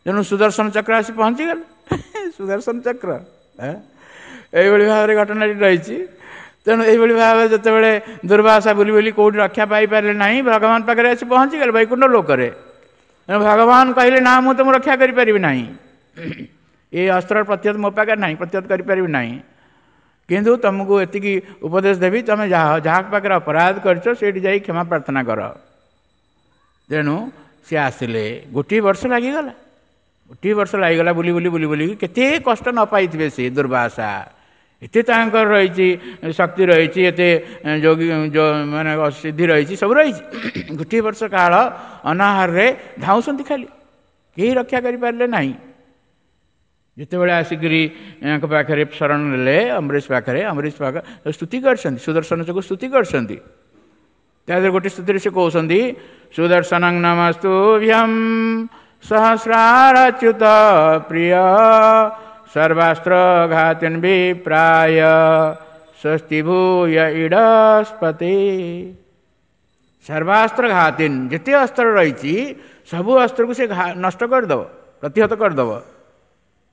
ତେଣୁ ସୁଦର୍ଶନ ଚକ୍ର ଆସି ପହଞ୍ଚିଗଲେ। ସୁଦର୍ଶନ ଚକ୍ର ଏଇଭଳି ଭାବରେ ଘଟଣାଟି ରହିଛି। ତେଣୁ ଏଇଭଳି ଭାବରେ ଯେତେବେଳେ ଦୁର୍ବାସା ବୁଲି ବୁଲି କେଉଁଠି ରକ୍ଷା ପାଇପାରିଲେ ନାହିଁ, ଭଗବାନ ପାଖରେ ଆସି ପହଞ୍ଚିଗଲେ ବୈକୁଣ୍ଠ ଲୋକରେ। ତେଣୁ ଭଗବାନ କହିଲେ, ନା, ମୁଁ ତୁମକୁ ରକ୍ଷା କରିପାରିବି ନାହିଁ, ଏ ଅସ୍ତ୍ରର ପ୍ରତିହତ ମୋ ପାଖରେ ନାହିଁ, ପ୍ରତିହତ କରିପାରିବି ନାହିଁ, କିନ୍ତୁ ତୁମକୁ ଏତିକି ଉପଦେଶ ଦେବି, ତୁମେ ଯାହା ଯାହା ପାଖରେ ଅପରାଧ କରିଛ ସେଇଠି ଯାଇ କ୍ଷମା ପ୍ରାର୍ଥନା କର। ତେଣୁ ସେ ଆସିଲେ। ଗୋଟିଏ ବର୍ଷ ଲାଗିଗଲା, ଗୋଟିଏ ବର୍ଷ ଲାଗିଗଲା ବୁଲି ବୁଲି ବୁଲି ବୁଲିକି। କେତେ କଷ୍ଟ ନ ପାଇଥିବେ ସେ ଦୁର୍ବାସା, ଏତେ ତାଙ୍କର ରହିଛି ଶକ୍ତି ରହିଛି, ଏତେ ଯୋଗୀ ମାନେ ସିଦ୍ଧି ରହିଛି, ସବୁ ରହିଛି। ଗୋଟିଏ ବର୍ଷ କାଳ ଅନାହାରରେ ଧାଉଁଛନ୍ତି ଖାଲି, କେହି ରକ୍ଷା କରିପାରିଲେ ନାହିଁ। ଯେତେବେଳେ ଆସିକରି ୟାଙ୍କ ପାଖରେ ଶରଣ ନେଲେ, ଅମ୍ବରୀଶ ପାଖରେ, ଅମ୍ବରୀଶ ପାଖ ସ୍ତୁତି କରିଛନ୍ତି, ସୁଦର୍ଶନ ଚକୁ ସ୍ତୁତି କରିଛନ୍ତି। ତା ଦେହରେ ଗୋଟେ ସ୍ତୁତିରେ ସେ କହୁଛନ୍ତି, ସୁଦର୍ଶନ ନମସ୍ତୁଭ୍ୟಂ ସହସ୍ରାରଚ୍ୟୁତ ପ୍ରିୟ ସର୍ବାସ୍ତ୍ର ଘାତିନ୍ ବିପ୍ରାୟ ସ୍ୱସ୍ତି ଭୂୟ ଇଡ଼ସ୍ପତି। ସର୍ବାସ୍ତ୍ର ଘାତିନ୍, ଯେତେ ଅସ୍ତ୍ର ରହିଛି ସବୁ ଅସ୍ତ୍ରକୁ ସେ ନଷ୍ଟ କରିଦେବ, ପ୍ରତିହତ କରିଦେବ।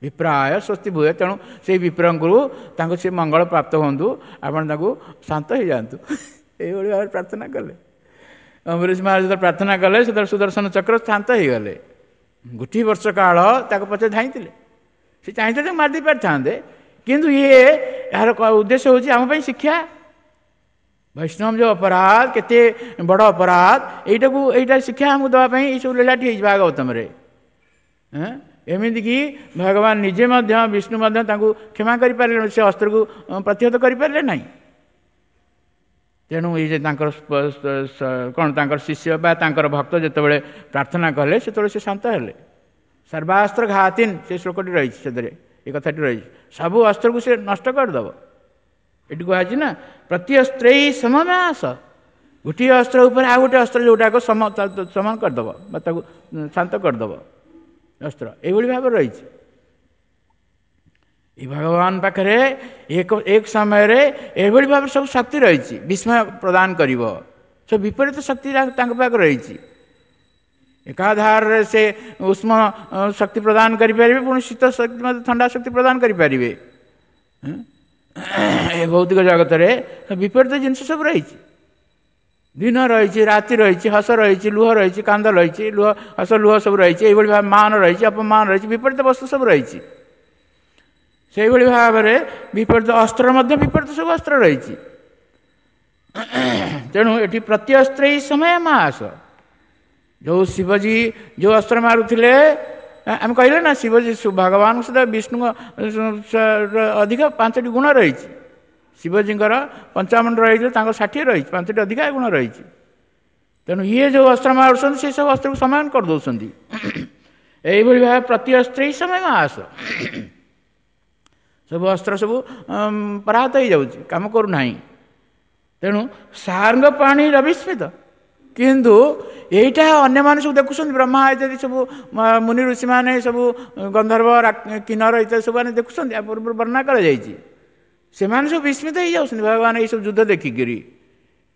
ବିପ୍ରାୟ ସ୍ୱସ୍ତି ଭୂୟ, ତେଣୁ ସେଇ ବିପ୍ରଙ୍କୁ ତାଙ୍କୁ ସେ ମଙ୍ଗଳ ପ୍ରାପ୍ତ ହୁଅନ୍ତୁ, ଆପଣ ତାଙ୍କୁ ଶାନ୍ତ ହେଇଯାଆନ୍ତୁ, ଏଇଭଳି ଭାବରେ ପ୍ରାର୍ଥନା କଲେ। ଅମ୍ବରୀଶ ମହାରାଜ ଯେତେବେଳେ ପ୍ରାର୍ଥନା କଲେ, ସେତେବେଳେ ସୁଦର୍ଶନ ଚକ୍ର ଶାନ୍ତ ହେଇଗଲେ। ଗୋଟିଏ ବର୍ଷ କାଳ ତାକୁ ପଛରେ ଧାଇଁଥିଲେ। ସେ ଚାହିଁଥିଲେ ତାକୁ ମାରି ଦେଇପାରିଥାନ୍ତେ, କିନ୍ତୁ ଇଏ ଏହାର ଉଦ୍ଦେଶ୍ୟ ହେଉଛି ଆମ ପାଇଁ ଶିକ୍ଷା। ବୈଷ୍ଣବ ଯେଉଁ ଅପରାଧ, କେତେ ବଡ଼ ଅପରାଧ, ଏଇଟାକୁ ଏଇଟା ଶିକ୍ଷା ଆମକୁ ଦେବା ପାଇଁ ଏଇସବୁ ଲୀଳାଟି ହେଇଛି ଭାଗବତମରେ। ଏମିତିକି ଭଗବାନ ନିଜେ ମଧ୍ୟ, ବିଷ୍ଣୁ ମଧ୍ୟ ତାଙ୍କୁ କ୍ଷମା କରିପାରିଲେ, ସେ ଅସ୍ତ୍ରକୁ ପ୍ରତିହତ କରିପାରିଲେ ନାହିଁ। ତେଣୁ ଏଇ ଯେ ତାଙ୍କର କ'ଣ ତାଙ୍କର ଶିଷ୍ୟ ବା ତାଙ୍କର ଭକ୍ତ ଯେତେବେଳେ ପ୍ରାର୍ଥନା କଲେ, ସେତେବେଳେ ସେ ଶାନ୍ତ ହେଲେ। ସର୍ବାସ୍ତ୍ର ଘାତିନ୍, ସେ ଶ୍ଲୋକଟି ରହିଛି, ସେଥିରେ ଏ କଥାଟି ରହିଛି, ସବୁ ଅସ୍ତ୍ରକୁ ସେ ନଷ୍ଟ କରିଦେବ। ଏଠି କୁହାଯାଇଛି ନା, ପ୍ରତି ଅସ୍ତ୍ରେଇ ସମମାସ, ଗୋଟିଏ ଅସ୍ତ୍ର ଉପରେ ଆଉ ଗୋଟିଏ ଅସ୍ତ୍ର ଯେଉଁଟାକ ସମାନ କରିଦେବ ବା ତାକୁ ଶାନ୍ତ କରିଦେବ ଅସ୍ତ୍ର, ଏଇଭଳି ଭାବରେ ରହିଛି। ଏ ଭଗବାନ ପାଖରେ ଏକ ଏକ ସମୟରେ ଏଭଳି ଭାବରେ ସବୁ ଶକ୍ତି ରହିଛି, ବିସ୍ମୟ ପ୍ରଦାନ କରିବ, ସବୁ ବିପରୀତ ଶକ୍ତି ତାଙ୍କ ପାଖରେ ରହିଛି। ଏକାଧାରରେ ସେ ଉଷ୍ମ ଶକ୍ତି ପ୍ରଦାନ କରିପାରିବେ, ପୁଣି ଶୀତ ଶକ୍ତି ମଧ୍ୟ, ଥଣ୍ଡା ଶକ୍ତି ପ୍ରଦାନ କରିପାରିବେ। ଏ ଭୌତିକ ଜଗତରେ ବିପରୀତ ଜିନିଷ ସବୁ ରହିଛି। ଦିନ ରହିଛି, ରାତି ରହିଛି, ହସ ରହିଛି, ଲୁହ ରହିଛି, କାନ୍ଦ ରହିଛି, ଲୁହ ହସ ଲୁହ ସବୁ ରହିଛି। ଏଇଭଳି ଭାବେ ମାନ ରହିଛି, ଅପମାନ ରହିଛି, ବିପରୀତ ବସ୍ତୁ ସବୁ ରହିଛି। ସେଇଭଳି ଭାବରେ ବିପରୀତ ଅସ୍ତ୍ର ମଧ୍ୟ, ବିପରୀତ ସବୁ ଅସ୍ତ୍ର ରହିଛି। ତେଣୁ ଏଠି ପ୍ରତି ଅସ୍ତ୍ର ଏଇ ସମୟ ମାସ, ଯେଉଁ ଶିବଜୀ ଯେଉଁ ଅସ୍ତ୍ର ମାରୁଥିଲେ, ଆମେ କହିଲେ ନା ଶିବଜୀ ଭଗବାନଙ୍କ ସହିତ ବିଷ୍ଣୁଙ୍କ ଅଧିକ 5ଟି ଗୁଣ ରହିଛି। ଶିବଜୀଙ୍କର 55 ରହିଛି, ତାଙ୍କର 60 ରହିଛି, 5ଟି ଅଧିକା ଗୁଣ ରହିଛି। ତେଣୁ ଇଏ ଯେଉଁ ଅସ୍ତ୍ର ମାରୁଛନ୍ତି, ସେ ସବୁ ଅସ୍ତ୍ରକୁ ସମାନ କରିଦେଉଛନ୍ତି। ଏଇଭଳି ଭାବେ ପ୍ରତି ଅସ୍ତ୍ର ଏଇ ସମୟ ମାସ, ସବୁ ଅସ୍ତ୍ର ସବୁ ପରାହତ ହେଇଯାଉଛି, କାମ କରୁନାହିଁ। ତେଣୁ ସାରଙ୍ଗ ପାଣି ରବିସ୍ମିତ, କିନ୍ତୁ ଏଇଟା ଅନ୍ୟମାନେ ସବୁ ଦେଖୁଛନ୍ତି, ବ୍ରହ୍ମା ଇତ୍ୟାଦି ସବୁ ମୁନି ଋଷିମାନେ ସବୁ, ଗନ୍ଧର୍ବ କିନ୍ନର ଇତ୍ୟାଦି ସବୁ ମାନେ ଦେଖୁଛନ୍ତି, ଆ ପୂର୍ବରୁ ବର୍ଣ୍ଣନା କରାଯାଇଛି। ସେମାନେ ସବୁ ବିସ୍ମିତ ହେଇଯାଉଛନ୍ତି ଭଗବାନ ଏଇସବୁ ଯୁଦ୍ଧ ଦେଖିକିରି।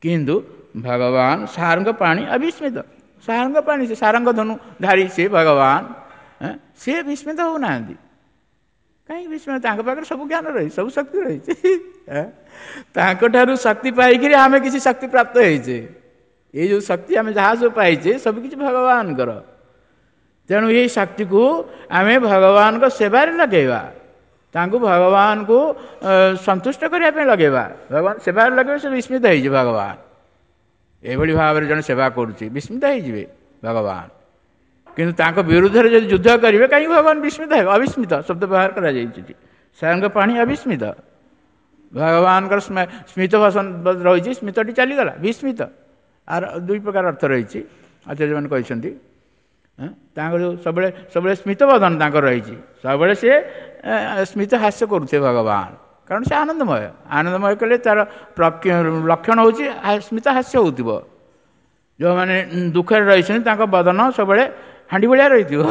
କିନ୍ତୁ ଭଗବାନ ସାରଙ୍ଗ ପାଣି ଅବିସ୍ମିତ, ସାରଙ୍ଗ ପାଣି, ସେ ସାରଙ୍ଗ ଧନୁ ଧାରି ସେ ଭଗବାନ, ସେ ବିସ୍ମିତ ହେଉନାହାନ୍ତି। କାହିଁକି ବିସ୍ମିତ? ତାଙ୍କ ପାଖରେ ସବୁ ଜ୍ଞାନ ରହିଛି, ସବୁ ଶକ୍ତି ରହିଛି। ତାଙ୍କଠାରୁ ଶକ୍ତି ପାଇକିରି ଆମେ କିଛି ଶକ୍ତି ପ୍ରାପ୍ତ ହେଇଛେ। ଏଇ ଯେଉଁ ଶକ୍ତି ଆମେ ଯାହା ସବୁ ପାଇଛେ, ସବୁ କିଛି ଭଗବାନଙ୍କର। ତେଣୁ ଏଇ ଶକ୍ତିକୁ ଆମେ ଭଗବାନଙ୍କ ସେବାରେ ଲଗେଇବା, ତାଙ୍କୁ ଭଗବାନଙ୍କୁ ସନ୍ତୁଷ୍ଟ କରିବା ପାଇଁ ଲଗେଇବା। ଭଗବାନ ସେବାରେ ଲଗେଇବେ, ସେ ବିସ୍ମିତ ହେଇଯିବେ ଭଗବାନ। ଏଭଳି ଭାବରେ ଜଣେ ସେବା କରୁଛି, ବିସ୍ମିତ ହେଇଯିବେ ଭଗବାନ। କିନ୍ତୁ ତାଙ୍କ ବିରୁଦ୍ଧରେ ଯଦି ଯୁଦ୍ଧ କରିବେ, କାହିଁକି ଭଗବାନ ବିସ୍ମିତ ହେବେ? ଅବିସ୍ମିତ ଶବ୍ଦ ବ୍ୟବହାର କରାଯାଇଛି, ସାରଙ୍ଗ ପାଣି ଅବିସ୍ମିତ। ଭଗବାନଙ୍କର ସ୍ମିତ ଭାଷଣ ରହିଛି, ସ୍ମିତଟି ଚାଲିଗଲା, ବିସ୍ମିତ। ଆର ଦୁଇ ପ୍ରକାର ଅର୍ଥ ରହିଛି, ଆଚାର୍ଯ୍ୟମାନେ କହିଛନ୍ତି। ତାଙ୍କର ଯେଉଁ ସବୁବେଳେ ସବୁବେଳେ ସ୍ମିତ ବଦନ ତାଙ୍କର ରହିଛି, ସବୁବେଳେ ସେ ସ୍ମିତ ହାସ୍ୟ କରୁଥିବେ ଭଗବାନ, କାରଣ ସେ ଆନନ୍ଦମୟ। ଆନନ୍ଦମୟ କଲେ ତାର ଲକ୍ଷଣ ହେଉଛି ସ୍ମିତ ହାସ୍ୟ ହେଉଥିବ। ଯେଉଁମାନେ ଦୁଃଖରେ ରହିଛନ୍ତି, ତାଙ୍କ ବଦନ ସବୁବେଳେ ହାଣ୍ଡି ଭଳିଆ ରହିଥିବ,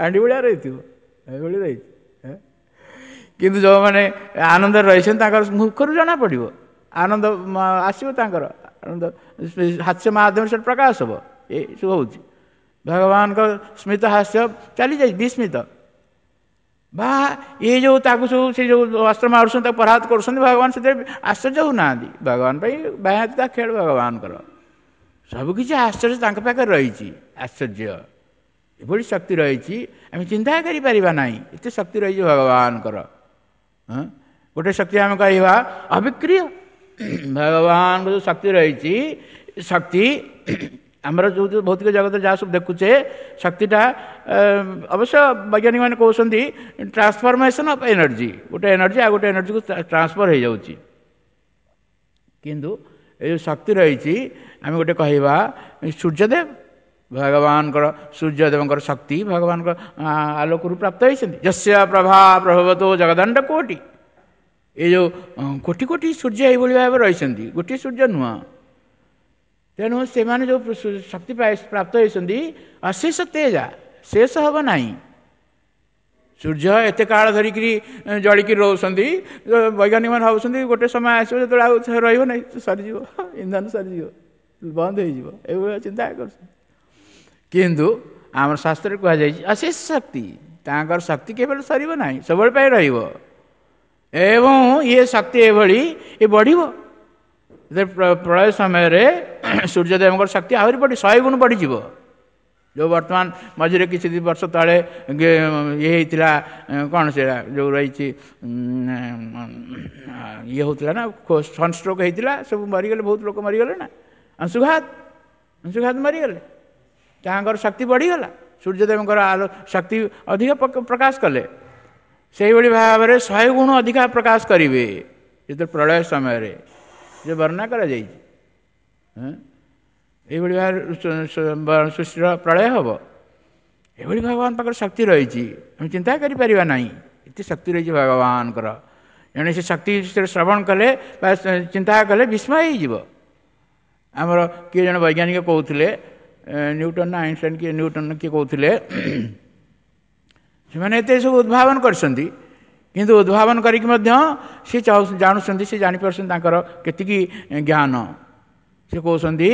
ହାଣ୍ଡି ଭଳିଆ ରହିଥିବ, ଏଇଭଳି ରହିଛି। କିନ୍ତୁ ଯେଉଁମାନେ ଆନନ୍ଦରେ ରହିଛନ୍ତି, ତାଙ୍କର ମୁଖରୁ ଜଣାପଡ଼ିବ, ଆନନ୍ଦ ଆସିବ, ତାଙ୍କର ଆନନ୍ଦ ହାସ୍ୟ ମାଧ୍ୟମରେ ସେଟା ପ୍ରକାଶ ହେବ। ଏସବୁ ହେଉଛି ଭଗବାନଙ୍କ ସ୍ମିତ ହାସ୍ୟ ଚାଲିଯାଇଛି, ବିସ୍ମିତ ବା ଇଏ ଯେଉଁ ତାକୁ ସବୁ ସେ ଯେଉଁ ଅସ୍ତ୍ର ମାରୁଛନ୍ତି, ତାକୁ ପରାହତ କରୁଛନ୍ତି, ଭଗବାନ ସେଥିରେ ଆଶ୍ଚର୍ଯ୍ୟ ହେଉନାହାନ୍ତି। ଭଗବାନ ପାଇଁ ବାହାତି ତା ଖେଳ ଭଗବାନଙ୍କର, ସବୁକିଛି ଆଶ୍ଚର୍ଯ୍ୟ ତାଙ୍କ ପାଖରେ ରହିଛି। ଆଶ୍ଚର୍ଯ୍ୟ ଏଭଳି ଶକ୍ତି ରହିଛି, ଆମେ ଚିନ୍ତା କରିପାରିବା ନାହିଁ, ଏତେ ଶକ୍ତି ରହିଛି ଭଗବାନଙ୍କର। ଗୋଟେ ଶକ୍ତି ଆମେ କହିବା ଅବିକ୍ରିୟ। ଭଗବାନଙ୍କ ଯେଉଁ ଶକ୍ତି ରହିଛି, ଶକ୍ତି ଆମର ଯେଉଁ ଯେଉଁ ଭୌତିକ ଜଗତରେ ଯାହା ସବୁ ଦେଖୁଛେ, ଶକ୍ତିଟା ଅବଶ୍ୟ ବୈଜ୍ଞାନିକମାନେ କହୁଛନ୍ତି ଟ୍ରାନ୍ସଫର୍ମେସନ୍ ଅଫ୍ ଏନର୍ଜି, ଗୋଟେ ଏନର୍ଜି ଆଉ ଗୋଟେ ଏନର୍ଜିକୁ ଟ୍ରାନ୍ସଫର୍ ହେଇଯାଉଛି। କିନ୍ତୁ ଏ ଯେଉଁ ଶକ୍ତି ରହିଛି, ଆମେ ଗୋଟେ କହିବା ସୂର୍ଯ୍ୟଦେବ, ଭଗବାନଙ୍କର ସୂର୍ଯ୍ୟଦେବଙ୍କର ଶକ୍ତି ଭଗବାନଙ୍କ ଆଲୋକରୁ ପ୍ରାପ୍ତ ହେଇଛନ୍ତି। ଯସ୍ୟ ପ୍ରଭା ପ୍ରଭବତୋ ଜଗଦଣ୍ଡ କୋଟି, ଏ ଯେଉଁ କୋଟି କୋଟି ସୂର୍ଯ୍ୟ ଏଇଭଳି ଭାବରେ ରହିଛନ୍ତି, ଗୋଟିଏ ସୂର୍ଯ୍ୟ ନୁହଁ। ତେଣୁ ସେମାନେ ଯେଉଁ ଶକ୍ତି ପ୍ରାପ୍ତ ହେଇଛନ୍ତି ଅଶେଷ ତେଜା, ଶେଷ ହେବ ନାହିଁ। ସୂର୍ଯ୍ୟ ଏତେ କାଳ ଧରିକିରି ଜଳିକିରି ରହୁଛନ୍ତି, ବୈଜ୍ଞାନିକମାନେ ଭାବୁଛନ୍ତି ଗୋଟେ ସମୟ ଆସିବ ଯେତେବେଳେ ଆଉ ରହିବ ନାହିଁ, ସରିଯିବ, ଇନ୍ଧନ ସରିଯିବ, ବନ୍ଦ ହେଇଯିବ, ଏଇଭଳିଆ ଚିନ୍ତା କରୁଛନ୍ତି। କିନ୍ତୁ ଆମର ଶାସ୍ତ୍ରରେ କୁହାଯାଇଛି ଅଶେଷ ଶକ୍ତି, ତାଙ୍କର ଶକ୍ତି କେବେ ସରିବ ନାହିଁ, ସବୁବେଳେ ପାଇଁ ରହିବ। ଏବଂ ଇଏ ଶକ୍ତି ଏଭଳି ଏ ବଢ଼ିବ। ପ୍ରଳୟ ସମୟରେ ସୂର୍ଯ୍ୟଦେବଙ୍କର ଶକ୍ତି ଆହୁରି ବଢ଼ି 100 ଗୁଣ ବଢ଼ିଯିବ। ଯେଉଁ ବର୍ତ୍ତମାନ ମଝିରେ କିଛି ବର୍ଷ ତଳେ ଇଏ ହେଇଥିଲା, କ'ଣ ସେଇଟା ଯେଉଁ ରହିଛି ଇଏ ହେଉଥିଲା ନା, ସନଷ୍ଟ୍ରୋକ୍ ହେଇଥିଲା, ସବୁ ମରିଗଲେ, ବହୁତ ଲୋକ ମରିଗଲେ ନା, ଅଂଶୁଘାତ ମରିଗଲେ। ତାଙ୍କର ଶକ୍ତି ବଢ଼ିଗଲା, ସୂର୍ଯ୍ୟଦେବଙ୍କର ଆଲୋ ଶକ୍ତି ଅଧିକ ପ୍ରକାଶ କଲେ। ସେଇଭଳି ଭାବରେ 100 ଗୁଣ ଅଧିକା ପ୍ରକାଶ କରିବେ ଯେତେବେଳେ ପ୍ରଳୟ ସମୟରେ, ଯେ ବର୍ଣ୍ଣନା କରାଯାଇଛି। ଏଇଭଳି ଭାବରେ ସୃଷ୍ଟିର ପ୍ରଳୟ ହେବ। ଏଭଳି ଭଗବାନ ପାଖରେ ଶକ୍ତି ରହିଛି, ଆମେ ଚିନ୍ତା କରିପାରିବା ନାହିଁ, ଏତେ ଶକ୍ତି ରହିଛି ଭଗବାନଙ୍କର। ଜଣେ ସେ ଶକ୍ତି ବିଷୟରେ ଶ୍ରବଣ କଲେ ବା ଚିନ୍ତା କଲେ ବିସ୍ମୟ ହେଇଯିବ। ଆମର କିଏ ଜଣେ ବୈଜ୍ଞାନିକ କହୁଥିଲେ, ନ୍ୟୁଟନ ନା ଆଇନଷ୍ଟାଇନ କିଏ, ନ୍ୟୁଟନ କିଏ କହୁଥିଲେ, ସେମାନେ ଏତେ ସବୁ ଉଦ୍ଭାବନ କରିଛନ୍ତି, କିନ୍ତୁ ଉଦ୍ଭାବନ କରିକି ମଧ୍ୟ ସେ ଜାଣୁଛନ୍ତି, ସେ ଜାଣିପାରୁଛନ୍ତି ତାଙ୍କର କେତିକି ଜ୍ଞାନ। ସେ କହୁଛନ୍ତି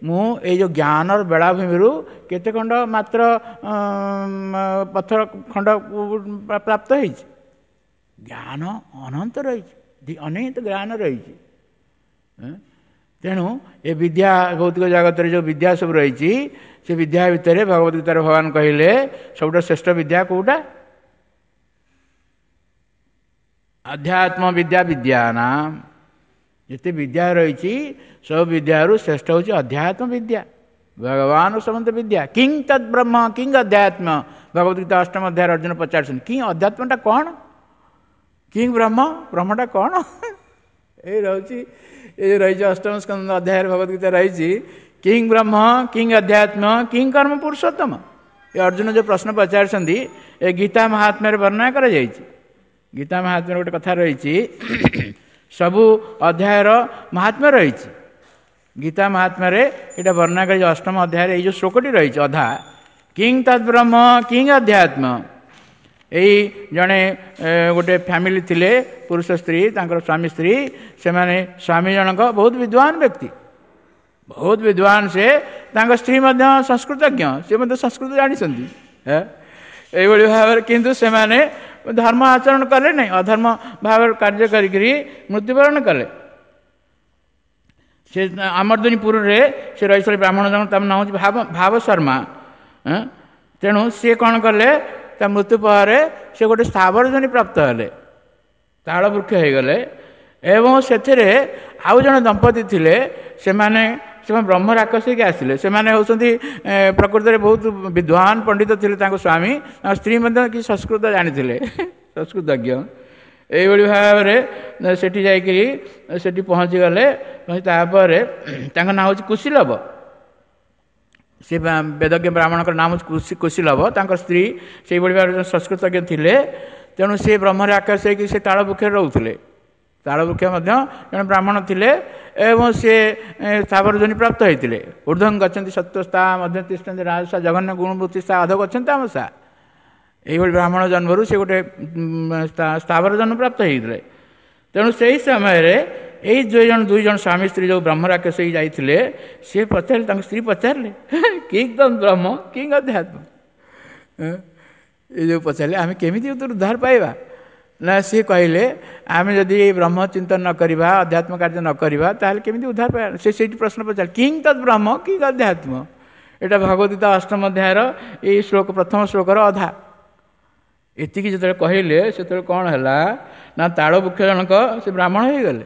ମୁଁ ଏଇ ଯେଉଁ ଜ୍ଞାନର ବେଳାଭୂମିରୁ କେତେ ଖଣ୍ଡ ମାତ୍ର ପଥର ଖଣ୍ଡ ପ୍ରାପ୍ତ ହେଇଛି। ଜ୍ଞାନ ଅନନ୍ତ ରହିଛି, ଅନେକ ଜ୍ଞାନ ରହିଛି। ତେଣୁ ଏ ବିଦ୍ୟା ଭୌତିକ ଜଗତରେ ଯେଉଁ ବିଦ୍ୟା ସବୁ ରହିଛି, ସେ ବିଦ୍ୟା ଭିତରେ ଭଗବତ ଗୀତାରେ ଭଗବାନ କହିଲେ ସବୁଠୁ ଶ୍ରେଷ୍ଠ ବିଦ୍ୟା କେଉଁଟା? ଆଧ୍ୟାତ୍ମ ବିଦ୍ୟା ବିଦ୍ୟା ନା। ଯେତେ ବିଦ୍ୟା ରହିଛି ସବୁ ବିଦ୍ୟାରୁ ଶ୍ରେଷ୍ଠ ହେଉଛି ଅଧ୍ୟାତ୍ମ ବିଦ୍ୟା, ଭଗବାନ ସମସ୍ତ ବିଦ୍ୟା। କିଂ ତଦ୍ ବ୍ରହ୍ମ କିଂ ଅଧ୍ୟାତ୍ମ, ଭଗବତ ଗୀତା ଅଷ୍ଟମ ଅଧ୍ୟାୟରେ ଅର୍ଜୁନ ପଚାରୁଛନ୍ତି କିଂ ଅଧ୍ୟାତ୍ମଟା କ'ଣ, କିଂ ବ୍ରହ୍ମ, ବ୍ରହ୍ମଟା କ'ଣ? ଏଇ ରହୁଛି, ଏ ରହିଛି ଅଷ୍ଟମ ସ୍କନ୍ଧ ଅଧ୍ୟାୟରେ ଭଗବତ ଗୀତା ରହିଛି, କିଂ ବ୍ରହ୍ମ କିଂ ଅଧ୍ୟାତ୍ମ କିଂ କର୍ମ ପୁରୁଷୋତ୍ତମ। ଏ ଅର୍ଜୁନ ଯେଉଁ ପ୍ରଶ୍ନ ପଚାରୁଛନ୍ତି ଏ ଗୀତା ମହାତ୍ମ୍ୟରେ ବର୍ଣ୍ଣନା କରାଯାଇଛି। ଗୀତା ମହାତ୍ମ୍ୟରେ ଗୋଟେ କଥା ରହିଛି, ସବୁ ଅଧ୍ୟାୟର ମହାତ୍ମ୍ୟ ରହିଛି। ଗୀତା ମହାତ୍ମ୍ୟରେ ଏଇଟା ବର୍ଣ୍ଣନା କରାଯାଇଛି ଅଷ୍ଟମ ଅଧ୍ୟାୟରେ, ଏଇ ଯେଉଁ ଶ୍ଲୋକଟି ରହିଛି ଅଧା, କିଂ ତଦ୍ ବ୍ରହ୍ମ କିଂ ଅଧ୍ୟାତ୍ମ। ଏଇ ଜଣେ ଗୋଟେ ଫ୍ୟାମିଲି ଥିଲେ, ପୁରୁଷ ସ୍ତ୍ରୀ, ତାଙ୍କର ସ୍ୱାମୀ ସ୍ତ୍ରୀ, ସେମାନେ ସ୍ୱାମୀ ଜଣକ ବହୁତ ବିଦ୍ୱାନ ବ୍ୟକ୍ତି, ବହୁତ ବିଦ୍ୱାନ ସେ, ତାଙ୍କ ସ୍ତ୍ରୀ ମଧ୍ୟ ସଂସ୍କୃତଜ୍ଞ, ସେ ମଧ୍ୟ ସଂସ୍କୃତ ଜାଣିଛନ୍ତି ଏଇଭଳି ଭାବରେ। କିନ୍ତୁ ସେମାନେ ଧର୍ମ ଆଚରଣ କଲେ ନାହିଁ, ଅଧର୍ମ ଭାବରେ କାର୍ଯ୍ୟ କରିକିରି ମୃତ୍ୟୁବରଣ କଲେ। ସେ ଆମର୍ଦନୀପୁରରେ ସେ ରହିଥିଲେ ବ୍ରାହ୍ମଣ ଜଣ, ତାର ନାଁ ହେଉଛି ଭାବ ଶର୍ମା। ତେଣୁ ସିଏ କ'ଣ କଲେ, ତା ମୃତ୍ୟୁ ପରେ ସେ ଗୋଟେ ସ୍ଥାବର ଜନି ପ୍ରାପ୍ତ ହେଲେ, ତାଳ ବୃକ୍ଷ ହେଇଗଲେ। ଏବଂ ସେଥିରେ ଆଉ ଜଣେ ଦମ୍ପତି ଥିଲେ, ସେମାନେ ବ୍ରହ୍ମ ରାକ୍ଷସ ହେଇକି ଆସିଲେ। ସେମାନେ ହେଉଛନ୍ତି ପ୍ରକୃତରେ ବହୁତ ବିଦ୍ୱାନ ପଣ୍ଡିତ ଥିଲେ, ତାଙ୍କ ସ୍ୱାମୀ, ତାଙ୍କ ସ୍ତ୍ରୀ ମଧ୍ୟ କିଛି ସଂସ୍କୃତ ଜାଣିଥିଲେ, ସଂସ୍କୃତଜ୍ଞ। ଏଇଭଳି ଭାବରେ ସେଠି ଯାଇକିରି ସେଠି ପହଞ୍ଚିଗଲେ। ତାପରେ ତାଙ୍କ ନାଁ ହେଉଛି କୁଶିଲବ, ସେ ବେଦଜ୍ଞ ବ୍ରାହ୍ମଣଙ୍କର ନାମ ହେଉଛି କୁଶିଲବ। ତାଙ୍କ ସ୍ତ୍ରୀ ସେଇଭଳି ଭାବରେ ସଂସ୍କୃତଜ୍ଞ ଥିଲେ, ତେଣୁ ସେ ବ୍ରହ୍ମରେ ଆକାଶ ହେଇକି ସେ ତାଳ ବୃକ୍ଷରେ ରହୁଥିଲେ। ତାଳ ବୃକ୍ଷ ମଧ୍ୟ ଜଣେ ବ୍ରାହ୍ମଣ ଥିଲେ ଏବଂ ସେ ସ୍ଥାବର ଯୋନି ପ୍ରାପ୍ତ ହେଇଥିଲେ। ଉର୍ଦ୍ଧ୍ୱଂ ଗଛନ୍ତି ସତ୍ୱସ୍ଥା ମଧ୍ୟ ତିଷ୍ଠନ୍ତି ରାଜସା ଜଘନ୍ୟ ଗୁଣବୃତ୍ତିସ୍ଥା ଅଧ ଗଛନ୍ତି ତାମସା। ଏଇଭଳି ବ୍ରାହ୍ମଣ ଜନ୍ମରୁ ସେ ଗୋଟେ ସ୍ଥାବର ଜନ୍ମ ପ୍ରାପ୍ତ ହେଇଥିଲେ। ତେଣୁ ସେଇ ସମୟରେ ଏଇ ଦୁଇ ଜଣ ସ୍ୱାମୀ ସ୍ତ୍ରୀ ଯେଉଁ ବ୍ରହ୍ମ ରାକ୍ଷସ ହେଇ ଯାଇଥିଲେ, ସିଏ ପଚାରିଲେ, ତାଙ୍କ ସ୍ତ୍ରୀ ପଚାରିଲେ କିଂ ତଦ୍ ବ୍ରହ୍ମ କିଂ ଅଧ୍ୟାତ୍ମ। ଏ ଯେଉଁ ପଚାରିଲେ ଆମେ କେମିତି ଉଦ୍ଧାର ପାଇବା? ନା ସିଏ କହିଲେ ଆମେ ଯଦି ବ୍ରହ୍ମ ଚିନ୍ତନ ନ କରିବା, ଅଧ୍ୟାତ୍ମ କାର୍ଯ୍ୟ ନ କରିବା, ତାହେଲେ କେମିତି ଉଦ୍ଧାର ପାଇବା? ସେ ସେଇଠି ପ୍ରଶ୍ନ ପଚାରିଲେ କିଂ ତଦ୍ ବ୍ରହ୍ମ କିଂ ଅଧ୍ୟାତ୍ମ। ଏଇଟା ଭଗବତ ଗୀତା ଅଷ୍ଟମ ଅଧ୍ୟାୟର ଏଇ ଶ୍ଲୋକ, ପ୍ରଥମ ଶ୍ଲୋକର ଅଧା। ଏତିକି ଯେତେବେଳେ କହିଲେ ସେତେବେଳେ କ'ଣ ହେଲା ନା, ତାଳ ବୃକ୍ଷ ଜଣକ ସେ ବ୍ରାହ୍ମଣ ହେଇଗଲେ।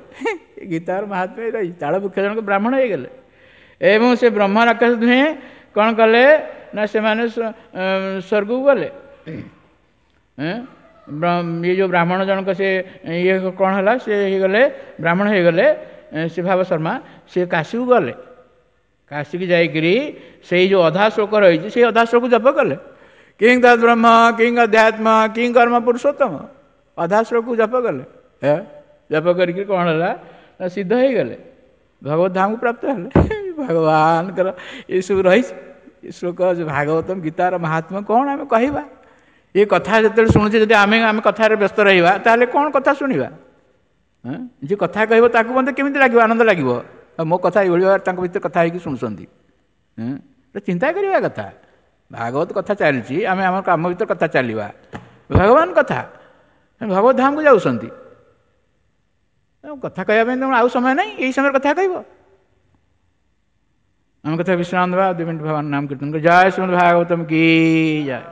ଗୀତାର ମହାତ୍ମ୍ୟ ରହିଛି, ତାଳ ବୃକ୍ଷ ଜଣକ ବ୍ରାହ୍ମଣ ହେଇଗଲେ ଏବଂ ସେ ବ୍ରହ୍ମ ରାକ୍ଷସ ଦୁହେଁ କ'ଣ କଲେ ନା ସେମାନେ ସ୍ୱର୍ଗକୁ ଗଲେ। ଇଏ ଯେଉଁ ବ୍ରାହ୍ମଣ ଜଣକ ସେ ଇଏ କ'ଣ ହେଲା, ସେ ହେଇଗଲେ ବ୍ରାହ୍ମଣ ହେଇଗଲେ। ସେ ଭାବ ଶର୍ମା ସେ କାଶୀକୁ ଗଲେ। କାଶୀକି ଯାଇକରି ସେଇ ଯେଉଁ ଅଧା ଶ୍ଲୋକ ରହିଛି, ସେଇ ଅଧା ଶ୍ଲୋକ ଜପ କଲେ। କିଂ ତଦ୍ ବ୍ରହ୍ମ କିଂ ଅଧ୍ୟାତ୍ମ କିଂ କର୍ମ ପୁରୁଷୋତ୍ତମ, ଅଧା ଶ୍ଲୋକକୁ ଜପ କଲେ। ଜପ କରିକି କ'ଣ ହେଲା ନା ସିଦ୍ଧ ହେଇଗଲେ, ଭଗବତ ଧାମକୁ ପ୍ରାପ୍ତ ହେଲେ। ଭଗବାନଙ୍କର ଏସବୁ ରହିଛି ଏ ଶ୍ଲୋକ। ଭାଗବତମ ଗୀତାର ମହାତ୍ମ୍ୟ କ'ଣ ଆମେ କହିବା? ଏ କଥା ଯେତେବେଳେ ଶୁଣୁଛେ, ଯଦି ଆମେ ଆମେ କଥାରେ ବ୍ୟସ୍ତ ରହିବା, ତାହେଲେ କ'ଣ କଥା ଶୁଣିବା? ଯିଏ କଥା କହିବ ତାକୁ ମଧ୍ୟ କେମିତି ଲାଗିବ? ଆନନ୍ଦ ଲାଗିବ? ମୋ କଥା ଏଇଭଳି ଭାବରେ ତାଙ୍କ ଭିତରେ କଥା ହେଇକି ଶୁଣୁଛନ୍ତି। ଚିନ୍ତା କରିବା କଥା। ଭାଗବତ କଥା ଚାଲିଛି, ଆମେ ଆମ କାମ ଭିତରେ କଥା ଚାଲିବା। ଭଗବାନ କଥା, ଭଗବତ ଧାମକୁ ଯାଉଛନ୍ତି, କଥା କହିବା ପାଇଁ ତେଣୁ ଆଉ ସମୟ ନାହିଁ। ଏଇ ସମୟରେ କଥା କହିବ। ଆମ କଥା ବିଶ୍ରାମ ଦେବା, 2 ମିନିଟ୍ ଭଗବାନ ନାମ କୀର୍ତ୍ତନ। ଜୟ ଶ୍ରୀମଦ ଭାଗବତମ କି ଜୟ।